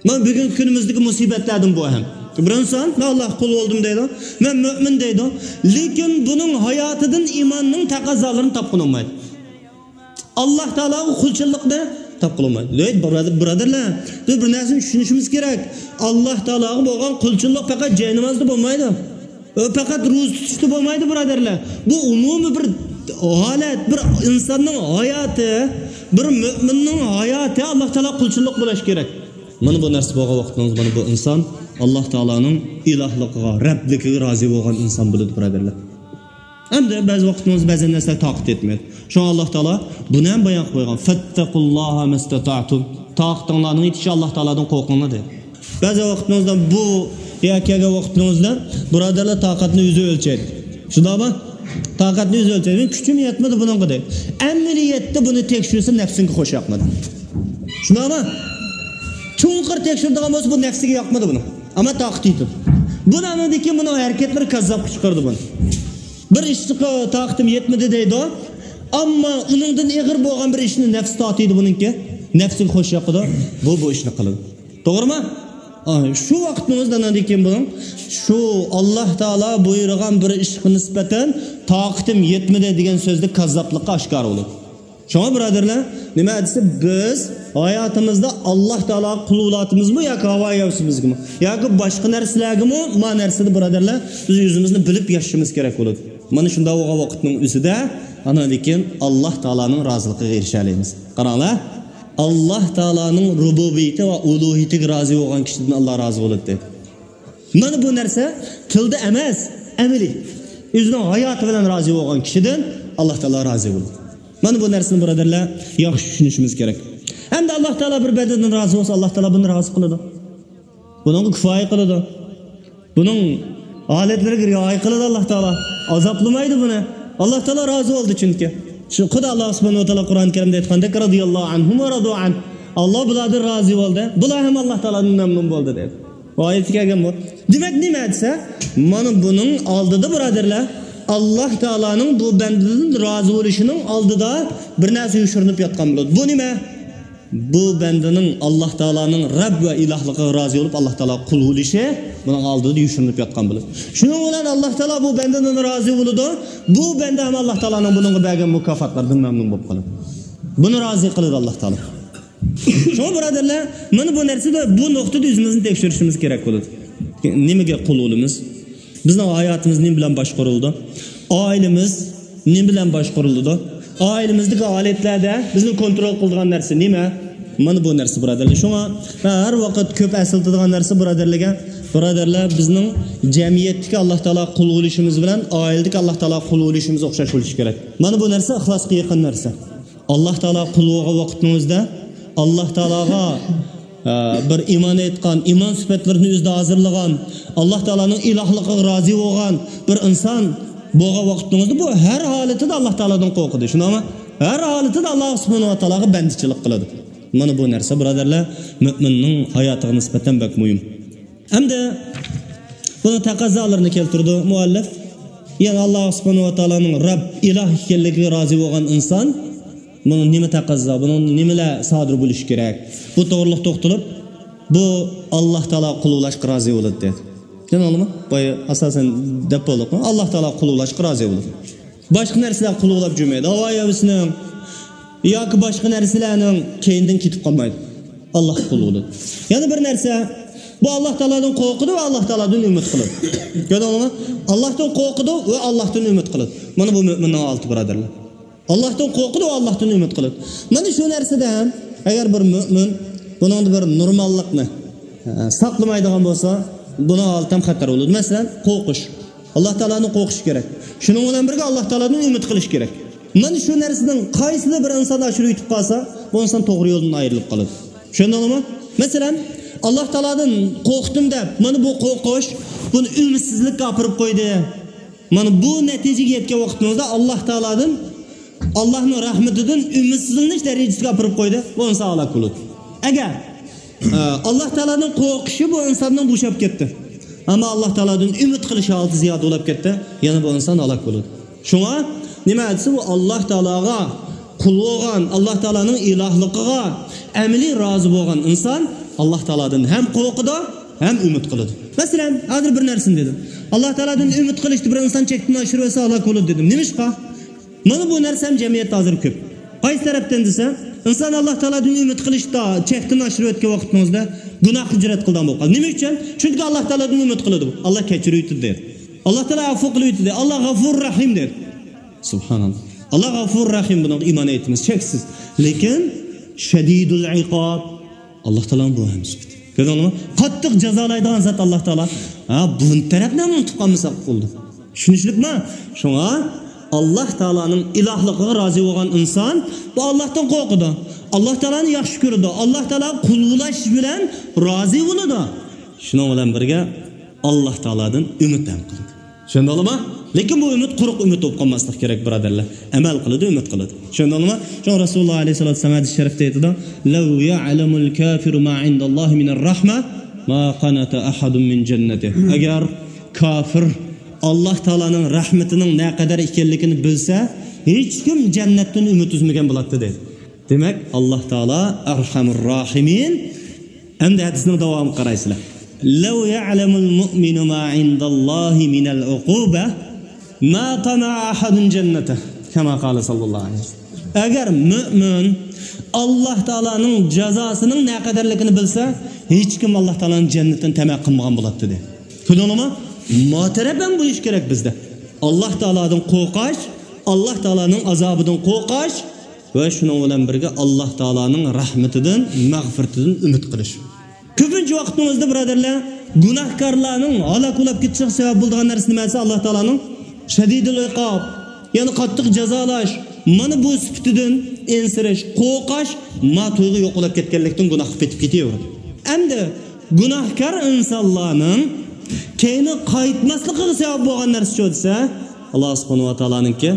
مانا بۈگۈنكى كۈنىمىزدىكى مۇسىبەتلەردىن بۇ ھەم. بىر ئىنسان، مەن ئاللاغا قۇل بولدۇم دەيدۇ، مەن مۆمىن دەيدۇ، لېكىن بۇنىڭ ھاياتىدىن ئىماننىڭ تەقەززالىرىنى تاپقىلى بولمايدۇ. ئاللا تائالاغا قۇلچىللىقنى تاپقىلى بولمايدۇ. ھەي، بۇرادەر-، بۇرادەرلەر، بىز بىر نەرسىنى چۈشىنىشىمىز كېرەك. ئاللا تائالاغا بولغان قۇلچىللىق پەقەت جاينامازدا بولمايدۇ. ئۇ پەقەت روزا تۇتۇشتا بولمايدۇ، بۇرادەرلەر. بۇ ئومۇمىي بىر ھالەت، بىر ئىنساننىڭ ھاياتى، بىر مۆمىننىڭ ھاياتى ئاللا تائالاغا قۇلچىللىق بولۇشى كېرەك. مانا بۇ نەرسە بولغان ۋاقتىڭىز، مانا بۇ ئىنسان ئاللا تائالانىڭ ئىلاھلىقىغا، رەبلىكىگە رازى بولغان ئىنسان بولىدۇ، بۇرادەرلەر. ئەمدى بەزى ۋاقىتىمىز بەزى نەرسىلەر تاقەت يەتمەيدۇ. شۇڭا ئاللا تائالا بۇنى ھەم بايان قىلىپ قويغان. فەتتەقۇللاھە مەستەتەئتۇم. تاقىتىڭلارنىڭ يېتىشىچە ئاللا تائالادىن قورقۇڭلار دېدى. بەزى ۋاقىتىمىزدا بۇ يەرگە كەلگەن ۋاقىتىمىزدا، بۇرادەرلەر، تاقەتنى ئۆزى ئۆلچەيدۇ. شۇنداقمۇ؟ تاقەتنى ئۆزى ئۆلچەيدۇ. مېنىڭ كۈچۈم يەتمىدى بۇنىڭغا دەيدۇ. ئەمەلىيەتتە بۇنى تەكشۈرسە نەپسىڭگە خوش ياقمىدى. شۇنداقمۇ؟ چوڭقۇر تەكشۈرىدىغان بولسا، بۇ نەپسىگە ياقمىدى بۇنىڭ. ئەمما تاقىتى يېتىدۇ. بۇنى ئاندىن كېيىن بۇنىڭ ھەرىكەتلىرى كاززاپقا چىقىرىدۇ بۇنى. بىر ئىشقا تاقىتىم يەتمىدى دەيدۇ. ئەمما ئۇنىڭدىن ئېغىر بولغان بىر ئىشنى نەپسى تارتىدۇ بۇنىڭكى. نەپسىگە خوش ياقىدۇ. بۇ، بۇ ئىشنى قىلىدۇ. توغرىمۇ؟ ئا، شۇ ۋاقىتنىڭ ئۆزىدە ئاندىن كېيىن بۇنىڭ شۇ ئاللا تائالا بۇيرۇغان بىر ئىشقا نىسبەتەن تاقىتىم يەتمىدى دېگەن سۆزدە كاززاپلىقى ئاشكارا بولىدۇ. شۇڭا، بۇرادەرلەر، نېمە دېسە، بىز ھاياتىمىزدا ئاللا تائالاغا قۇل بولاتىمىزمۇ ياكى ھاۋا ھەۋىسىمىزگىمۇ ياكى باشقا نەرسىلەرگىمۇ، ما نەرسىدە، بۇرادەرلەر، بىز ئۆزىمىزنى بىلىپ ياشىشىمىز كېرەك بولىدۇ. مانا شۇنداق بولغان ۋاقىتنىڭ ئۆزىدە ئاندىن كېيىن ئاللا تائالانىڭ رازىلىقىغا ئېرىشەلەيمىز. قاراڭلار، ئاللا تائالانىڭ رۇبۇبىيىتى ۋە ئۇلۇھىيىتىگە رازى بولغان كىشىدىن ئاللا رازى بولىدۇ. مانا بۇ نەرسە تىلدا ئەمەس، ئەمەلىي. ئۆزىنىڭ ھاياتى بىلەن رازى بولغان كىشىدىن ئاللا تائالا رازى بولىدۇ. مانا بۇ نەرسىنى، بۇرادەرلەر، ياخشى چۈشىنىشىمىز كېرەك. ئەمدى ئاللا تائالا بىر بەندىدىن رازى بولسا، ئاللا تائالا بۇنى رازى قىلىدۇ. بۇنىڭغا كۇپايە قىلىدۇ. بۇنىڭ ھالەتلىرىگە رىئايە قىلىدۇ ئاللا تائالا. ئازابلىمايدۇ بۇنى. ئاللا تائالا رازى بولدى چۈنكى. شۇ خۇدا ئاللا سۇبھانەھۇ ۋە تائالا قۇرئان كەرىمدە ئېيتقاندەك، رەزىيەللاھۇ ئەنھۇم ۋە رەزۇ ئەنھ. ئاللا بۇلاردىن رازى بولدى. بۇلار ھەم ئاللا تائالادىن مەمنۇن بولدى دەيدۇ. بۇ ئايەتتە كەلگەن بۇ. دېمەك، نېمە دېسە، مانا بۇنىڭ ئالدىدا، بۇرادەرلەر، ئاللا تائالانىڭ بۇ بەندىدىن رازى بولۇشىنىڭ ئالدىدا بىر نەرسە يوشۇرۇنۇپ ياتقان بولىدۇ. بۇ نېمە؟ بۇ بەندىنىڭ ئاللا تائالانىڭ رەب ۋە ئىلاھلىقىغا رازى بولۇپ، ئاللا تائالاغا قۇل بولۇشى بۇنىڭ ئالدىدا يوشۇرۇنۇپ ياتقان بولىدۇ. شۇنىڭ بىلەن ئاللا تائالا بۇ بەندىدىن رازى بولىدۇ. بۇ بەندە ھەم ئاللا تائالانىڭ بۇنىڭغا بەرگەن مۇكاپاتلىرىدىن مەمنۇن بولۇپ قالىدۇ. بۇنى رازى قىلىدۇ ئاللا تائالا. شۇڭا، بۇرادەرلەر، مانا بۇ نەرسىدە، بۇ نۇقتىدا ئۆزىمىزنى تەكشۈرۈشىمىز كېرەك بولىدۇ. نېمىگە قۇل بولىمىز؟ بىزنىڭ ھاياتىمىز نېمە بىلەن باشقۇرۇلىدۇ؟ ئائىلىمىز نېمە بىلەن باشقۇرۇلىدۇ؟ ئائىلىمىزدىكى ھالەتلەردە بىزنى كونترول قىلىدىغان نەرسە نېمە؟ مانا بۇ نەرسە، بۇرادەرلەر. شۇڭا مەن ھەر ۋاقىت كۆپ ئەسلىتىدىغان نەرسە، بۇرادەرلەرگە، بۇرادەرلەر، بىزنىڭ جەمئىيەتتىكى ئاللا تائالاغا قۇل بولۇشىمىز بىلەن ئائىلىدىكى ئاللا تائالاغا قۇل بولۇشىمىز ئوخشاش بولۇشى كېرەك. مانا بۇ نەرسە ئىخلاسقا يېقىن نەرسە. ئاللا تائالاغا قۇل بولغان ۋاقىتنىڭ ئۆزىدە، ئاللا تائالاغا، ئە، بىر ئىمان ئېيتقان، ئىمان سۈپەتلىرىنى ئۆزىدە ھازىرلىغان، ئاللا تائالانىڭ ئىلاھلىقىغا رازى بولغان بىر ئىنسان بولغان ۋاقتىڭىزدا بۇ ھەر ھالىتىدە ئاللا تائالادىن قورقىدۇ. شۇنداقمۇ؟ ھەر ھالىتىدە ئاللا سۇبھانەھۇ ۋە تائالاغا بەندىچىلىك قىلىدۇ. مانا بۇ نەرسە، بۇرادەرلەر، مۆمىننىڭ ھاياتىغا نىسبەتەن بەك مۇھىم. ئەمدى بۇنىڭ تەقەززالىرىنى كەلتۈرىدۇ مۇئەللىپ. يەنى ئاللا سۇبھانەھۇ ۋە تائالانىڭ رەب، ئىلاھ ئىكەنلىكىگە رازى بولغان ئىنسان، بۇنىڭ نېمە تەقەززا، بۇنىڭ نېمىلەر سادىر بولۇشى كېرەك؟ بۇ توغرىلىق توختىلىپ، بۇ ئاللا تائالا قۇللاشقا رازى بولىدۇ دېدى. دېدىم ئالىما؟ بايا ئاساسەن دەپ بولدۇق. ئاللا تائالا قۇللاشقا رازى بولىدۇ. باشقا نەرسىلەر قۇللاپ جۈرمەيدۇ. ھاۋا ھەۋىسىنىڭ ياكى باشقا نەرسىلەرنىڭ كەينىدىن كېتىپ قالمايدۇ. ئاللاھقا قۇل بولىدۇ. يەنە بىر نەرسە، بۇ ئاللا تائالادىن قورقىدۇ ۋە ئاللا تائالادىن ئۈمىد قىلىدۇ. كۆردۈڭلارمۇ؟ ئاللاھتىن قورقىدۇ ۋە ئاللاھتىن ئۈمىد قىلىدۇ. مانا بۇ مۆمىننىڭ ھالىتى، بۇرادەرلەر. ئاللاھتىن قورقىدۇ ۋە ئاللاھتىن ئۈمىد قىلىدۇ. مانا شۇ نەرسىدە ئەگەر بىر مۆمىن بۇنىڭدا بىر نورماللىقنى، ئە، ساقلىمايدىغان بولسا، بۇنىڭ ھالىتى ھەم خەتەر بولىدۇ. مەسىلەن، قورقۇش. ئاللا تائالادىن قورقۇش كېرەك. شۇنىڭ بىلەن بىرگە ئاللا تائالادىن ئۈمىد قىلىش كېرەك. مانا شۇ نەرسىنىڭ قايسىدا بىر ئىنسان ئاشۇرۇپ يېتىپ قالسا، بۇ ئىنسان توغرا يولدىن ئايرىلىپ قالىدۇ. چۈشەندىڭلارمۇ؟ مەسىلەن، ئاللا تائالادىن قورقتۇم دەپ، مانا بۇ قورقۇش بۇنى ئۈمىدسىزلىككە ئاپىرىپ قويدى. مانا بۇ نەتىجىگە يەتكەن ۋاقتىمىزدا ئاللا تائالادىن، ئاللانىڭ رەھمىتىدىن ئۈمىدسىزلىنىش دەرىجىسىگە ئاپىرىپ قويدى، بۇ ئىنسان ھالاك بولىدۇ. ئەگەر ئە، ئاللا تائالادىن قورقۇشى بۇ ئىنساننىڭ بوشاپ كەتتى. ئەمما ئاللا تائالادىن ئۈمىد قىلىش ھالىتى زىيادە بولۇپ كەتتى. يەنە بۇ ئىنسان ھالاك بولىدۇ. شۇڭا نېمە دېسە، بۇ ئاللا تائالاغا قۇل بولغان، ئاللا تائالانىڭ ئىلاھلىقىغا ئەمەلىي رازى بولغان ئىنسان ئاللا تائالادىن ھەم قورقىدۇ، ھەم ئۈمىد قىلىدۇ. مەسىلەن، ھازىر بىر نەرسىنى دېدىم. ئاللا تائالادىن ئۈمىد قىلىشتا بىر ئىنسان چەكتىن ئاشۇرۇۋەتسە ھالاك بولىدۇ دېدىم. نېمىشقا؟ مانا بۇ نەرسە ھەم جەمئىيەتتە ھازىر كۆپ. قايسى تەرەپتىن دېسە، ئىنسان ئاللا تائالادىن ئۈمىد قىلىشتا چەكتىن ئاشۇرۇپ ئۆتكەن ۋاقتىڭىزدا گۇناھقا جۈرئەت قىلىدىغان بولۇپ قالىدۇ. نېمە ئۈچۈن؟ چۈنكى ئاللا تائالادىن ئۈمىد قىلىدۇ. ئاللا كەچۈرۈۋېتىدۇ دەيدۇ. ئاللا تائالا ئەپۇ قىلىۋېتىدۇ. ئاللا غەفۇر رەھىم دەيدۇ. سۇبھاناللا. ئاللا غەفۇر رەھىم، بۇنىڭغا ئىمان ئېيتىمىز، چەكسىز. لېكىن شەدىدۇل ئىقاب. ئاللا تائالانىڭ بۇ ھەم سۈپىتى. كۆردۈڭلارمۇ؟ قاتتىق جازالايدىغان زات ئاللا تائالا. ھا، بۇ تەرەپنى ھەم ئۇنتۇپ قالمىساق بولدى. چۈشىنىشلىكمۇ؟ شۇڭا ئاللا تائالانىڭ ئىلاھلىقىغا رازى بولغان ئىنسان بۇ ئاللاھتىن قورقىدۇ. ئاللا تائالانى ياخشى كۆرىدۇ. ئاللا تائالاغا قۇللاش بىلەن رازى بولىدۇ. شۇنىڭ بىلەن بىرگە ئاللا تائالادىن ئۈمىد ھەم قىلىدۇ. چۈشەندىڭلارمۇ؟ لېكىن بۇ ئۈمىد قۇرۇق ئۈمىد بولۇپ قالماسلىق كېرەك، بۇرادەرلەر. ئەمەل قىلىدۇ، ئۈمىد قىلىدۇ. چۈشەندىڭلارمۇ؟ شۇڭا رەسۇلۇللا ئەلەيھىسسالاتۇ ۋەسسالام ھەدىس شەرىپتە ئېيتىدۇ، لو يعلم الكافر ما عند الله من الرحمة ما قنط أحد من جنته. ئەگەر كاپىر ئاللا تائالانىڭ رەھمىتىنىڭ نەقەدەر ئىكەنلىكىنى بىلسە، ھېچكىم جەننەتتىن ئۈمىد ئۈزمىگەن بولاتتى، دەيدۇ. دېمەك، ئاللا تائالا ئەرھەمۇر راھىمىن. ئەمدى ھەدىسنىڭ داۋامىغا قارايسىلەر. لو يعلم المؤمن ما عند الله من العقوبة ما طمع أحد جنته كما قال صلى الله عليه وسلم. ئەگەر مۆمىن ئاللا تائالانىڭ جازاسىنىڭ نەقەدەرلىكىنى بىلسە، ھېچكىم ئاللا تائالانىڭ جەننىتىنى تەمە قىلمىغان بولاتتى، دەيدۇ. كۆردۈڭلارمۇ؟ ما تەرەپ ھەم بۇ ئىش كېرەك بىزدە. ئاللا تائالادىن قورقاش، ئاللا تائالانىڭ ئازابىدىن قورقاش، ۋە شۇنىڭ بىلەن بىرگە ئاللا تائالانىڭ رەھمىتىدىن، مەغپىرىتىدىن ئۈمىد قىلىش. كۆپىنچە ۋاقتىمىزدا، بۇرادەرلەر، گۇناھكارلارنىڭ ھالاك بولۇپ كېتىشىگە سەۋەب بولىدىغان نەرسە نېمە دېسە، ئاللا تائالانىڭ شەدىدۇل ئىقاب، يەنى قاتتىق جازالاش، مانا بۇ سۈپىتىدىن ئەنسىرەش، قورقاش، ما تۇيغۇ يوق بولۇپ كەتكەنلىكتىن گۇناھقا پېتىپ كېتىۋېرىدۇ. ئەمدى گۇناھكار ئىنسانلارنىڭ كەينى قايتماسلىقىغا سەۋەب بولغان نەرسە شۇ دېسە، ئاللا سۇبھانەھۇ ۋە تائالانىڭكى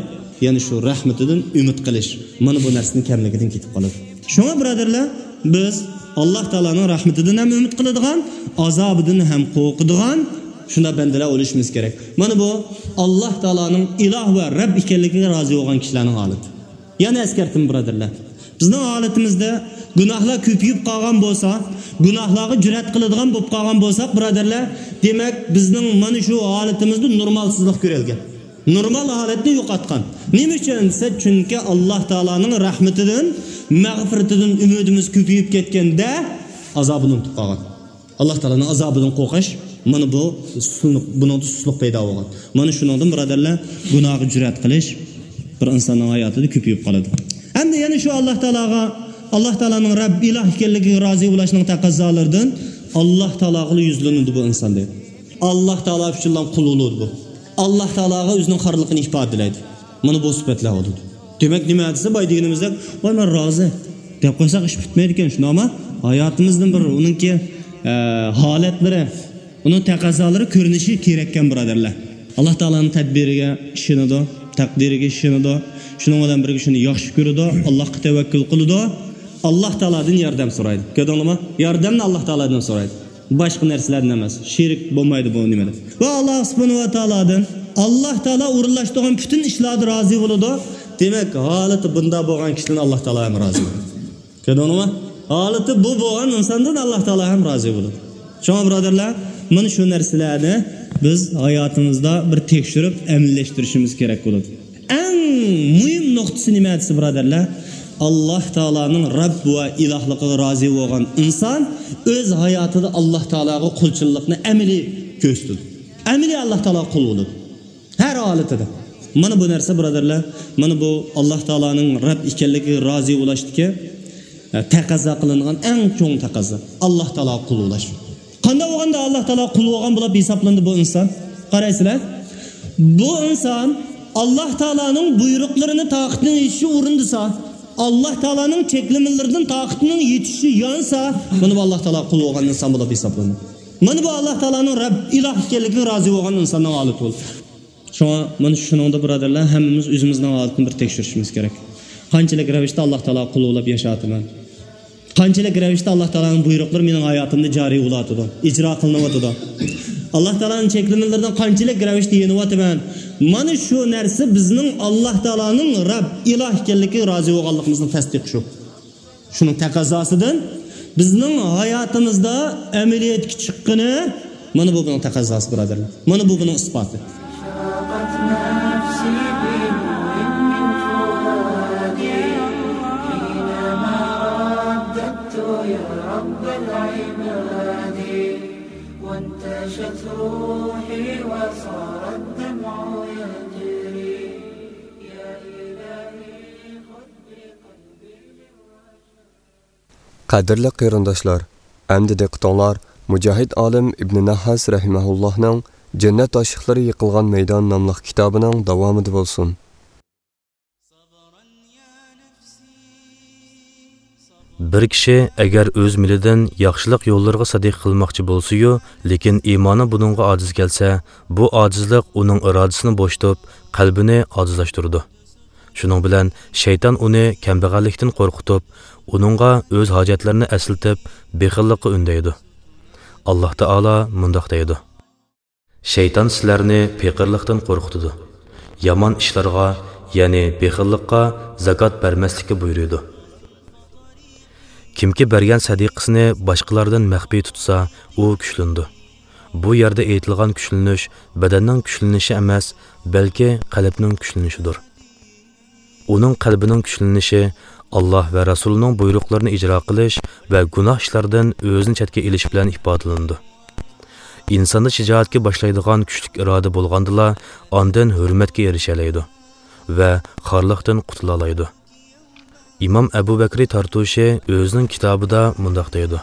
يەنە شۇ رەھمىتىدىن ئۈمىد قىلىش، مانا بۇ نەرسىنىڭ كەملىكىدىن كېتىپ قالىدۇ. شۇڭا بۇرادەرلەر، بىز ئاللا تائالانىڭ رەھمىتىدىن ھەم ئۈمىد قىلىدىغان، ئازابىدىن ھەم قورقىدىغان شۇنداق بەندىلەر بولۇشىمىز كېرەك. مانا بۇ ئاللا تائالانىڭ ئىلاھ ۋە رەب ئىكەنلىكىگە رازى بولغان كىشىلەرنىڭ ھالىتى. يەنە ئەسكەرتىمەن، بۇرادەرلەر. بىزنىڭ ھالىتىمىزدە گۇناھلار كۆپىيىپ قالغان بولسا، گۇناھلارغا جۈرئەت قىلىدىغان بولۇپ قالغان بولساق، بۇرادەرلەر، دېمەك، بىزنىڭ مانا شۇ ھالىتىمىزدە نورمالسىزلىق كۆرۈلگەن. نورمال ھالەتنى يوقاتقان. نېمە ئۈچۈن دېسە، چۈنكى ئاللا تائالانىڭ رەھمىتىدىن، مەغپىرىتىدىن ئۈمىدىمىز كۆپىيىپ كەتكەندە، ئازابىنى ئۇنتۇپ قالغان. ئاللا تائالانىڭ ئازابىدىن قورقۇش، مانا بۇ سۇسلۇق، بۇنىڭدا سۇسلۇق پەيدا بولغان. مانا شۇنىڭدىن، بۇرادەرلەر، گۇناھقا جۈرئەت قىلىش بىر ئىنساننىڭ ھاياتىدا كۆپىيىپ قالىدۇ. ئەمدى يەنە شۇ ئاللا تائالاغا، ئاللا تائالانىڭ رەب، ئىلاھ ئىكەنلىكىگە رازى بولۇشنىڭ تەقەززالىرىدىن ئاللا تائالاغىلا يۈزلىنىدۇ بۇ ئىنسان، دەيدۇ. ئاللا تائالا ئۈچۈنلا قۇل بولىدۇ بۇ. ئاللا تائالاغا ئۆزىنىڭ خارلىقىنى ئىپادىلەيدۇ. مانا بۇ سۈپەتلەر بولىدۇ. دېمەك، نېمە دېسە، بايا دېگىنىمىزدەك، ۋاي، مەن رازى دەپ قويساق، ئىش پۈتمەيدىكەن، شۇنداقمۇ؟ ھاياتىمىزدىن بىر ئۇنىڭكى، ئە، ھالەتلىرى، ئۇنىڭ تەقەززالىرى كۆرۈنۈشى كېرەككەن، بۇرادەرلەر. ئاللاھ تائالانىڭ تەدبىرىگە ئىشىنىدۇ، تەقدىرىگە ئىشىنىدۇ. شۇنىڭ بىلەن بىرگە شۇنى ياخشى كۆرىدۇ، ئاللاھقا تەۋەككۈل قىلىدۇ. ئاللاھ تائالادىن ياردەم سورايدۇ. كۆردۈڭلارمۇ؟ ياردەمنى ئاللاھ تائالادىن سورايدۇ. باشقا نەرسىلەردىن ئەمەس. شېرىك بولمايدۇ بۇ نېمىدە. ۋە ئاللاھ سۇبھانەھۇ ۋە تائالادىن، ئاللاھ تائالا ئورۇنلاشتۇرغان پۈتۈن ئىشلاردا رازى بولىدۇ. دېمەك، ھالىتى بۇنداق بولغان كىشىدىن ئاللاھ تائالا ھەم رازى بولىدۇ. كۆردۈڭلارمۇ؟ ھالىتى بۇ بولغان ئىنساندىن ئاللاھ تائالا ھەم رازى بولىدۇ. شۇڭا، بۇرادەرلەر، مانا شۇ نەرسىلەرنى بىز ھاياتىمىزدا بىر تەكشۈرۈپ ئەمەلىيلەشتۈرۈشىمىز كېرەك بولىدۇ. ئەڭ مۇھىم نۇقتىسى نېمە دېسە، بۇرادەرلەر، ئاللاھ تائالانىڭ رەب ۋە ئىلاھلىقىغا رازى بولغان ئىنسان ئۆز ھاياتىدا ئاللاھ تائالاغا قۇلچىللىقنى ئەمەلىي كۆرسىتىدۇ. ئەمەلىي ئاللاھ تائالاغا قۇل بولىدۇ. ھەر ھالىتىدە. مانا بۇ نەرسە، بۇرادەرلەر، مانا بۇ ئاللاھ تائالانىڭ رەب ئىكەنلىكىگە رازى بولۇشتىكى، ئە، تەقەززا قىلىنغان ئەڭ چوڭ تەقەززا. ئاللاھ تائالاغا قۇل بولۇش. قانداق بولغاندا ئاللاھ تائالاغا قۇل بولغان بولۇپ ھېسابلىنىدۇ بۇ ئىنسان؟ قارايسىلەر. بۇ ئىنسان ئاللاھ تائالانىڭ بۇيرۇقلىرىنى تاقىتىنىڭ يېتىشىچە ئورۇندىسا، ئاللاھ تائالانىڭ چەكلىمىلىرىدىن تاقىتىنىڭ يېتىشىچە يانسا، مانا بۇ ئاللاھ تائالاغا قۇل بولغان ئىنسان بولۇپ ھېسابلىنىدۇ. مانا بۇ ئاللاھ تائالانىڭ رەب، ئىلاھ ئىكەنلىكىگە رازى بولغان ئىنساننىڭ ھالىتى بولىدۇ. شۇڭا مانا شۇنىڭدا، بۇرادەرلەر، ھەممىمىز ئۆزىمىزنىڭ ھالىتىنى بىر تەكشۈرۈشىمىز كېرەك. قانچىلىك رەۋىشتە ئاللاھ تائالاغا قۇل بولۇپ ياشاۋاتىمەن؟ قانچىلىك رەۋىشتە ئاللاھ تائالانىڭ بۇيرۇقلىرى مېنىڭ ھاياتىمدا جارى بولۇۋاتىدۇ، ئىجرا قىلىنىۋاتىدۇ؟ ئاللاھ تائالانىڭ چەكلىمىلىرىدىن قانچىلىك رەۋىشتە يېنىۋاتىمەن؟ مانا شۇ نەرسە بىزنىڭ ئاللاھ تائالانىڭ رەب، ئىلاھ ئىكەنلىكىگە رازى بولغانلىقىمىزنىڭ تەستىقى شۇ. شۇنىڭ تەقەززاسىدىن بىزنىڭ ھاياتىمىزدا ئەمەلىيەتكە چىققىنى، مانا بۇ بۇنىڭ تەقەززاسى، بۇرادەرلەر. مانا بۇ بۇنىڭ ئىسپاتى. أشرقت نفسي بنور من فؤادي حينما رددت يا رب العباد، وانتشت روحي وصار الدمع يجري. يا إلهي خذ بقلبي. قەدىرلىك قېرىنداشلار، ئەمدى دىققىتىڭلار مۇجاھىد ئالىم ئىبنى نەھھاس رەھىمەھۇللاھنىڭ جەننەت ئاشىقلىرى يىقىلغان مەيدان ناملىق كىتابىنىڭ داۋامىدا بولسۇن. بىر كىشى ئەگەر ئۆز مېلىدىن ياخشىلىق يوللىرىغا سەدىقە قىلماقچى بولسىيۇ، لېكىن ئىمانى بۇنىڭغا ئاجىز كەلسە، بۇ ئاجىزلىق ئۇنىڭ ئىرادىسىنى بوشىتىپ، قەلبىنى ئاجىزلاشتۇرىدۇ. شۇنىڭ بىلەن شەيتان ئۇنى كەمبەغەللىكتىن قورقۇتۇپ، ئۇنىڭغا ئۆز ھاجەتلىرىنى ئەسلىتىپ، بېخىللىققا ئۈندەيدۇ. ئاللاھ تائالا مۇنداق دەيدۇ: شەيتان سىلەرنى پېقىرلىقتىن قورقۇتىدۇ، يامان ئىشلارغا، يەنى بېخىللىققا زاكات بەرمەسلىككە بۇيرۇيدۇ. كىمكى بەرگەن سەدىقىسىنى باشقىلاردىن مەخپىي تۇتسا، ئۇ كۈچلىنىدۇ. بۇ يەردە ئېيتىلغان كۈچلىنىش بەدەننىڭ كۈچلىنىشى ئەمەس، بەلكى قەلبنىڭ كۈچلىنىشىدۇر. ئۇنىڭ قەلبىنىڭ كۈچلىنىشى ئاللاھ ۋە رەسۇلىنىڭ بۇيرۇقلىرىنى ئىجرا قىلىش ۋە گۇناھ ئىشلاردىن ئۆزىنى چەتكە ئېلىش بىلەن ئىپادىلىنىدۇ. ئىنساندا شىجائەتكە باشلايدىغان كۈچلۈك ئىرادە بولغاندىلا، ئاندىن ھۆرمەتكە ئېرىشەلەيدۇ ۋە خارلىقتىن قۇتۇلالايدۇ. ئىمام ئەبۇ بەكرى تارتۇشى ئۆزىنىڭ كىتابىدا مۇنداق دەيدۇ: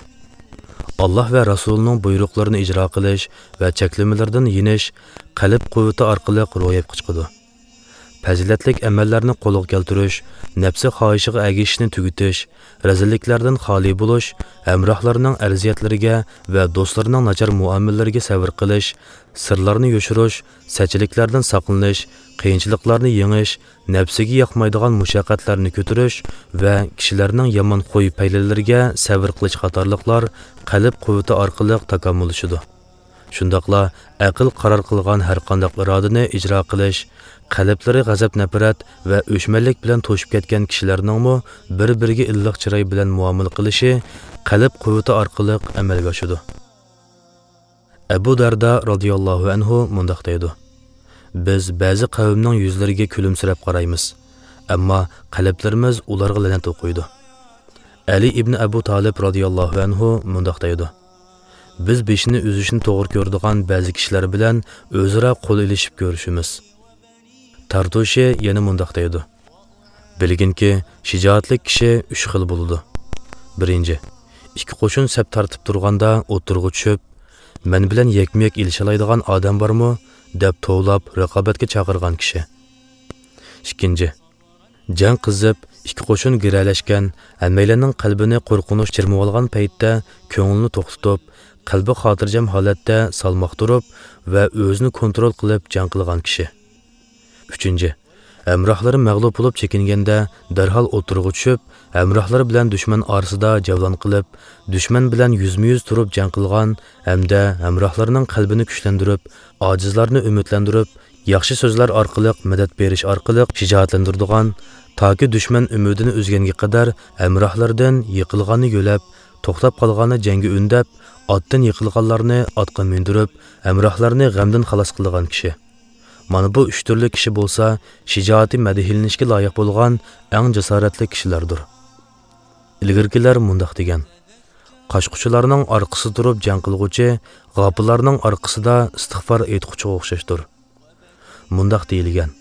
ئاللاھ ۋە رەسۇلىنىڭ بۇيرۇقلىرىنى ئىجرا قىلىش ۋە چەكلىمىلىرىدىن يېنىش قەلب قۇۋۋىتى ئارقىلىق روياپقا چىقىدۇ. پەزىلەتلىك ئەمەللەرنى قولغا كەلتۈرۈش، نەپسى خاھىشىغا ئەگىشىشنى تۈگىتىش، رەزىللىكلەردىن خالىي بولۇش، ھەمراھلارنىڭ ئەرزىيەتلىرىگە ۋە دوستلىرىنىڭ ناچار مۇئامىلىلىرىگە سەۋر قىلىش، سىرلارنى يوشۇرۇش، سەتچىلىكلەردىن ساقلىنىش، قىيىنچىلىقلارنى يېڭىش، نەپسىگە ياقمايدىغان مۇشەققەتلەرنى كۆتۈرۈش ۋە كىشىلەرنىڭ يامان خۇي-پەيلىلىرىگە سەۋر قىلىش قاتارلىقلار قەلب قۇۋۋىتى ئارقىلىق تاكامۇللىشىدۇ. شۇنداقلا ئەقىل قارار قىلغان ھەرقانداق ئىرادىنى ئىجرا قىلىش، قەلبلىرى غەزەپ-نەپرەت ۋە ئۆچمەنلىك بىلەن توشۇپ كەتكەن كىشىلەرنىڭمۇ بىر-بىرىگە ئىللىق چىراي بىلەن مۇئامىلە قىلىشى قەلب قۇۋۋىتى ئارقىلىق ئەمەلگە ئاشىدۇ. ئەبۇ دەردە رازىياللاھۇ ئەنھۇ مۇنداق دەيدۇ: بىز بەزى قەۋمنىڭ يۈزلىرىگە كۈلۈمسىرەپ قارايمىز، ئەمما قەلبلىرىمىز ئۇلارغا لەنەت ئوقۇيدۇ. ئەلى ئىبنى ئەبۇ تالىپ رازىياللاھۇ ئەنھۇ مۇنداق دەيدۇ: بىز بېشىنى ئۈزۈشنى توغرا كۆرىدىغان بەزى كىشىلەر بىلەن ئۆزئارا قول ئېلىشىپ كۆرۈشىمىز. تارتۇشى يەنە مۇنداق دەيدۇ: بىلگىنكى، شىجائەتلىك كىشى ئۈچ خىل بولىدۇ. بىرىنچى، ئىككى قوشۇن سەپ تارتىپ تۇرغاندا ئوتتۇرىغا چۈشۈپ، مەن بىلەن يەكمۇ-يەك ئېلىشالايدىغان ئادەم بارمۇ؟ دەپ توۋلاپ رىقابەتكە چاقىرغان كىشى. ئىككىنچى، جەڭ قىزىپ، ئىككى قوشۇن گىرەلەشكەن، ھەممەيلەننىڭ قەلبىنى قورقۇنچ چىرمىۋالغان پەيتتە كۆڭلىنى توختىتىپ، قەلبى خاتىرجەم ھالەتتە سالماق تۇرۇپ ۋە ئۆزىنى كونترول قىلىپ جەڭ قىلغان كىشى. ئۈچىنچى، ھەمراھلىرى مەغلۇپ بولۇپ چېكىنگەندە، دەرھال ئوتتۇرىغا چۈشۈپ، ھەمراھلىرى بىلەن دۈشمەن ئارىسىدا جەۋلان قىلىپ، دۈشمەن بىلەن يۈزمۇ يۈز تۇرۇپ جەڭ قىلغان ھەمدە ھەمراھلىرىنىڭ قەلبىنى كۈچلەندۈرۈپ، ئاجىزلارنى ئۈمىدلەندۈرۈپ، ياخشى سۆزلەر ئارقىلىق مەدەت بېرىش ئارقىلىق شىجائەتلەندۈرىدىغان، تاكى دۈشمەن ئۈمىدىنى ئۈزگەنگە قەدەر ھەمراھلىرىدىن يىقىلغاننى يۆلەپ، توختاپ قالغاننى جەڭگە ئۈندەپ، ئاتتىن يىقىلغانلارنى ئاتقا مىندۈرۈپ، ھەمراھلارنى غەمدىن خالاس قىلىدىغان كىشى. مانا بۇ ئۈچ تۈرلۈك كىشى بولسا شىجائىتى مەدھىيلىنىشكە لايىق بولغان ئەڭ جاسارەتلىك كىشىلەردۇر. ئىلگىرىكىلەر مۇنداق دېگەن: «قاچقۇچىلارنىڭ ئارقىسىدا تۇرۇپ جەڭ قىلغۇچى غاپىللارنىڭ ئارقىسىدا ئىستىغپار ئېيتقۇچىغا ئوخشاشتۇر.» مۇنداق دېيىلگەن: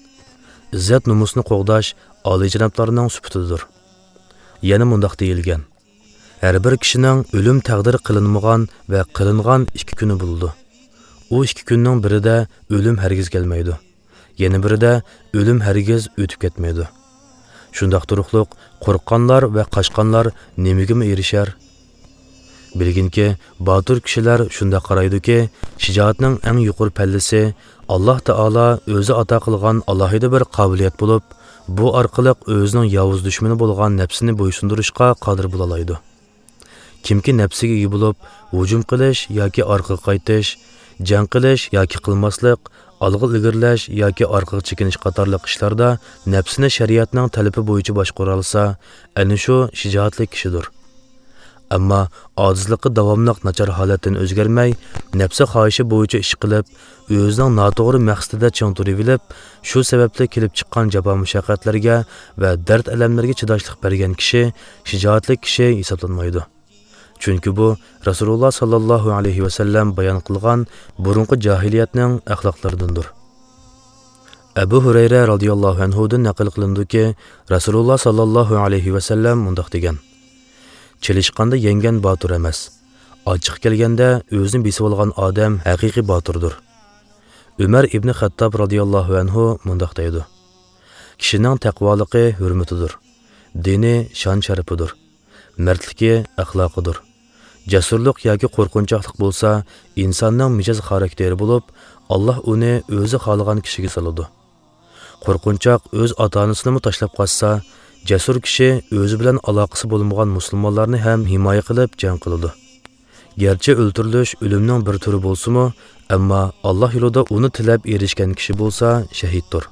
«ئىززەت-نومۇسنى قوغداش ئالىيجانابلارنىڭ سۈپىتىدۇر.» يەنە مۇنداق دېيىلگەن: «ھەر بىر كىشىنىڭ ئۆلۈم تەقدىر قىلىنمىغان ۋە قىلىنغان ئىككى كۈنى بولىدۇ. ئۇ ئىككى كۈننىڭ بىرىدە ئۆلۈم ھەرگىز كەلمەيدۇ، يەنە بىرىدە ئۆلۈم ھەرگىز ئۆتۈپ كەتمەيدۇ. شۇنداق تۇرۇقلۇق قورققانلار ۋە قاچقانلار نېمىگىمۇ ئېرىشەر؟ بىلگىنكى، باتۇر كىشىلەر شۇنداق قارايدۇكى، شىجائەتنىڭ ئەڭ يۇقىرى پەللىسى ئاللاھ تائالا ئۆزى ئاتا قىلغان ئالاھىدە بىر قابىلىيەت بولۇپ، بۇ ئارقىلىق ئۆزىنىڭ ياۋۇز دۈشمىنى بولغان نەپسىنى بويسۇندۇرۇشقا قادىر بولالايدۇ. كىمكى نەپسىگە ئىگە بولۇپ، ھۇجۇم قىلىش ياكى ئارقىغا قايتىش، جەڭ قىلىش ياكى قىلماسلىق، ئالغا ئىلگىرىلەش ياكى ئارقىغا چېكىنىش قاتارلىق ئىشلاردا نەپسىنى شەرىئەتنىڭ تەلىپى بويىچە باشقۇرالىسا، ئەنە شۇ شىجائەتلىك كىشىدۇر. ئەمما ئاجىزلىققا داۋاملىق ناچار ھالەتتىن ئۆزگەرمەي، نەپسى خاھىشى بويىچە ئىش قىلىپ، ئۆزىنىڭ ناتوغرا مەقسىتىدە چىڭ تۇرۇۋېلىپ، شۇ سەۋەبلىك كېلىپ چىققان جاپا-مۇشەققەتلەرگە ۋە دەرد-ئەلەملەرگە چىداشلىق بەرگەن كىشى شىجائەتلىك كىشى ھېسابلانمايدۇ. چۈنكى بۇ رەسۇلۇللا ساللاللاھۇ ئەلەيھى ۋەسەللەم بايان قىلغان بۇرۇنقى جاھىلىيەتنىڭ ئەخلاقلىرىدىندۇر. ئەبۇ ھۇرەيرە رازىياللاھۇ ئەنھۇدىن نەقىل قىلىنىدۇكى، رەسۇلۇللا ساللاللاھۇ ئەلەيھى ۋەسەللەم مۇنداق دېگەن: «چېلىشقاندا يەڭگەن باتۇر ئەمەس، ئاچچىقى كەلگەندە ئۆزىنى بېسىۋالغان ئادەم ھەقىقىي باتۇردۇر.» ئۆمەر ئىبنى خەتتاب رازىياللاھۇ ئەنھۇ مۇنداق دەيدۇ: «كىشىنىڭ تەقۋالىقى ھۆرمىتىدۇر، دىنى شان-شەرىپىدۇر، مەردلىكى ئەخلاقىدۇر. جەسۇرلۇق ياكى قورقۇنچاقلىق بولسا ئىنساننىڭ مىجەز خاراكتېرى بولۇپ، ئاللاھ ئۇنى ئۆزى خالىغان كىشىگە سالىدۇ. قورقۇنچاق ئۆز ئاتا-ئانىسىنىمۇ تاشلاپ قاچسا، جەسۇر كىشى ئۆزى بىلەن ئالاقىسى بولمىغان مۇسۇلمانلارنى ھەم ھىمايە قىلىپ جەڭ قىلىدۇ. گەرچە ئۆلتۈرۈلۈش ئۆلۈمنىڭ بىر تۈرى بولسىمۇ، ئەمما ئاللاھ يولىدا ئۇنى تىلەپ ئېرىشكەن كىشى بولسا شەھىدتۇر.»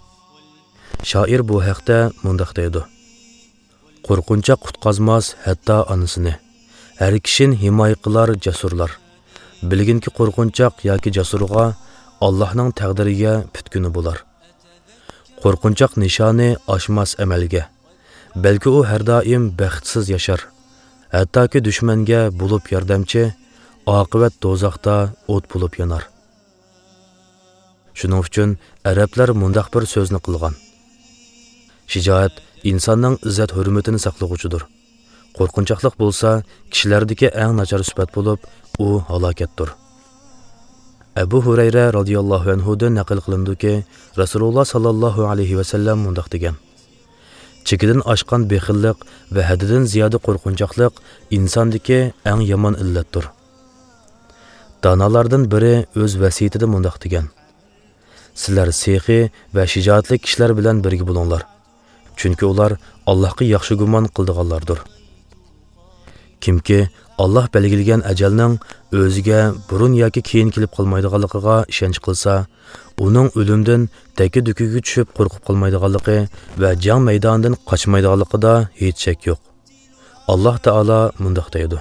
شائىر بۇ ھەقتە مۇنداق دەيدۇ: «قورقۇنچاق قۇتقازماس ھەتتا ئانىسىنى، ھەر كىشىنى ھىمايە قىلار جەسۇرلار. بىلگىنكى، قورقۇنچاق ياكى جەسۇرغا ئاللاھنىڭ تەقدىرىگە پۈتكۈنى بولار. قورقۇنچاق نىشانى ئاشماس ئەمەلگە، بەلكى ئۇ ھەر دائىم بەختسىز ياشار. ھەتتاكى دۈشمەنگە بولۇپ ياردەمچى، ئاقىۋەت دوزاختا ئوت بولۇپ يانار.» شۇنىڭ ئۈچۈن ئەرەبلەر مۇنداق بىر سۆزنى قىلغان: «شىجائەت ئىنساننىڭ ئىززەت-ھۆرمىتىنى ساقلىغۇچىدۇر. قورقۇنچاقلىق بولسا كىشىلەردىكى ئەڭ ناچار سۈپەت بولۇپ، ئۇ ھالاكەتتۇر.» ئەبۇ ھۇرەيرە رازىياللاھۇ ئەنھۇدىن نەقىل قىلىنىدۇكى، رەسۇلۇللا ساللاللاھۇ ئەلەيھى ۋەسەللەم مۇنداق دېگەن: «چېكىدىن ئاشقان بېخىللىق ۋە ھەددىدىن زىيادە قورقۇنچاقلىق ئىنساندىكى ئەڭ يامان ئىللەتتۇر.» دانالاردىن بىرى ئۆز ۋەسىيىتىدە مۇنداق دېگەن: «سىلەر سېخىي ۋە شىجائەتلىك كىشىلەر بىلەن بىرگە بولۇڭلار، چۈنكى ئۇلار ئاللاھقا ياخشى گۇمان قىلىدىغانلاردۇر.» كىمكى ئاللاھ بەلگىلىگەن ئەجەلنىڭ ئۆزىگە بۇرۇن ياكى كېيىن كېلىپ قالمايدىغانلىقىغا ئىشەنچ قىلسا، ئۇنىڭ ئۆلۈمدىن دەككە-دۈككىگە چۈشۈپ قورقۇپ قالمايدىغانلىقى ۋە جەڭ مەيدانىدىن قاچمايدىغانلىقىدا ھېچ شەك يوق. ئاللاھ تائالا مۇنداق دەيدۇ: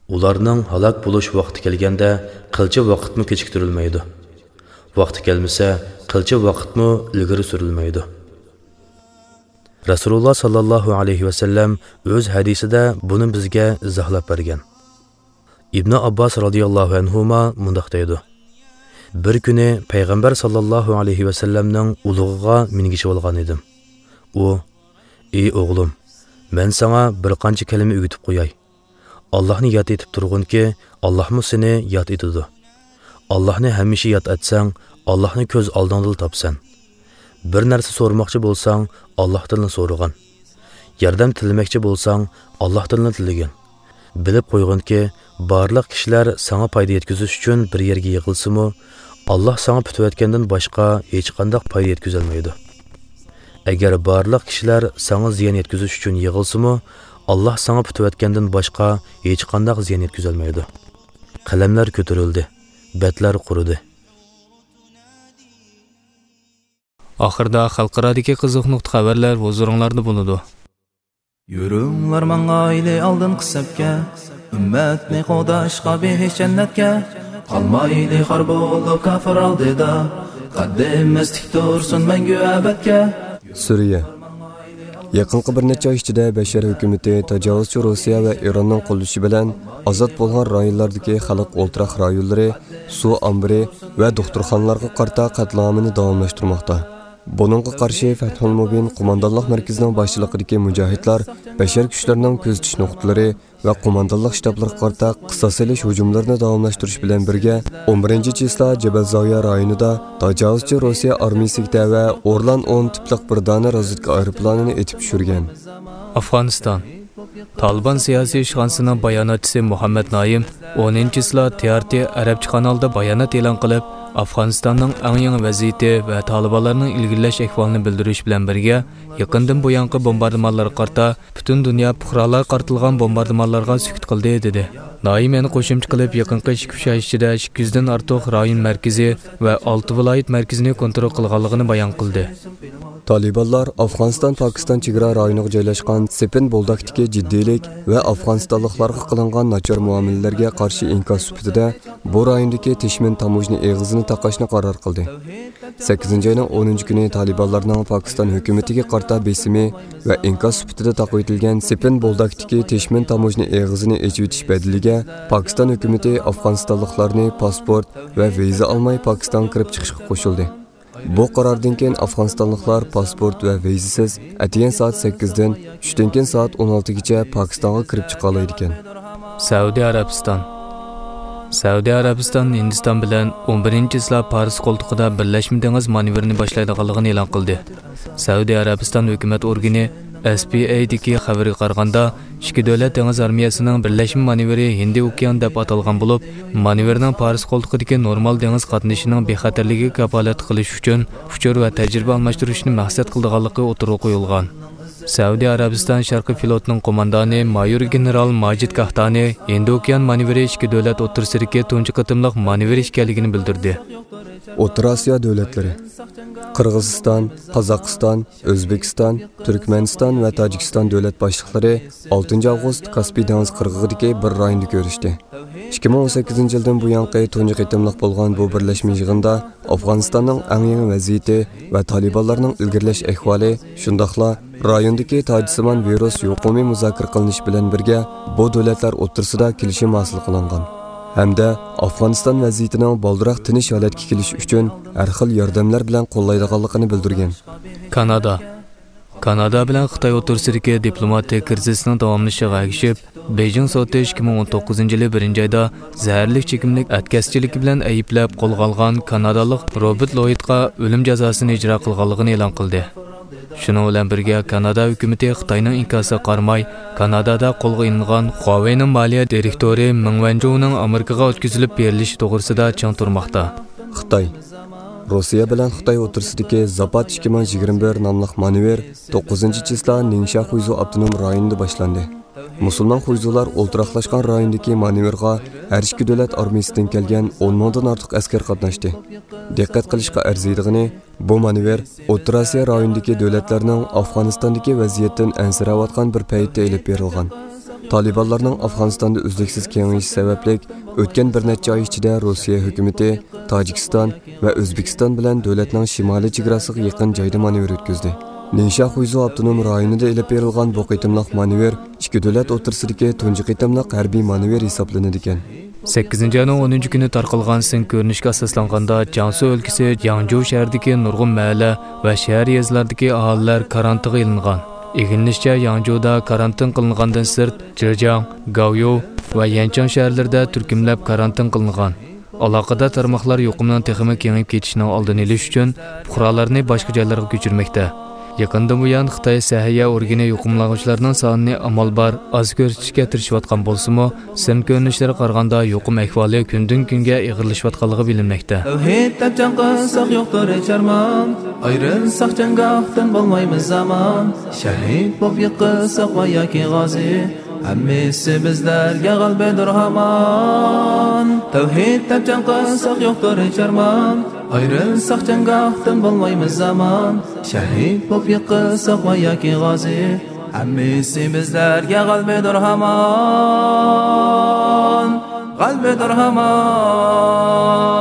«ئۇلارنىڭ ھالاك بولۇش ۋاقتى كەلگەندە، قىلچە ۋاقىتمۇ كېچىكتۈرۈلمەيدۇ. ۋاقتى كەلمىسە، قىلچە ۋاقىتمۇ ئىلگىرى سۈرۈلمەيدۇ.» رەسۇلۇللا ساللاللاھۇ ئەلەيھى ۋەسەللەم ئۆز ھەدىسىدە بۇنى بىزگە ئىزاھلاپ بەرگەن. ئىبنى ئابباس رازىياللاھۇ ئەنھۇما مۇنداق دەيدۇ: «بىر كۈنى پەيغەمبەر ساللاللاھۇ ئەلەيھى ۋەسەللەمنىڭ ئۇلۇغىغا مىنگىچىۋالغان ئىدىم. ئۇ، ئى ئوغلۇم، مەن ساڭا بىر قانچە كەلىمە ئۆگىتىپ قوياي. ئاللاھنى ياد ئېتىپ تۇرغىنكى، ئاللاھمۇ سېنى ياد ئېتىدۇ. ئاللاھنى ھەمىشە ياد ئەتسەڭ، ئاللاھنى كۆز ئالدىڭدىلا تاپسەن. بىر نەرسە سورىماقچى بولساڭ، ئاللاھتىنلا سورىغىن. ياردەم تىلىمەكچى بولساڭ، ئاللاھتىنلا تىلىگىن. بىلىپ قويغىنكى، بارلىق كىشىلەر ساڭا پايدا يەتكۈزۈش ئۈچۈن بىر يەرگە يىغىلسىمۇ، ئاللاھ ساڭا پۈتۈۋەتكەندىن باشقا ھېچقانداق پايدا يەتكۈزەلمەيدۇ. ئەگەر بارلىق كىشىلەر ساڭا زىيان يەتكۈزۈش ئۈچۈن يىغىلسىمۇ، ئاللاھ ساڭا پۈتۈۋەتكەندىن باشقا ھېچقانداق زىيان يەتكۈزەلمەيدۇ. قەلەملەر كۆتۈرۈلدى، بەتلەر قۇرۇدى. ئاخىرىدا خەلقئارادىكى قىزىق نۇقتا خەۋەرلەر ھۇزۇرۇڭلاردا بولىدۇ. يۈرۈڭلار ماڭايلى ئالدىنقى سەپكە، ئۈممەتنى قوغداشقا بېھىش جەننەتكە. قالمايلى خار بولۇپ كاپىر ئالدىدا، قەددىمىز تىك تۇرسۇن مەڭگۈ ئەبەدكە. سۈرىيە. يېقىنقى بىر نەچچە ئاي ئىچىدە بەشەر ھۆكۈمىتى تاجاۋۇزچى روسىيە ۋە ئىراننىڭ قوللىشى بىلەن ئازاد بولغان رايونلاردىكى خەلق ئولتۇراق رايونلىرى، سۇ ئامبىرى ۋە دوختۇرخانىلارغا قارىتا قەتلىئامىنى داۋاملاشتۇرماقتا. بۇنىڭغا قارشى فەتھۇل مۇبىن قوماندانلىق مەركىزىنىڭ باشچىلىقىدىكى مۇجاھىدلار بەشەر كۈچلىرىنىڭ كۆزىتىش نۇقتىلىرى ۋە قوماندانلىق شتابلىرىغا قارىتا قىساس ئېلىش ھۇجۇملىرىنى داۋاملاشتۇرۇش بىلەن بىرگە، ئون بىرىنچى چىسلا جەبەل زاۋىيە رايونىدا تاجاۋۇزچى روسىيە ئارمىيىسىگە تەۋە ئورلان ئون تىپلىق بىر دانە رازۋېدكا ئايروپىلانىنى ئېتىپ چۈشۈرگەن. ئافغانىستان. تالىبان سىياسىي ئىشخانىسىنىڭ باياناتچىسى مۇھەممەد نايىم ئونىنچى چىسلا تى ئار تى ئەرەبچە قانالدا بايانات ئېلان قىلىپ، ئافغانىستاننىڭ ئەڭ يېڭى ۋەزىيىتى ۋە تالىبانلارنىڭ ئىلگىرىلەش ئەھۋالىنى بىلدۈرۈش بىلەن بىرگە، يېقىندىن بۇيانقى بومباردىمانلارغا قارىتا پۈتۈن دۇنيا پۇقرالارغا قارىتىلغان بومباردىمانلارغا سۈكۈت قىلدى، دېدى. نايىم يەنە قوشۇمچە قىلىپ، يېقىنقى ئىككى ئۈچ ئاي ئىچىدە ئىككى يۈزدىن ئارتۇق رايون مەركىزى ۋە ئالتە ۋىلايەت مەركىزىنى كونترول قىلغانلىقىنى بايان قىلدى. تالىبانلار ئافغانىستان-پاكىستان چېگرا رايونىغا جايلاشقان سېپىن بولداكتىكى جىددىيلىك ۋە ئافغانىستانلىقلارغا قىلىنغان ناچار مۇئامىلىلەرگە قارشى ئىنكاس سۈپىتىدە بۇ رايوندىكى تېشمىن تاموژنا ئېغىزىنى تاقاشنى قارار قىلدى. سەككىزىنچى ئاينىڭ ئونىنچى كۈنى تالىبانلارنىڭ پاكىستان ھۆكۈمىتىگە قارىتا بېسىمى ۋە ئىنكاس سۈپىتىدە تاقىۋېتىلگەن سېپىن بولداكتىكى تېشمىن تاموژنا ئېغىزىنى ئېچىۋېتىش بەدىلىگە پاكىستان ھۆكۈمىتى ئافغانىستانلىقلارنى پاسپورت ۋە ۋىزا ئالماي پاكىستانغا كىرىپ چىقىشقا قوشۇلدى. بۇ قاراردىن كېيىن ئافغانىستانلىقلار پاسپورت ۋە ۋىزىسىز ئەتىگەن سائەت سەككىزدىن چۈشتىن كېيىن سائەت ئون ئالتىگىچە پاكىستانغا كىرىپ چىقالايدىكەن. سەئۇدى ئەرەبىستان. سەئۇدى ئەرەبىستان ھىندىستان بىلەن ئون بىرىنچى چىسلا پارس قولتۇقىدا بىرلەشمە دېڭىز مانېۋىرىنى باشلايدىغانلىقىنى ئېلان قىلدى. سەئۇدى ئەرەبىستان ھۆكۈمەت ئورگىنى ئېس پى ئەي دىكى خەۋىرىگە قارىغاندا، ئىككى دۆلەت دېڭىز ئارمىيەسىنىڭ بىرلەشمە مانېۋىرى ھىندى ئوكيانى دەپ ئاتالغان بولۇپ، مانېۋىرنىڭ پارس قولتۇقىدىكى نورمال دېڭىز قاتنىشىنىڭ بىخەتەرلىكىگە كاپالەتلىك قىلىش ئۈچۈن ئۇچۇر ۋە تەجرىبە ئالماشتۇرۇشنى مەقسەت قىلىدىغانلىقى ئوتتۇرىغا قويۇلغان. سەئۇدى ئەرەبىستان شەرقىي فلوتىنىڭ قوماندانى مايور گېنېرال ماجىد كاھتانى ھىندى ئوكيان مانېۋىرى ئىككى دۆلەت ئوتتۇرىسىدىكى تۇنجى قېتىملىق مانېۋىر ئىكەنلىكىنى بىلدۈردى. ئوتتۇرا ئاسىيا دۆلەتلىرى. قىرغىزىستان، قازاقىستان، ئۆزبېكىستان، تۈركمەنىستان ۋە تاجىكىستان دۆلەت باشلىقلىرى ئالتىنچى ئاۋغۇست كاسپىي دېڭىز قىرغىقىدىكى بىر رايوندا كۆرۈشتى. ئىككى مىڭ ئون سەككىزىنچى يىلدىن بۇيانقى تۇنجى قېتىملىق بولغان بۇ بىرلەشمە يىغىندا ئافغانىستاننىڭ ئەڭ يېڭى ۋەزىيىتى ۋە تالىبانلارنىڭ ئىلگىرىلەش ئەھۋالى، شۇنداقلا رايوندىكى تاجسىمان ۋىرۇس يۇقۇمى مۇزاكىرە قىلىنىش بىلەن بىرگە، بۇ دۆلەتلەر ئوتتۇرىسىدا كېلىشىم ھاسىل قىلىنغان ھەمدە ئافغانىستان ۋەزىيىتىنىڭ بالدۇراق تىنچ ھالەتكە كېلىشى ئۈچۈن ھەر خىل ياردەملەر بىلەن قوللايدىغانلىقىنى بىلدۈرگەن. كانادا. كانادا بىلەن خىتاي ئوتتۇرىسىدىكى دىپلوماتىك كىرىزىسنىڭ داۋاملىشىشىغا ئەگىشىپ، بېيجىڭ سوتى ئىككى مىڭ ئون توققۇزىنچى يىلى بىرىنچى ئايدا زەھەرلىك چېكىملىك ئەتكەسچىلىكى بىلەن ئەيىبلەپ قولغا ئالغان كانادالىق روبېرت لويدقا ئۆلۈم جازاسىنى ئىجرا قىلغانلىقىنى ئېلان قىلدى. شۇنىڭ بىلەن بىرگە، كانادا ھۆكۈمىتى خىتاينىڭ ئىنكاسىغا قارىماي، كانادادا قولغا ئېلىنغان خۇاۋېينىڭ مالىيە دىرېكتورى مېڭ ۋەنجۇنىڭ ئامېرىكىغا ئۆتكۈزۈلۈپ بېرىلىشى توغرىسىدا چىڭ تۇرماقتا. خىتاي. روسىيە بىلەن خىتاي ئوتتۇرىسىدىكى زاپاد ئىككى مىڭ يىگىرمە بىر ناملىق مانېۋىر توققۇزىنچى چىسلا نىڭشيا خۇيزۇ ئاپتونوم رايونىدا باشلاندى. مۇسۇلمان خۇيزۇلار ئولتۇراقلاشقان رايوندىكى مانېۋىرغا ھەر ئىككى دۆلەت ئارمىيىسىدىن كەلگەن ئون مىڭدىن ئارتۇق ئەسكەر قاتناشتى. دىققەت قىلىشقا ئەرزىيدىغىنى، بۇ مانېۋىر ئوتتۇرا ئاسىيا رايونىدىكى دۆلەتلەرنىڭ ئافغانىستاندىكى ۋەزىيەتتىن ئەنسىرەۋاتقان بىر پەيتتە ئېلىپ بېرىلغان. تالىبانلارنىڭ ئافغانىستاندا ئۈزلۈكسىز كېڭىيىشى سەۋەبلىك، ئۆتكەن بىر نەچچە ئاي ئىچىدە روسىيە ھۆكۈمىتى تاجىكىستان ۋە ئۆزبېكىستان بىلەن دۆلەتنىڭ شىمالىي چېگراسىغا يېقىن جايدا مانېۋىر ئۆتكۈزدى. نىڭشيا خۇيزۇ ئاپتونوم رايونىدا ئېلىپ بېرىلغان بۇ قېتىملىق مانېۋىر ئىككى دۆلەت ئوتتۇرىسىدىكى تۇنجى قېتىملىق ھەربىي مانېۋىر ھېسابلىنىدىكەن. سەككىزىنچى ئاينىڭ ئونىنچى كۈنى تارقالغان سىن كۆرۈنۈشكە ئاساسلانغاندا، جياڭسۇ ئۆلكىسى ياڭجۇ شەھىرىدىكى نۇرغۇن مەھەللە ۋە شەھەر يېزىلاردىكى ئاھالىلەر كارانتىنغا ئېلىنغان. ئىگىلىنىشىچە، ياڭجۇدا كارانتىن قىلىنغاندىن سىرت، جېجياڭ، گاۋيۇ ۋە يەنچاڭ شەھەرلىرىدە تۈركۈملەپ كارانتىن قىلىنغان. ئالاقىدار تارماقلار يۇقۇمنىڭ تېخىمۇ كېڭىيىپ كېتىشىنىڭ ئالدىنى ئېلىش ئۈچۈن پۇقرالارنى باشقا جايلارغا كۆچۈرمەكتە. يېقىندىن بۇيان خىتاي سەھىيە ئورگىنى يۇقۇملانغۇچىلارنىڭ سانىنى ئامال بار ئاز كۆرسىتىشكە تىرىشىۋاتقان بولسىمۇ، سىن كۆرۈنۈشلىرىگە قارىغاندا يۇقۇم ئەھۋالى كۈندىن-كۈنگە ئېغىرلىشىۋاتقانلىقى بىلىنمەكتە. تەۋھىد دەپ جەڭ قىلساق يوقتۇر ھېچ ئارمان، ئايرىلساق جەڭگاھتىن بولمايمىز ئامان، شەھىد بولۇپ يىقىلساق ۋە ياكى غازى، ھەممىسى بىزلەرگە غەلىبىدۇر ھامان. تەۋھىد دەپ جەڭ قىلساق يوقتۇر ھېچ ئارمان، ئايرىلساق جەڭگاھتىن بولمايمىز ئامان، شەھىد بولۇپ يىقىلساق ۋە ياكى غازى، ھەممىسى بىزلەرگە غەلىبىدۇر ھامان، غەلىبىدۇر ھامان.